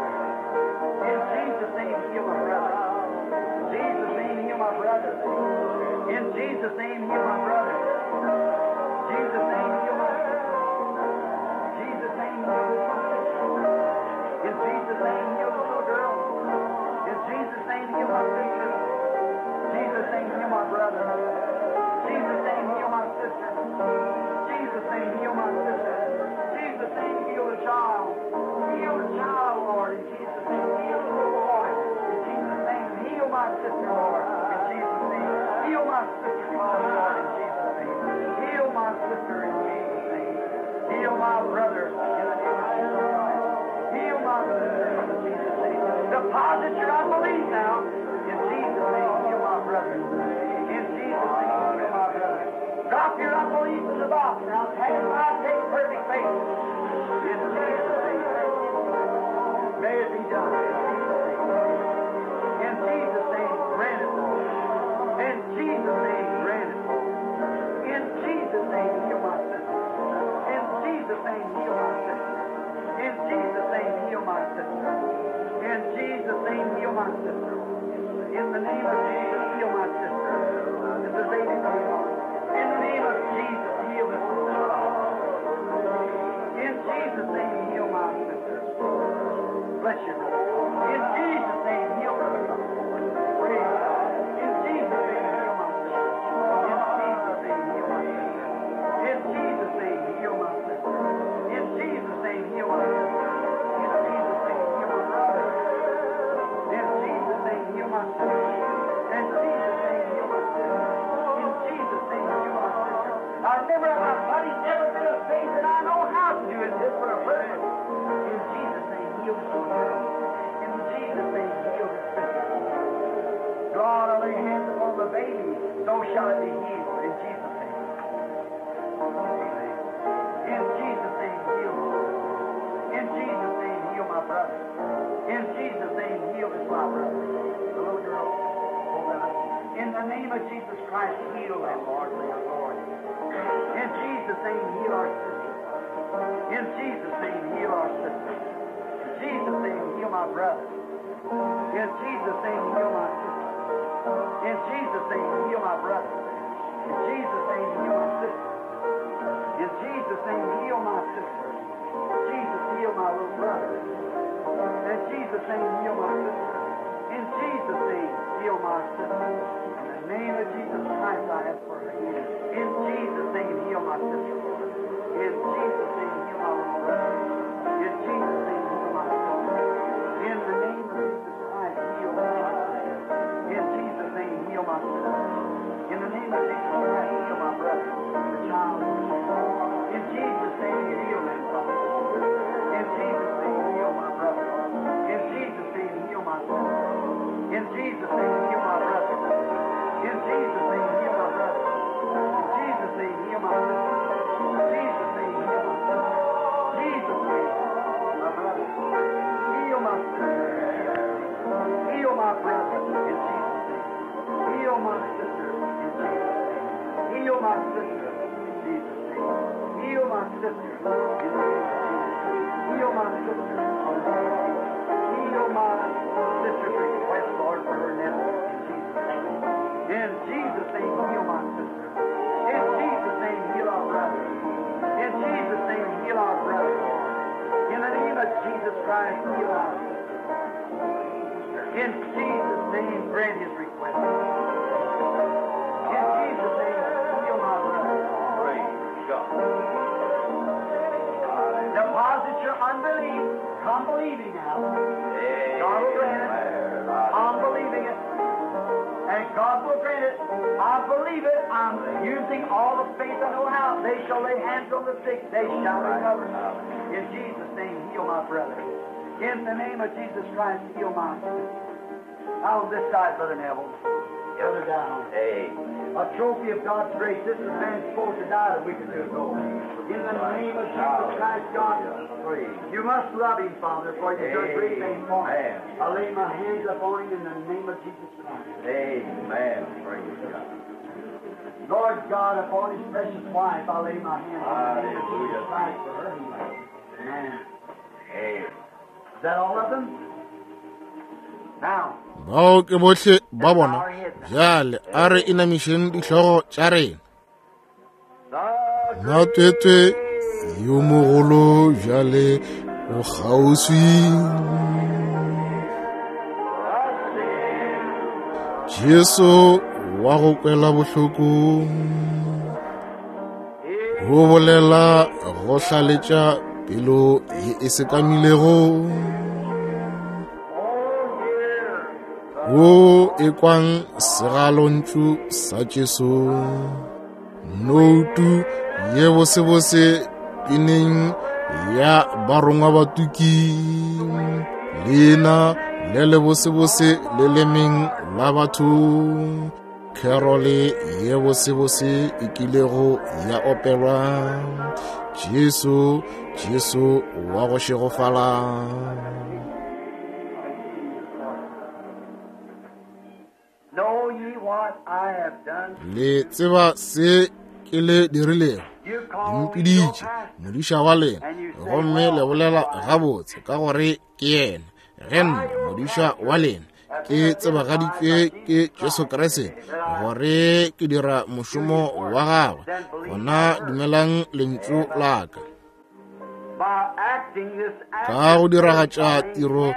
In Jesus' name, heal my brother. Jesus' name, heal my brother. In Jesus' name, heal my brother. Jesus' name, heal my sister. Jesus' name, heal my sister. In Jesus' name, heal the little girl. In Jesus' name, heal my sister. Jesus' name, heal my brother. Jesus' name, heal my sister. Jesus' name, heal my sister. Jesus' name, heal the child. Heal the child, Lord. In Jesus' name, heal the little boy. In Jesus' name, heal my sister, Lord. In Jesus' name, heal my sister, Lord. In Jesus' name, heal my sister. In Jesus' name, heal my brother. In the name of Jesus Christ, heal my sister. In Jesus' name, deposit your unbelief now. In Jesus' name, heal my brother. In Jesus' name, heal my brother. Drop your unbelief in the box now. Take my take perfect faith. In Jesus' name, may it be done. In Jesus' name, grant it, Lord. In Jesus' name, grant it, Lord. In Jesus' name, heal my sister. In Jesus' name, heal my sister. In Jesus' name, heal my sister. In Jesus' name, heal my sister. In the name of Jesus, heal my sister. This is baby going on. In the name of Jesus, heal this little child. In Jesus' name, heal my sister. Bless you, brother. In Jesus' name, heal brother. Praise God. In Jesus' name, heal my sister. In Jesus' name, heal my sister. In Jesus' name, heal my sister. In Jesus' name, heal my sister. In Jesus' name, heal my brother. In Jesus' name, heal my sister. In Jesus' name, heal my sister. In Jesus' name, heal my sister. I've never in my body's never been a faith that I know how to do it just for a purpose. In Jesus' name, heal this little girl. In Jesus' name, heal this sister. God, I lay hands upon the baby, so shall it be healed. In Jesus' name. Amen. In Jesus' name, heal me. In Jesus' name, heal my brother. In Jesus' name, heal this my brother. The little girl. Oh God. In the name of Jesus Christ, heal them, Lord, for your glory. In Jesus' name, heal our sister. In Jesus' name, heal our sister. In Jesus' name, heal my brother. In Jesus' name, heal my sister. In Jesus' name, heal my brother. In Jesus' name, heal my sister. In Jesus' name, heal my sister. Jesus, heal my little brother. In Jesus' name, heal my sister. In Jesus' name, heal my sister. In the name of Jesus Christ, I ask for her healing. In Jesus' name, heal my sister, Lord. In Jesus' name, heal my little brother. In Jesus' name, heal my sister. In the name of Jesus Christ, heal my sister. In Jesus' name, heal my sister. In the name of Jesus Christ, heal my brother, the child. In Jesus' name, heal them, Father. In Jesus' name, heal my brother. In Jesus' name, heal my sister. In Jesus' name, heal my brother. In Jesus' name, heal my brother. In Jesus' name, heal my sister. In Jesus' name, heal my sister. Heal my sister. Heal my sister's request, Lord, for her nephew. In Jesus' name. In Jesus' name, heal my sister. In Jesus' name, heal our brother. In Jesus' name, heal our brother, Lord. In the name of Jesus Christ, heal our sister. In Jesus' name, grant his request. In Jesus' name, heal my brother. Praise God. Deposit your unbelief. Come believing now. God will grant it. I'm believing it. And God will grant it. I believe it. I'm using all the faith I know how. They shall lay hands on the sick. They shall recover. In Jesus' name, heal my brother. In the name of Jesus Christ, heal my sister. Out on this side, Brother Neville. Brother down. Amen. A trophy of God's grace. This is man supposed to die a week or two ago. In the name of Jesus Christ, God, Praise. you must love him, Father, for you've done great things for him. Amen. I lay my hands upon him in the name of Jesus Christ. Amen. Praise God. Lord God, upon his precious wife, I lay my hands in the name of Jesus Hallelujah. Christ for her healing. Amen. Amen. Is that all of them? Now, Bao ke bohle ba bona. Bjale a re inamišeng dihlogo tša rena. the Matwetwe yo mogolo bjale o kgauswi. Jesu wa go kwela bohloko go bolela go hlaletša pelo ye e sekamilego. Wo e kwang segalontšu sa Jesu, noutu ye bosebose pineng ya barongwa batuki, leina le le bosebose lelemeng la batho, kerole ye bosebose e kilego ya opelwa, Jesu, Jesu wa go šegofala. Know ye what I have done? Le tseba se ke le dirilego. You Le call me your mpiditše pastor. modiša wa lena, gomme le bolela gabotse ka gore ke yena. Ge nna modiša wa lena ke tsebagaditšwe ke Jesu Kriste gore ke dira mošomo wa gagwe, gona dumelang lentšu la ka. By acting this act Ka go diragatša tiro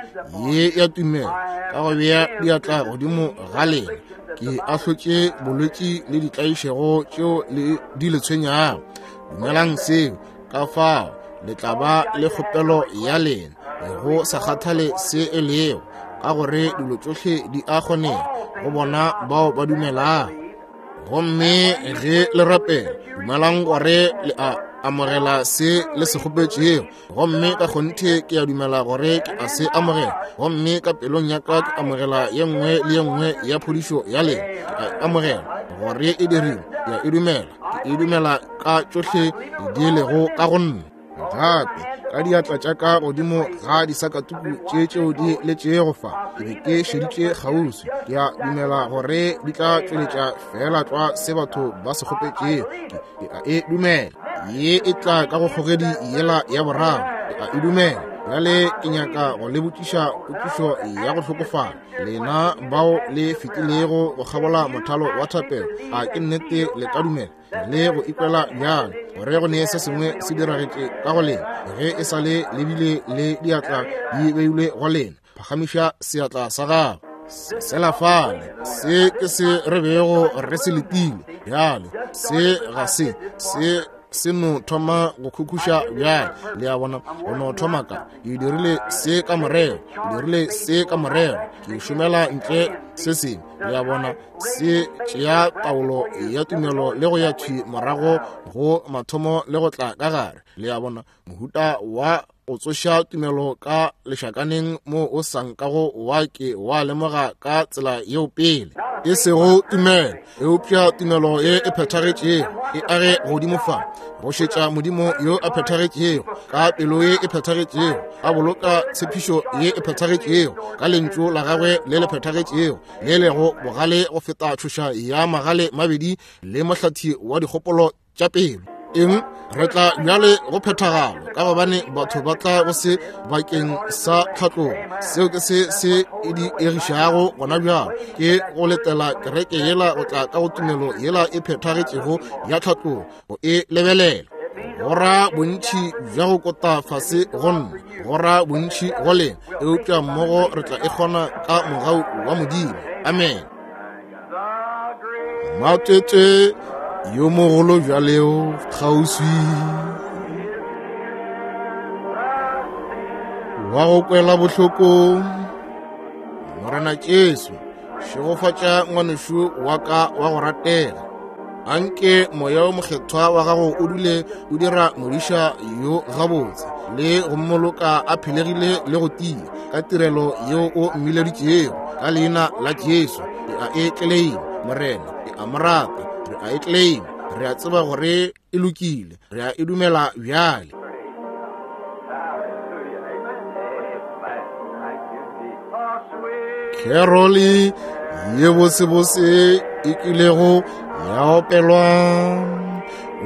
ye ya tumelo, ka go bea diatla godimo ga lena, ke ahlotše bolwetši le ditlaišego tšeo le di le tshwenyago. Dumelang seo, ka fao le tla ba le kgopelo ya lena, go sa kgathale se e lego, ka gore dilo tšohle di a kgonega go bona bao ba dumelago. Gomme ge le rapela, dumelang gore le a amogela se le se kgopetšego, gomme ka kgonthe ke a dumela gore ke a se amogela, gomme ka pelong ya ka ke amogela ye nngwe le ye nngwe ya phodišo ya lena. Ke a amogela gore e dirilwe, ke a e dumela, ke e dumela ka tšohle di lego ka go nna. Gape ka diatla tša ka godimo ga disakatuku tše tšeo di letšego fa, ke be ke šeditše kgauswi. Ke a dumela gore di tla tšweletša fela tlwa se batho ba se kgopetšego. Ke, ke a e dumela. Ye e tla ka go kgogedi yela ya boraro. Ke a e dumela. Bjale ke nyaka go le botšiša potšišo ya go hlokofala. Lena bao le fetilego go kgabola mothalo wa thapelo, a ke nnete le ka dumela le go ikwela bjalo gore go ne se sengwe se diragetše ka go lena ge e sa le lebile le diatla di beilwe go lena? Phagamiša seatla sa gago. Sela fale, se ke se re bego re se letile. Bjale se ga se se se no thoma go khukhuša bjale. Le a bona, go no thoma ka ke dirile se ka morero, ke dirile se ka morero, ke šomela ntle se sengwe. Le a bona, se tšea taolo ya tumelo le go ya thwi morago go mathomo le go tla ka gare. Le a bona, mohuta wa o tsoša tumelo ka lešakaneng mo o sa nkago wa ke wa lemoga ka tsela yeo pele. E sego tumelo, eupša tumelo ye e phethagetšego e age godimo fa, go šetša Modimo yo a phethagetšego, ka pelo ye e phethagetšego, a boloka tshepišo ye e phethagetšego, ka lentšu la gagwe le le phethagetšego, le lego bogale go feta tšhoša ya magale mabedi le mohlathi wa dikgopolo tša pelo. Eng re tla bjale go phethagalo, ka gobane batho ba tla go se bakeng sa tlhatlogo. Seo ke se se e di egišago gona bjalo, ke go letela kereke yela go tla ka go tumelo yela e phethagetšego ya tlhatlogo, go e lebelela. Go ra bontši bja go kota fase go nna, go ra bontši go lena, eupša mmogo re tla e kgona ka mogau wa Modimo. Amen. Matete yo mogolo bjaleo kgauswi wa go kwela bohloko. Morena Jesu, šegofatša ngwanešu wa ka wa go ratega. Anke moya o mokgethwa wa gago o dule o dira modiša yo gabotse le go mmoloka a phelegile le go tia ka tirelo yeo o mmileditšego. Ka leina la Jesu re a e tleleima, Morena, e a mo rata, re a e tleleima, re a tseba gore e lokile, re a e dumela bjale. Keroli ye bosebose e kilego ya opelwa,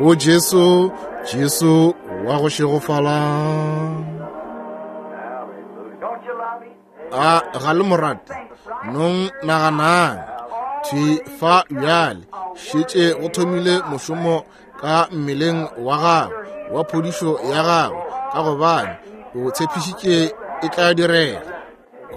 o Jesu, Jesu wa go šegofala. A ga le morate? Nong naganang thwi fa bjale, šetše go thomile mošomo ka mmeleng wa gagwe wa phodišo ya gagwe, ka gobane o tshepišitše e tla direga.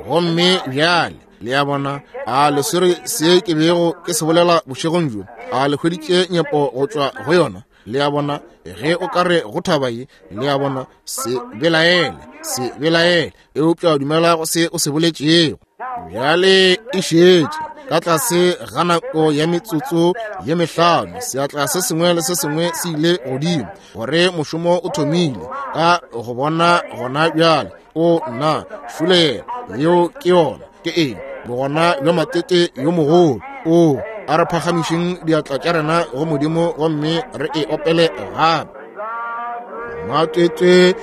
Gomme bjale le a bona, a le swere se ke bego ke se bolela bošegong bjo? A le hweditše nyepo go tšwa go yona? Le a bona, ge o ka re go thaba ye, le a bona, se belaele, se belaele, eupša dumela go se o se boletšego. Bjale e šetše ka tlase ga nako ya metsotso ye mehlano, seatla se sengwe le se sengwe se ile godimo, gore mošomo o thomile ka go bona gona bjale. O nna šulela, yeo ke yona. Ke eng? Bogona bja matete yo mogolo. O a re phagamišeng diatla tša rena go Modimo gomme re e opele gape. Matete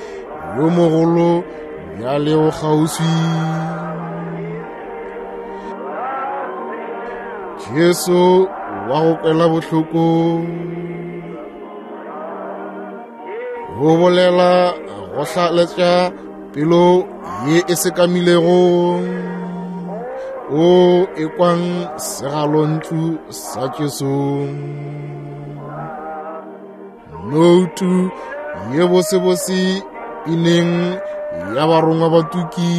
yo mogolo bjale o kgauswi. Jesu wa go kwela bohloko, go bolela go hlaletša pelo ye e sekamilego, o e kwang segalontšu sa Jesu. Noutu ye bosebose pineng ya barongwa batuki,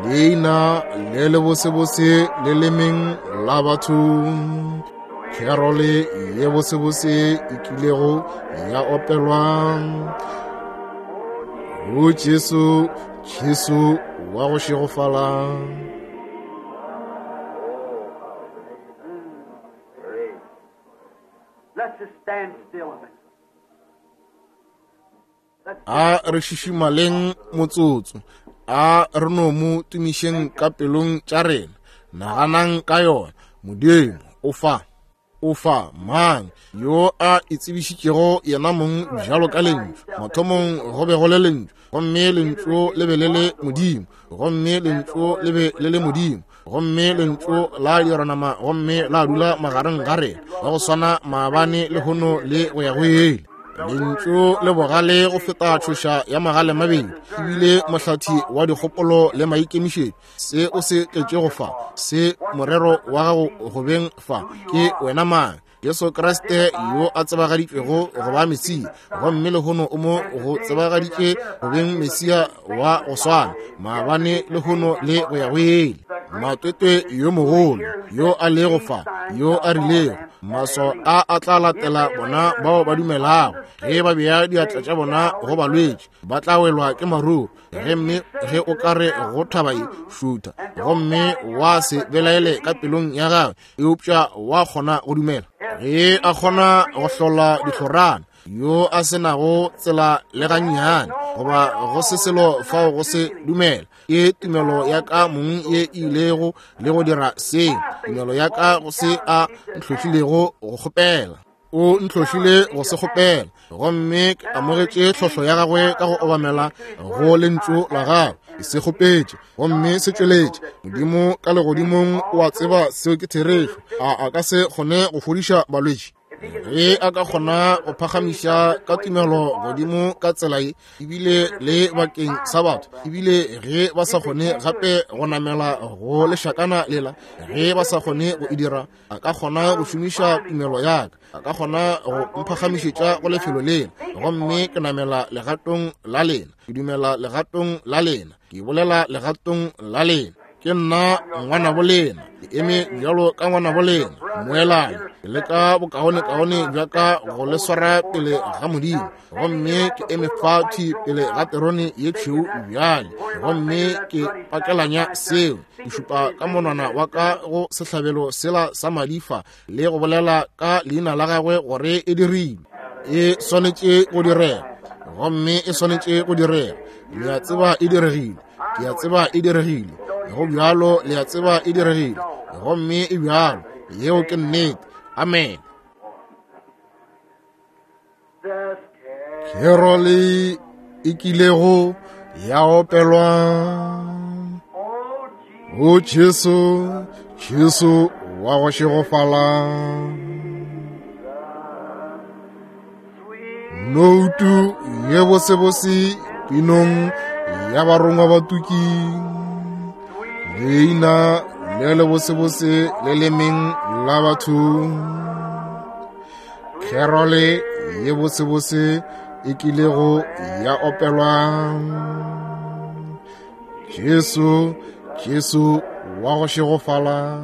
leina le le bosebose le lemeng la batho, kerole ye bosebose e kilego ya opelwa, o Jesu, Jesu wa go šegofala. A re šišimaleng motsotso, a re no mo tumišeng ka pelong tša rena. Naganang ka yona. Modimo o fa, o fa mang yo a itsebišitšego yena mong bjalo ka lentšu. Mathomong go be go le lentšu, gomme lentšu le be le le Modimo, gomme lentšu le be le le Modimo, gomme lentšu la dira nama gomme la dula magareng ga rena, wa go swana maabane lehono le go ya go ile. Lentšu le bogale go feta tšhoša ya magale mabedi, ebile mohlathi wa dikgopolo le maikemišetšo. Se o se tletšego fa, se morero wa gago go beng fa, ke wena mang? Jesu Kriste yo a tsebagaditšwego go ba Mesia, gomme lehono o mo go tsebagaditše go beng Mesia wa go swana maabane lehono le go ya go ile. Matwetwe yo mogolo yo a lego fa, yo a rilego maswao a a tla latela bona bao ba dumelago, ge ba bea diatla tša bona go balwetši ba tla welwa ke maruru. Ge mme ge o ka re go thaba ye šutha, gomme wa se belaele ka pelong ya gagwe, eupša wa kgona go dumela, ge a kgona go hlola dihlorana, yo a se nago tsela le gannyane goba go se selo fao go se dumela, ke tumelo ya ka mong ye ilego le go dira se, tumelo ya ka go se a ntlhohlilego go kgopela. O ntlhohlile go se kgopela, gomme ke amogetše tlhohlo ya gagwe ka go obamela go lentšu la gagwe. Ke se kgopetše gomme se tšweletše. Modimo ka legodimong o a tseba seo ke therešo. A a ka se kgone go fodiša balwetši? Ge a ka kgona go phagamiša ka tumelo godimo ka tsela ye, ebile le bakeng sa batho, ebile ge ba sa kgone gape go namela go lešakana lela, ge ba sa kgone go e dira, a ka kgona go šomiša tumelo ya ka, a ka kgona go mphagamišetša go lefelo lela, gomme ke namela legatong la lena, ke dumela legatong la lena, ke bolela legatong la lena. Ke nna ngwanabo lena, ke eme bjalo ka ngwanabo lena, moelane, ke leka bokaonekaone bja ka go le swara pele ga Modimo, gomme ke eme fa thwi pele ga terone ye tšhweu bjale, gomme ke pakelanya seo, ke šupa ka monwana wa ka go sehlabelo sela sa madifa le go bolela ka leina la gagwe gore e dirilwe. E swanetše go direga, gomme e swanetše go direga. Le a tseba e diregile, ke a tseba e diregile, go bjalo le a tseba e diregile, gomme e bjalo. Yeo ke nnete. Amen. Kerole e kilego ya opelwa, o Jesu, Jesu wa go šegofala, noutu ye bosebose pinong ya barongwa batuki, leina le le bosebose le lemeng la batho, kerole ye bosebose e kilego ya opelwa, Jesu, Jesu wa go šegofala.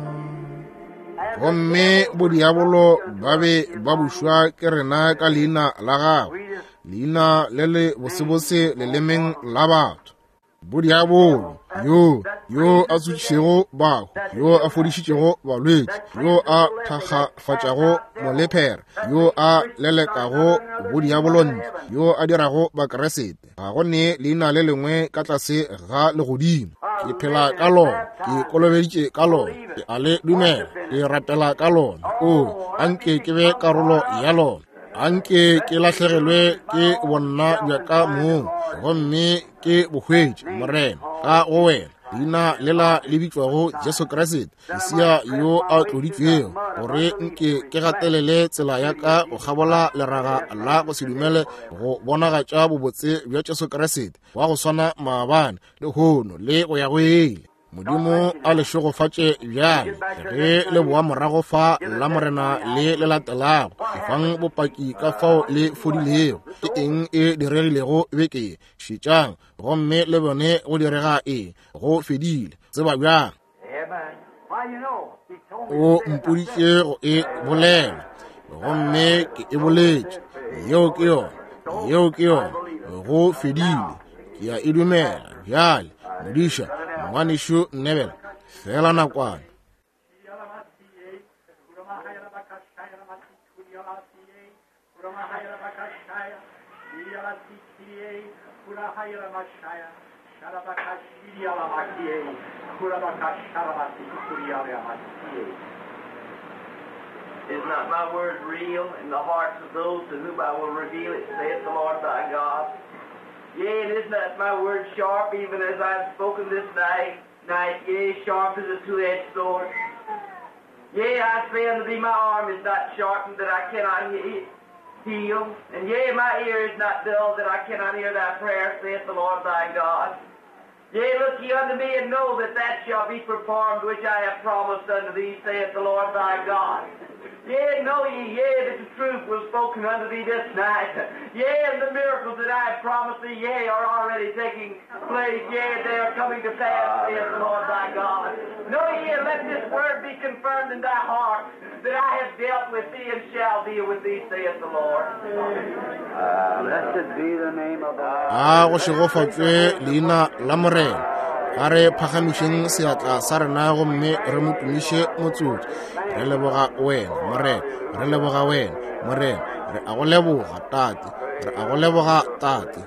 Gomme bodiabolo ba be ba bušwa ke rena ka leina la gagwe, leina le le bosebose lelemeng la batho. Bodiabolo yo yo a tsošitšego bahu, yo a fodišitšego balwetši, yo a thakgafatšago molephera, yo a lelekago bodiabolo ntle, yo a dirago Bakeresete, ga go ne leina le lengwe ka tlase ga legodimo. Ke phela ka lona, ke kolobeditše ka lona, ke a le dumela, ke rapela ka lona. O anke ke be karolo ya lona, anke ke lahlegelwe ke bonna bja ka mong, gomme ke bo hwetše, Morena, ka go wena, leina lela le bitšwago Jesu Kriste, Mesia yo a tloditšwego, gore nke ke gatelele tsela ya ka go kgabola leraga la go se dumele, go bonagatša bobotse bja Jesu Kriste wa go swana maabane, lehono le go ya go ile. Modimo a le šegofatše bjale ge le boa morago fa la Morena le le latelago. Efang bopaki ka fao le fodilego, ke eng e diregilego beke ye. Šetšang gomme le bone go direga eng. Go fedile. Tseba bjang. O mpoditše go e bolela, gomme ke e boletše. Yeo ke yona, yeo ke yona. Go fedile. Ke a e dumela bjale. Modiša, ngwanešu Nebel, fela nakwana. Is not my word real in the hearts of those to whom I will reveal it, saith the Lord thy God? Yea, and is not my word sharp, even as I have spoken this night, night, yea, sharp as a two-edged sword? Yea, I say unto thee, my arm is not sharpened that I cannot he- heal, and yea, my ear is not dull that I cannot hear thy prayer, saith the Lord thy God. Yea, look ye unto me, and know that that shall be performed which I have promised unto thee, saith the Lord thy God. Yea, know ye, yea, that the truth was spoken unto thee this night. Yea, and the miracles that I have promised thee, yea, are already taking place. Yea, they are coming to pass, saith the Lord thy God. Know ye, and let this word be confirmed in thy heart, that I have dealt with thee and shall deal with thee, saith the Lord. Blessed be the name of the Lord. A go šegofatšwe leina la Morena. A re phagamišeng seatla sa rena gomme re mo tumiše motsotso. Re leboga wena, Morena. Re leboga wena, Morena. Re a go leboga, Tate. Re a go leboga, Tate.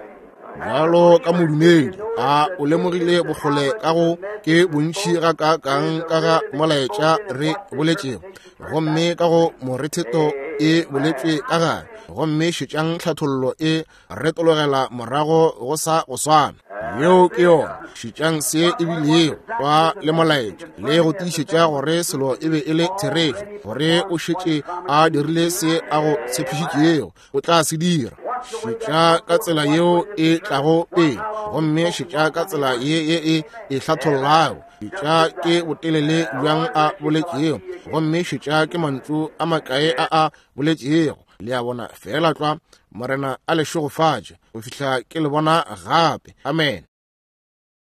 Bjalo ka modumedi, a o lemogile bokgole ka go ke bontši gakaakang ka ga molaetša re boletšego, gomme ka go moretheto e boletšwe ka gare, gomme šetšang tlhathollo e retologela morago go sa go swana. Yeo ke yona. Šetšang se e bilego kwa le molaetša le go tiišetša gore selo e be e le therešo, gore o šetše a dirile se a go tshepišitšego o tla se dira. Šetša ka tsela yeo e tlago pele, gomme šetša ka tsela ye ye e e hlathollago. Šetša ke botelele bjang a boletšego, gomme šetša ke mantšu a makae a a boletšego. Le a bona, feela tlwa. Morena a le šegofatše go fihla ke le bona gape. Amen.